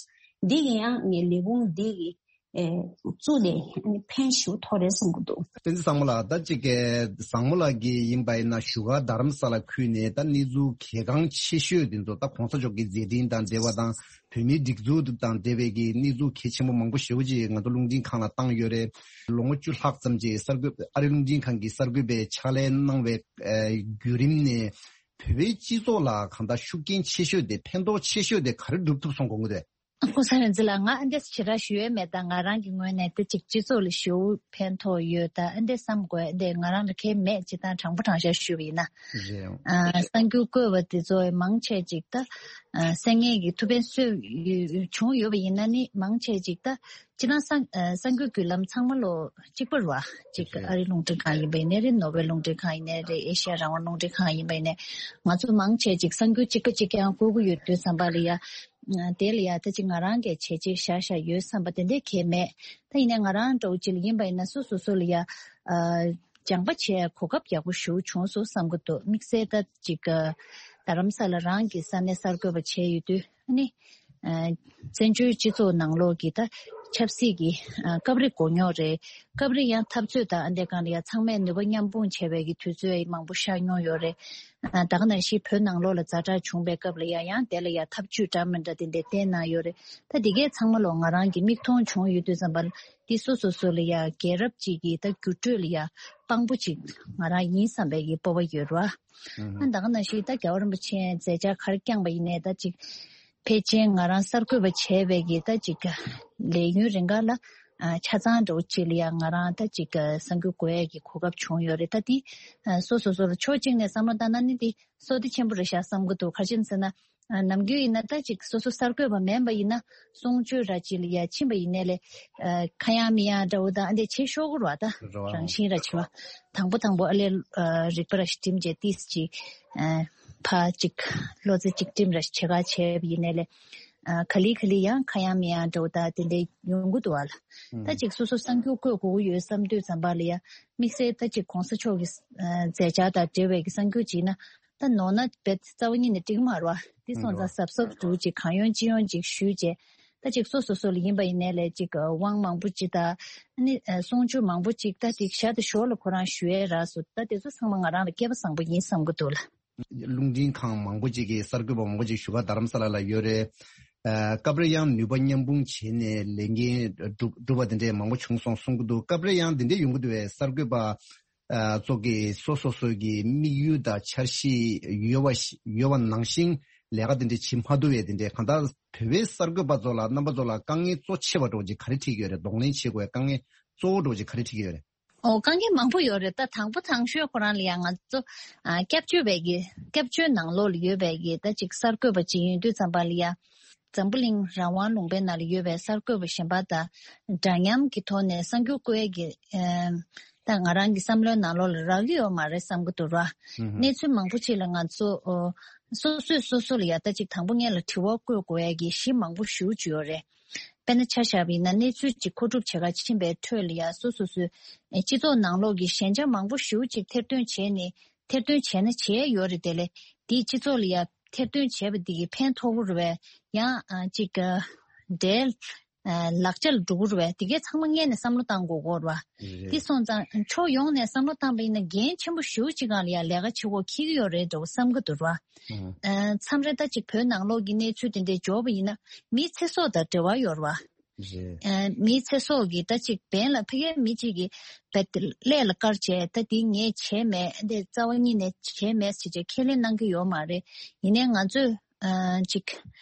འདི་གི་ཡང་ངའི་ལས་ཁུངས་འདི་གི་ཨེ་བཙུགས་ནས་ཨ་ནི་ཕན་ཞུ་ཐོགས་རེད་བསམ་གྱི་འདུག། བསྟན་འཛིན་བཟང་མོ་ལགས། ད་ཅིག་གི་བཟང་མོ་ལགས་ཀྱི་ཡིན་པ་ཡིན་ན་བཞུགས་སྒར་རྡ་རམ་ས་ལ་ཁུལ་ནས་ད་གནས་ཚུལ་གལ་འགངས་ཆེ་ཤོས་དེ་ཚོ་ད་གོང་ས་མཆོག་གི་མཛད་འཕྲིན་དང་འབྲེལ་བ་དང་བོད་མིའི་སྒྲིག་འཛུགས་དང་འབྲེལ་བའི་གི་གནས་ཚུལ་གལ་ཆེན་པོ་མང་པོ་ཞེ་པོ་ཅིག་ང་ཚོ་རླུང་འཕྲིན་ཁང་ལ་བཏང་ཡོད་རེད། ལོ་ངོ་བཅུ་ལྷག་ཙམ་ཅིག་གསར་འགོད་ཨ་རི་རླུང་འཕྲིན་ཁང་གི་གསར་འགོད་པའི་ཕྱག་ལས་གནང་བའི་བརྒྱུད་རིམ་ནས་བོད་པའི་སྤྱི་ཚོགས་ལ་གང་ལྟར་ཤུགས་རྐྱེན་ཆེ་ཤོས་དེ་ཕན་ཐོགས་ཆེ་ཤོས་དེ་ག་རེ་སྒྲུབ་ཐུབ་སོང་དགོངས་ཀྱི་འདུག། ཨ་ཁུ་ས་རེ་འཛི་ལ་ང་ཨ་འདྲས་ཞེ་དྲག་ཞུ་ཡས་མེད། ད་ང་རང་གི་ངོས་ནས་ད་ཅིག་སྤྱི་ཚོགས་ལ་ཞེ་པོ་ཕན་ཐོགས་ཡོད། ད་ཨ་འདྲས་བསམ་དགོས་ཨ་འདྲས་ང་རང་ལ་གལ་མེད་ཅི་ད་དྲང་པོ་དྲང་བཞག་ཞུས་པ་ཡིན་ན། རེད། ཨ་གསར་འགྱུར་བཀོད་པ་དེ་ཚོ་མང་ཆེ་ཅིག་ད་ཨ་གསར་རྙིང་གི་ཐུགས་ཕན་གསོས་ཡོད་བྱུང་ཡོད་པ་ཡིན་ན་ནི་མང་ཆེ་ཅིག་ད་སྤྱིར་བཏང་གསར་ཨ་གསར་འགྱུར་བརྒྱུད་ལམ་ཚང་མ་ལོ་གཅིག་པ་རེད་བ། ཅིག་རེད། ཨ་རི་རླུང་འཕྲིན་ཁང་ཡིན་པ་ཡིན་ནའི་རེད། ནོར་ཝེ་རླུང་འཕྲིན་ཁང་ཡིན་ནའི་རེད། ཨེ་ཤ་ཡ་རང་དབང་རླུང་འཕྲིན་ཁང་ཡིན་པ་ཡིན་ནའི་ང་ཚོ་མང་ཆེ་ཅིག་གསར་འགྱུར་གཅིག་པ་གཅིག་རྐྱང་བཀོད་ཀྱི་ཡོད་དུས་ཙམ་པ་ལ་ཡ། དེ་ལ་ཡ་ད་ཅིག་ང་རང་གིས་བྱས་རྗེས་བཞག་བཞག་ཡོད་བསམ་པ་དེ་འདྲས་གལ་མེད། ད་ཡིན་ནའི་ང་རང་འདྲ་བོ་ཅིག་ལ་ཡིན་པ་ཡིན་ན་སོ་སོ་སོ་ལ་ཡ་ཨ་སྦྱང་པ་བྱས་གོ་སྐབས་ཡག་པོ་ཞེ་པོ་བྱུང་སོང་བསམ་གྱི་འདུག། དམིགས་བསལ་ད་ཅིག་ཨ་རྡ་རམ་ས་ལ་རང་གི་ས་གནས་གསར་འགོད་པ་བྱས་ཡོད་དུས་ཨ་ནི་ཨ་བཙན་བྱོལ་སྤྱི་ཚོགས་ནང་ལོགས་ཀྱི་ད་ཆབ་སྲིད་ཀྱི་ཨ་སྐབས་རེ་མགོ་རྙོག་རེད། སྐབས་རེ་ཡང་འཐབ་རྩོད་དང་ཨ་འདྲས་སྒང་ལ་ཡ་ཚང་མས་ནུས་པ་མཉམ་སྤུངས་བྱས་པའི་གི་དུས་ཚོད་མང་པོ་ཤར་མྱོང་ཡོད་རེད། ཨ་ད་ག་ནང་བཞིན་བོད་ནང་ལོགས་ལ་ཛ་དྲག་བྱུང་པའི་སྐབས་ལ་ཡ་ཡང་དེ་ལ་ཡ་ཐབས་ཇུས་འདྲ་མི་འདྲ་དེ་འདྲ་བསྟན་གནང་ཡོད་རེད། ད་འདི་གས་ཚང་མ་ལོ་ང་རང་གི་མིག་མཐོང་བྱུང་ཡོད་དུས་ཙམ་པ་འདི་སོ་སོ་སོ་ལ་ཡ་རྒྱལ་རབས་ཅིག་གི་ད་འགྱུར་འགྲོས་ལ་ཡ་དཔང་པོ་ཅིག་ང་རང་ཡིན་བསམ་པའི་གི་སྤོབས་པ་ཡོད་རེད་བ། ཨ་ད་ག་ནང་བཞིན་ད་རྒྱལ་བ་རིན་པོ་ཆེ་མཛད་འཆར་ག་རེ་བསྐྱངས་པ་ཡིན་ནའི་ད་ཅིག་ཕལ་ཆེར་ང་རང་གསར་འགོད་པ་བྱས་པའི་གི་ད་ཅིག་ལས་ཡུན་རིང་ག་ལ་ཨ་ཆ་ཚང་འདྲ་བོ་ཅིག་ལ་ཡང་ང་རང་ད་ཅིག་གསར་འགོད་དགོས་ཡས་ཀྱི་གོ་སྐབས་བྱུང་ཡོད་རེད། ད་འདི་ཨ་སོ་སོ་སོ་ལ་ཕྱོགས་གཅིག་ནས་བསམ་བློ་བཏང་ན་ནི་འདི་བསོད་བདེ་ཆེན་པོ་རེད་ཤག་བསམ་གྱི་འདུག། ག་རེ་བྱས་ཟེར་ན་ཨ་ནམ་རྒྱུན་ཡིན་ན་ད་ཅིག་སོ་སོ་གསར་འགོད་པ་མིན་པ་ཡིན་ན་གསུང་ཆོས་ར་ཅིག་ལ་ཡ་ཕྱིན་པ་ཡིན་ནའི་ལས་ཨ་ཁ་ཡང་མི་ཡང་འདྲ་བོ་དང་ཨ་འདྲས་བྱེད་ཤོར་གི་རེད་བ། ད་རེད་བ། རང་བཞིན་ར་ཅིག་བ་དང་པོ་དང་པོ་ཨ་ལས་ཨ་རིག་པ་ར་ཞིག་བསྒྲིམས་བྱས་ཏིས་ཅིག་ཨ་ཕ་ཅིག་བློ་རྩེ་གཅིག་སྒྲིམ་ར་ཞིག་བྱེད་ག་བྱས་པ་ཡིན་ནའི་ལས། ཨ་ག་ལེ་ག་ལེ་ཡང་ཁ་ཡང་མི་ཡང་འདྲ་བོ་ད་དེ་འདྲ་ཡོང་གི་འདུག་བ་ལ། ད་ཅིག་སོ་སོ་གསར་འགྱུར་བཀོད་དགོས་ཀྱི་ཡོད་བསམ་དུས་ཙམ་པ་ལ་ཡ་དམིགས་བསལ་ད་ཅིག་གོང་ས་མཆོག་གི་ཨ་མཛད་འཆར་དང་འབྲེལ་བའི་གི་གསར་འགྱུར་ཅིག་ན་ད་ནོར་ན་རྦད་རྩ་བ་ཉིད་ནས་འགྲིག་མ་རེད་བ། དེ་སོང་ཙང་གཟབ་གཟབ་འདུག་ཅིག་གང་ཡོང་ཅི་ཡོང་ཅིག་ཞུས་རྗེས་ད་ཅིག་སོ་སོ་སོ་ལ་ཡིན་པ་ཡིན་ནའི་ལས་ཅིག་དབང་མང་པོ་ཅིག་ད་ནི་གསུང་ཆོས་མང་པོ་ཅིག་ད་ཅིག་ཞར་དང་ཞོར་ལ་ཁོ་རང་ཞུ་ཡས་རག་སོང་། ད་དེ་ཚོ་ཚང་མ་ང་རང་ལ་སྐལ་པ་བཟང་པོ་ཡིན་བསམ་གི་འདུག་ལ། རླུང་འཕྲིན་ཁང་མང་པོ་ཅིག་གིས་གསར་འགོད་པ་མང་པོ་ཅིག་བཞུགས་སྒར་རྡ་རམ་ས་ལ་ལ་ཡོད་རེད། ཨ་སྐབས་རེ་ཡང་ནུས་པ་མཉམ་སྤུངས་བྱས་ནས་ལས་འགན་སྒྲུབ་སྒྲུབ་པ་དེ་འདྲས་མང་པོ་བྱུང་སོང་གསུང་གི་འདུག། སྐབས་རེ་ཡང་དེ་འདྲས་ཡོང་གི་འདུག་བས། གསར་འགོད་པ་ཨ་ཚོ་གིས་སོ་སོ་སོ་གི་དམིགས་ཡུལ་དང་འཆར་གཞི་ཡོད་པ་ཡོད་པ་ནང་བཞིན་ལས་ཀ་དེ་འདྲས་བྱེད་མ་ཐུབ་པས། དེ་འདྲས་གང་ལྟར་བོད་པའི་གསར་འགོད་པ་ཚོ་ལ་རྣམ་པ་ཚོ་ལ་དཀའ་ངལ་གཙོ་ཆེ་བ་འདྲ་བོ་ཅིག་ག་རེ་འཕྲད་ཀྱི་ཡོད་རེད། གདོང་ལེན་བྱེད་དགོས་པའི་དཀའ་ངལ་གཙོ་བོ་འདྲ་བོ་ཅིག་ག་རེ་འཕྲད་ཀྱི་ཡོད་རེད། ཨོ་དཀའ་ངལ་མང་པོ་ཡོད་རེད། ད་དང་པོ་དང་ཤོས་ཁོ་རང་ལ་ཡང་ང་ཚོ་ཨ་སྐྱབས་བཅོལ་བའི་གི་སྐྱབས་བཅོལ་ནང་ལོགས་ལ་ཡོད་པའི་གི་ད་ཅིག་གསར་འགོད་པ་ཅིག་ཡིན་དུས་ཙམ་པ་ལ་ཡ་འཛམ་བུ་གླིང་རང་དབང་ལུང་པའི་ནང་ལ་ཡོད་པའི་གསར་འགོད་པ་གཞན་པ་དང་འདྲ་མཉམ་གྱི་ཐོག་ནས་གསར་འགྱུར་བཀོད་ཡས་ཀྱི་ཨ་ད་ང་རང་གི་བསམ་བློའི་ནང་ལོགས་ལ་རག་གི་ཡོད་མ་རེད་བསམ་གི་འདུག་ར། གནས་ཚུལ་མང་པོ་ཅིག་ལ་ང་ཚོ་ཨོ་སོ་སོས་སོ་སོ་ལ་ཡ་ད་ཅིག་དང་པོ་ངེད་ལ་དྲི་བ་བཀོད་དགོས་ཡས་ཀྱི་གཞི་མང་པོ་ཞེ་པོ་ཅིག་ཡོད་རེད། དཔེར་ན་ཆ་བཞག་པ་ཡིན་ན་གནས་ཚུལ་གཅིག་མཁོ་སྒྲུབ་བྱེད་ག་ཕྱིན་པའི་ཁྲོད་ལ་ཡ་སོ་སོ་སོའི་སྤྱི་ཚོགས་ནང་ལོགས་ཀྱི་ཞན་ཆ་མང་པོ་ཞེ་པོ་ཅིག་ཐེར་འདོན་བྱས་ནས་ཐེར་འདོན་བྱས་ན་བྱས་ཡོད་རེད། དེ་ལས་དེའི་སྤྱི་ཚོགས་ལ་ཡ་ཐེར་འདོན་བྱས་པ་འདི་གི་ཕན་ཐོགས་ཀྱི་རེད་པས། ཡང་ཨ་ཅིག་འབྲེལ་ལག་ཆ་ལ་འགྲོ་གི་རེད་པས། དེ་གས་ཚང་མ་སྔོན་ནས་བསམ་བློ་བཏང་དགོས་ཀྱི་ཡོད་རེད་པ། དེ་སོང་ཙང་ཕྱོགས་ཡོངས་ནས་བསམ་བློ་བཏང་པ་ཡིན་ན་འགན་ཆེན་པོ་ཞེ་པོ་ཅིག་སྒང་ལ་ཡ་ལས་ཀ་བྱེད་དགོས་འཁེལ་གྱི་ཡོད་རེད་འདྲ་བོ་བསམ་གྱི་འདུག་ར། ཨ་མཚམས་རེ་ད་ཅིག་བོད་ནང་ལོགས་ཀྱི་གནས་ཚུལ་དེ་འདྲས་འབྱོར་བ་ཡིན་ན་མིའི་ཚེ་སྲོག་དང་འབྲེལ་བ་ཡོད་རེད་པ། ཨ་མིའི་ཚེ་སྲོག་གི་ད་ཅིག་བན་ལ་ཕ་གིའི་མི་གཅིག་གིས་བད་ཀླད་ལ་བཀར་བྱས་ད་འདི་ངས་བྱས་མེད། འདི་རྩ་བ་ཉིད་ནས་བྱས་མེད་ཟེར་བྱས་ཁས་ལེན་གནང་གི་ཡོད་མ་རེད། ཡིན་ནའི་ང་ཚོས་ ཨ་ཅིག་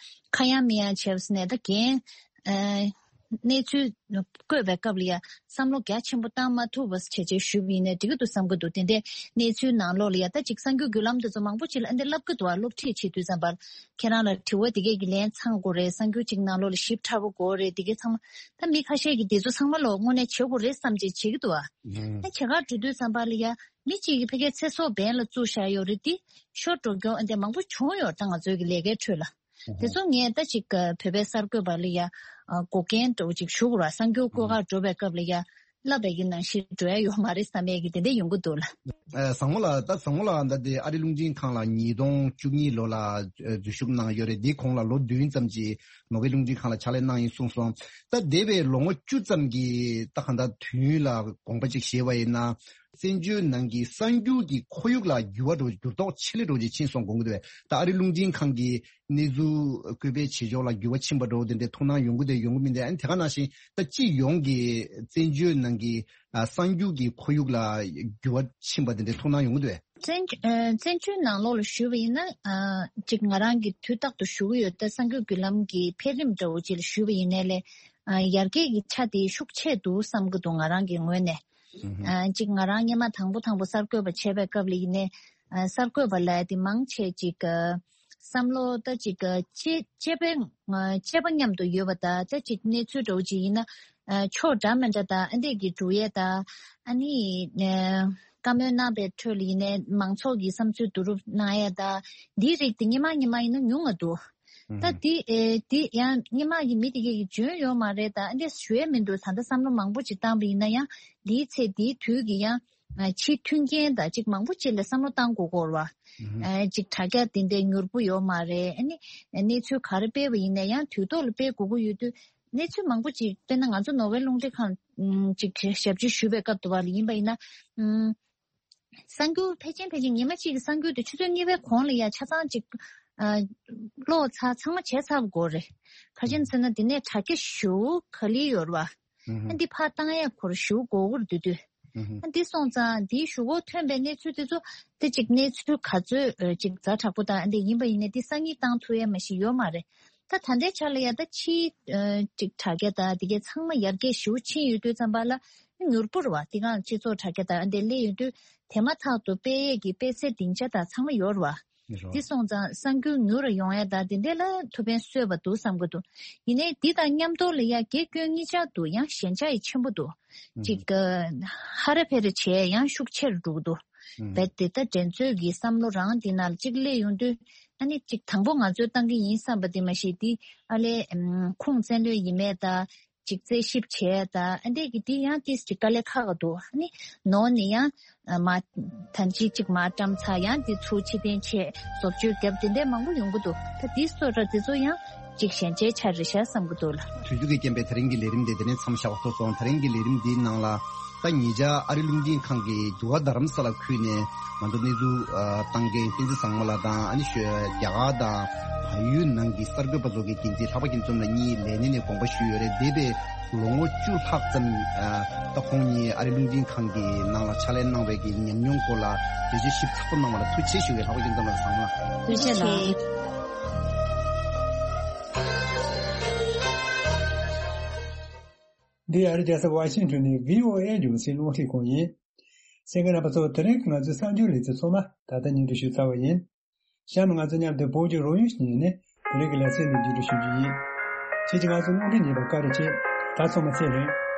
ཁ་ཡང་མི་ཡང་བྱས་པ་ནས་ད་རྒན་ཨ་གནས་ཚུལ་བཀོད་པའི་སྐབས་ལ་ཡ་བསམ་བློ་རྒྱ་ཆེན་པོ་བཏང་མ་ཐུབ་པ་བྱས་བྱས་ཞུས་པ་ཡིན་ནའི་འགྲིག་གི་འདུག་བསམ་གི་འདུག་དེ་འདྲའི་གནས་ཚུལ་ནང་ལོགས་ལ་ཡ་ད་ཅིག་གསར་འགྱུར་བརྒྱུད་ལམ་དེ་ཚོ་མང་པོ་ཅིག་ལ་ཨ་འདི་ལབ་གི་འདུག་ཨ་སློབ་ཁྲིད་བྱེད་དུས་ཙམ་པར་ཁྱེད་རང་ལ་དྲི་བ་འདི་གས་ཀྱི་ལན་ཚང་དགོས་རེད། གསར་འགྱུར་ཅིག་ནང་ལོགས་ལ་ཞིབ་ཕྲ་པོ་དགོས་རེད། འདི་གས་ཚང་མ་ད་མི་ཁ་ཤས་ཀྱིས་འདི་ཚོ་ཚང་མ་ལོ་དངོས་གནས་བྱེད་དགོས་རེད་བསམ་བྱས་བྱེད་ཀྱི་འདུག་ཨ། ཨ་བྱེད་གར་འགྲོ་དུས་ཙམ་པ་ལ་ཡ་མི་གཅིག་གིས་ཕ་གིའི་ཚེ་སྲོག་འབེན་ལ་བཙུགས་བཞག་ཡོད་རེད། དེ་ཤོར་འགྲོ་མཁན་ཨ་འདི་མང་པོ་བྱུང་ཡོད། ད་ང་ཚོའི་གི་ལས་ཀའི་ཁྲོད་ལ། དེ་ཚོ་ངས་ད་ཅིག་བོད་པའི་གསར་འགོད་པ་ལ་ཡ་འགོག་རྐྱེན་འདྲ་བོ་ཅིག་ཞུ་དགོས་ར། གསར་འགྱུར་བཀོད་གར་འགྲོ་བའི་སྐབས་ལ་ཡ་ལབ་པའི་གི་ནང་བཞིན་འགྲོ་ཡ་ཡོད་མ་རེད་བསམ་ཡས་ཀྱི་དེ་འདྲ་ཡོང་གི་འདུག་ལ། ཨ་བཟང་མོ་ལགས། ད་བཟང་མོ་ལགས་ད་དེ་ཨ་རི་རླུང་འཕྲིན་ཁང་ལ་ཉིས་སྟོང་བཅུ་གཉིས་ལོ་ལ་ཨ་འཛུལ་ཞུགས་གནང་ཡོད་རེད། དེའི་གོང་ལ་ལོ་བདུན་ཙམ་ཅིག་ནོར་ཝེ་རླུང་འཕྲིན་ཁང་ལ་ཕྱག་ལས་གནང་ཡིན་གསུངས་སོང་། ད་འདས་པའི་ལོ་ངོ་བཅུ་ཙམ་གྱི་ད་གང་ལྟར་དུས་ཡུན་ལ་དགོངས་པ་ཅིག་བཞེས་པ་ཡིན་ན། བཙན་བྱོལ་ནང་གི་གསར་འགྱུར་གྱི་ཁོར་ཡུག་ལ་འགྱུར་བ་འགྲོ་འགྱུར་ལྡོག་ཆེ་ལེ་འགྲོ་ཅིག་ཕྱིན་སོང་དགོངས་ཀྱི་འདུག་ད་ཨ་རི་རླུང་འཕྲིན་ཁང་གི་གནས་ཚུལ་བཀོད་སྤེལ་བྱེད་ཕྱོགས་ལ་འགྱུར་བ་ཕྱིན་པ་འགྲོ་དེ་འདྲའི་ཐུགས་སྣང་ཡོང་གི་འདུག་ཡོང་གི་མི་འདུག་ཨ་ནི་དེ་ག་ནང་བཞིན་ད་སྤྱི་ཡོངས་ཀྱི་བཙན་བྱོལ་ནང་གི་ཨ་གསར་འགྱུར་གྱི་ཁོར་ཡུག་ལ་འགྱུར་བ་ཕྱིན་པ་དེ་འདྲའི་ཐུགས་སྣང་ཡོང་གི་འདུག་བཙན་ཨ་བཙན་བྱོལ་ནང་ལོགས་ལ་ཞུས་པ་ཡིན་ན་ཨ་ཅིག་ང་རང་གིས་དུས་རྟག་ཏུ་ཞུ་གི་ཡོད། ད་གསར་འགྱུར་བརྒྱུད་ལམ་གྱི་འཕེལ་རིམ་འདྲ་བོ་ཅིག་ལ་ཞུས་པ་ཡིན་ནའི་ལས་ཨ་ཡར་རྒྱས་ཀྱི་ཆ་དེ་ཤུགས་ཆེ་འདུག་བསམ་གྱི་འདུག་ང་རང་གི་ངོས་ནས། ཨ་གཅིག་ང་རང་སྔོན་མ་དང་པོ་དང་པོ་གསར་འགོད་པ་བྱས་པའི་སྐབས་ལ་ཡིན་ནའི་ཨ་གསར་འགོད་པ་ལབ་ཡ་དེ་མང་ཆེ་གཅིག་ཨ་བསམ་བློ་ད་གཅིག་ཨ་གཅེས་གཅེས་པའི་ཨ་གཅེས་པ་མཉམ་དུ་ཡོད་པ་དང་ད་གཅིག་གནས་ཚུལ་འདྲ་བོ་ཅིག་ཡིན་ན་ཨ་ཕྱོགས་འདྲ་མི་འདྲ་དང་ཨ་འདྲས་ཀྱི་འགྲོ་ཡས་དང་ཨ་ནི་ཨ་བཀའ་མོལ་གནང་པའི་ཁྲོད་ལ་ཡིན་ནའི་མང་ཚོགས་ཀྱི་བསམ་ཚུལ་བསྡུ་རུབ་གནང་ཡས་དང་འདིའི་རིགས་དེ་སྔོན་མ་སྔོན་མ་ཡིན་ན་ཉུང་ང་འདུག་ད་འདི་ཨེ་འདི་ཡང་སྔོན་མ་གི་མི་དེ་གས་ཀྱིས་འཇོན་ཡོད་མ་རེད། ད་ཨ་འདྲས་ཞུ་ཡས་མི་འདུག་ད་ལྟ་བསམ་བློ་མང་པོ་ཅིག་བཏང་པ་ཡིན་ན་ཡང་འདིའི་ཚེ་འདིའི་དུས་ཀྱི་ཡང་ཨ་ཕྱི་མཐུན་རྐྱེན་དང་ཅིག་མང་པོ་ཅིག་ལ་བསམ་བློ་བཏང་དགོས་སྐོར་བ། ཨ་ཅིག་དྲ་རྒྱ་དེ་འདྲའི་མྱུར་པོ་ཡོད་མ་རེད། ཨ་ནི་གནས་ཚུལ་ག་རེ་སྤེལ་བ་ཡིན་ན་ཡང་དུས་ཐོག་ལ་སྤེལ་དགོས་ཀྱི་ཡོད་དུས་གནས་ཚུལ་མང་པོ་ཅིག་དཔེར་ན་ང་ཚོ་ནོར་ཝེ་རླུང་འཕྲིན་ཁང་ཅིག་ཞབས་ཕྱི་ཞུ་བའི་སྐབས་དུ་བ་ལ་ཡིན་པ་ཡིན་ན། གསར་འགྱུར་ཕལ་ཆེར་ཕལ་ཆེར་ཉི་མ་གཅིག་གི་གསར་འགྱུར་དེ་ཆུ་ཚོད་གཉིས་པའི་གོང་ལ་ཡ་ཆ་ཚང་གཅིག་ཨ་ཀློག་ཚར་ཚང་མ་བྱས་ཚར་དགོས་རེད། ག་རེ་ཟེར་ན་དེ་ནས་དྲ་རྒྱ་ཞེ་པོ་ག་ལེར་ཡོད་རེད་བ། ཨ་འདི་ཕར་བཏང་ཡ་ཁོར་ཞེ་པོ་དགོས་ཀྱི་རེད་འདུག་དུས། ཨ་འདི་སོང་ཙང་འདིའི་གཞུག་གུ་ཐོན་པའི་གནས་ཚུལ་དེ་ཚོ་དེ་གཅིག་གནས་ཚུལ་ག་ཚོད་ཨ་གཅིག་ཛ་དྲག་པོ་དང་ཨ་འདི་ཡིན་པ་ཡིན་ནའི་འདི་སང་ཉིན་བཏང་ཐུབ་ཡ་མ་ཞིག་ཡོད་མ་རེད། ད་ད་ལྟའི་ཆ་ལ་ཡ་ད་ཕྱིའི་ཨ་ཅིག་དྲ་རྒྱ་དང་དེ་གའི་ཚང་མ་ཡར་རྒྱས་ཞེ་པོ་ཕྱིན་ཡོད་དུས་ཙམ་པ་ལ་མྱུར་པོ་རེད་བ། དེ་གང་སྤྱི་ཚོགས་དྲ་རྒྱ་དང་ཨ་འདི་སླེབས་ཡོང་དུས་དེ་མ་ཐག་ཏུ་སྤེལ་ཡས་ཀྱི་སྤེལ་ཚད་སྡིངས་ཆ་དང་ཚང་མ་ཡོད་རེད་བ། འདི་སོང་ཙང་གསར་འགྱུར་མྱུར་རུ་ཡོང་ཡ་དང་དེ་འདྲས་ལ་ཐུགས་ཕན་གསོས་པ་འདུག་བསམ་གྱི་འདུག་ཡིན་ནའི་འདི་དང་མཉམ་དུ་ལ་ཡ་དགེ་སྐྱོན་གཉིས་ཆར་འདུག་ཡང་ཞན་ཆ་ཡི་ཆེན་པོ་འདུག་ཅིག་ཨ་ཧ་ར་ཕེ་ར་བྱས་ཡང་ཤུགས་ཆེར་འགྲོ་གི་འདུག་རྦད་དེ་ད་འགྲན་རྩོད་ཀྱི་བསམ་བློ་རང་འདི་ནང་ལ་གཅིག་སླེབས་ཡོང་དུས་ཨ་ནི་གཅིག་དང་པོ་ང་ཚོས་བཏང་གི་ཡིན་བསམ་པ་དེ་མ་གཞི་དེ་ཨ་ལས་ཨམ་ཁུངས་བཙན་ལོས་ཡིན་མེད་དང་གཅིག་རྩད་ཞིབ་བྱས་དང་ཨ་འདྲས་ཀྱི་དེ་ཡང་ཏིས་གཅིག་དཀའ་ལས་ཁག་ག་འདུག་ཨ་ནི་ནོར་ནི་ཡང་ཨ་མ་ཐམས་ཅད་གཅིག་མ་བཀྲམ་ཚར་ཡང་དེ་ཚུར་ཕྱིར་འཐེན་བྱས་བཟོ་བཅོས་བརྒྱབ་དེ་འདྲས་མང་པོ་ཡོང་གི་འདུག་ད་དེ་སོགས་ར་དེ་ཚོ་ཡང་གཅིག་ཞན་ཆའི་ཆ་རེད་ཤག་བསམ་གྱི་འདུག་ལ། དུས་ཚོད་ཀྱི་རྐྱེན་པས་དེ་རིང་གི་ལས་རིམ་དེ་དེ་ནས་མཚམས་བཞག་པ་ཐུབ་སོང་། དེ་རིང་གི་ལས་རིམ་འདིའི་ནང་ལ་ད་ཉེ་ཆར་ཨ་རི་རླུང་འཕྲིན་ཁང་གིས་འདུ་ཁང་རྡ་རམ་ས་ལ་ཁུལ་ནས་ང་ཚོ་གནས་ཚུལ་ཨ་བཏང་མཁན་བསྟན་འཛིན་བཟང་མོ་ལགས་དང་ཨ་ནི་ཤོ་རྒྱ་གར་དང་བལ་ཡུལ་ནང་གི་གསར་འགོད་པ་ཚོ་གི་འགན་འཛིན་ལྷག་པ་སྐྱིད་འཛོམས་ལགས་གཉིས་ལས་གནས་ནས་དགོངས་པ་ཞུས་ཡོད་རེད། འདས་པའི་ལོ་ངོ་བཅུ་ལྷག་ཙམ་ཨ་ད་ཁོང་གཉིས་ཨ་རི་རླུང་འཕྲིན་ཁང་གི་ནང་ལ་ཕྱག་ལས་གནང་བའི་གི་ཉམས་མྱོང་སྐོར་ལ་འགྲེལ་བརྗོད་ཞིབ་ཚགས་པོ་གནང་བ་ལ་ཐུགས་རྗེ་ཆེ་ཞུ་གི་ལྷག་པ་སྐྱིད་འཛོམས་ལགས་བཟང་མོ་ལགས། ཐུགས་རྗེ་ཆེ་གནང་། འདི་ཨ་རི་རྒྱལ་ས་ཝ་ཤིང་ཊོན་ནས་བྷི་ཨོ་ཨེ་རྒྱང་སྲིང་རླུང་འཕྲིན་ཁང་ཡིན། གསན་མཁན་རྣམ་པ་ཚོ་དེ་རིང་གི་ང་ཚོའི་གསར་འགྱུར་ལེ་ཚན་ཚང་མ་ད་ལྟ་སྙན་སྒྲོན་ཞུས་ཚར་བ་ཡིན། གཤམ་ང་ཚོ་མཉམ་དུ་བོད་ཀྱི་རོལ་དབྱངས་ཤིག་ཉན་ནས་དེ་རིང་གི་ལེ་ཚན་འདི་མཇུག་སྒྲིལ་ཞུ་རྒྱུ་ཡིན། ཁྱེད་ཀྱིས་ང་ཚོའི་རླུང་འཕྲིན་ཉན་པར་བཀའ་དྲིན་ཆེ། ད་ཚང་མ་ཚེ་རིང་།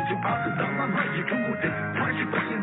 ཅིག་བར་དུ་བདག་ལ་མ་ཡི་ཕྲུ་གུ་དེ་ཕ་ཞིག་པ་ཡིན།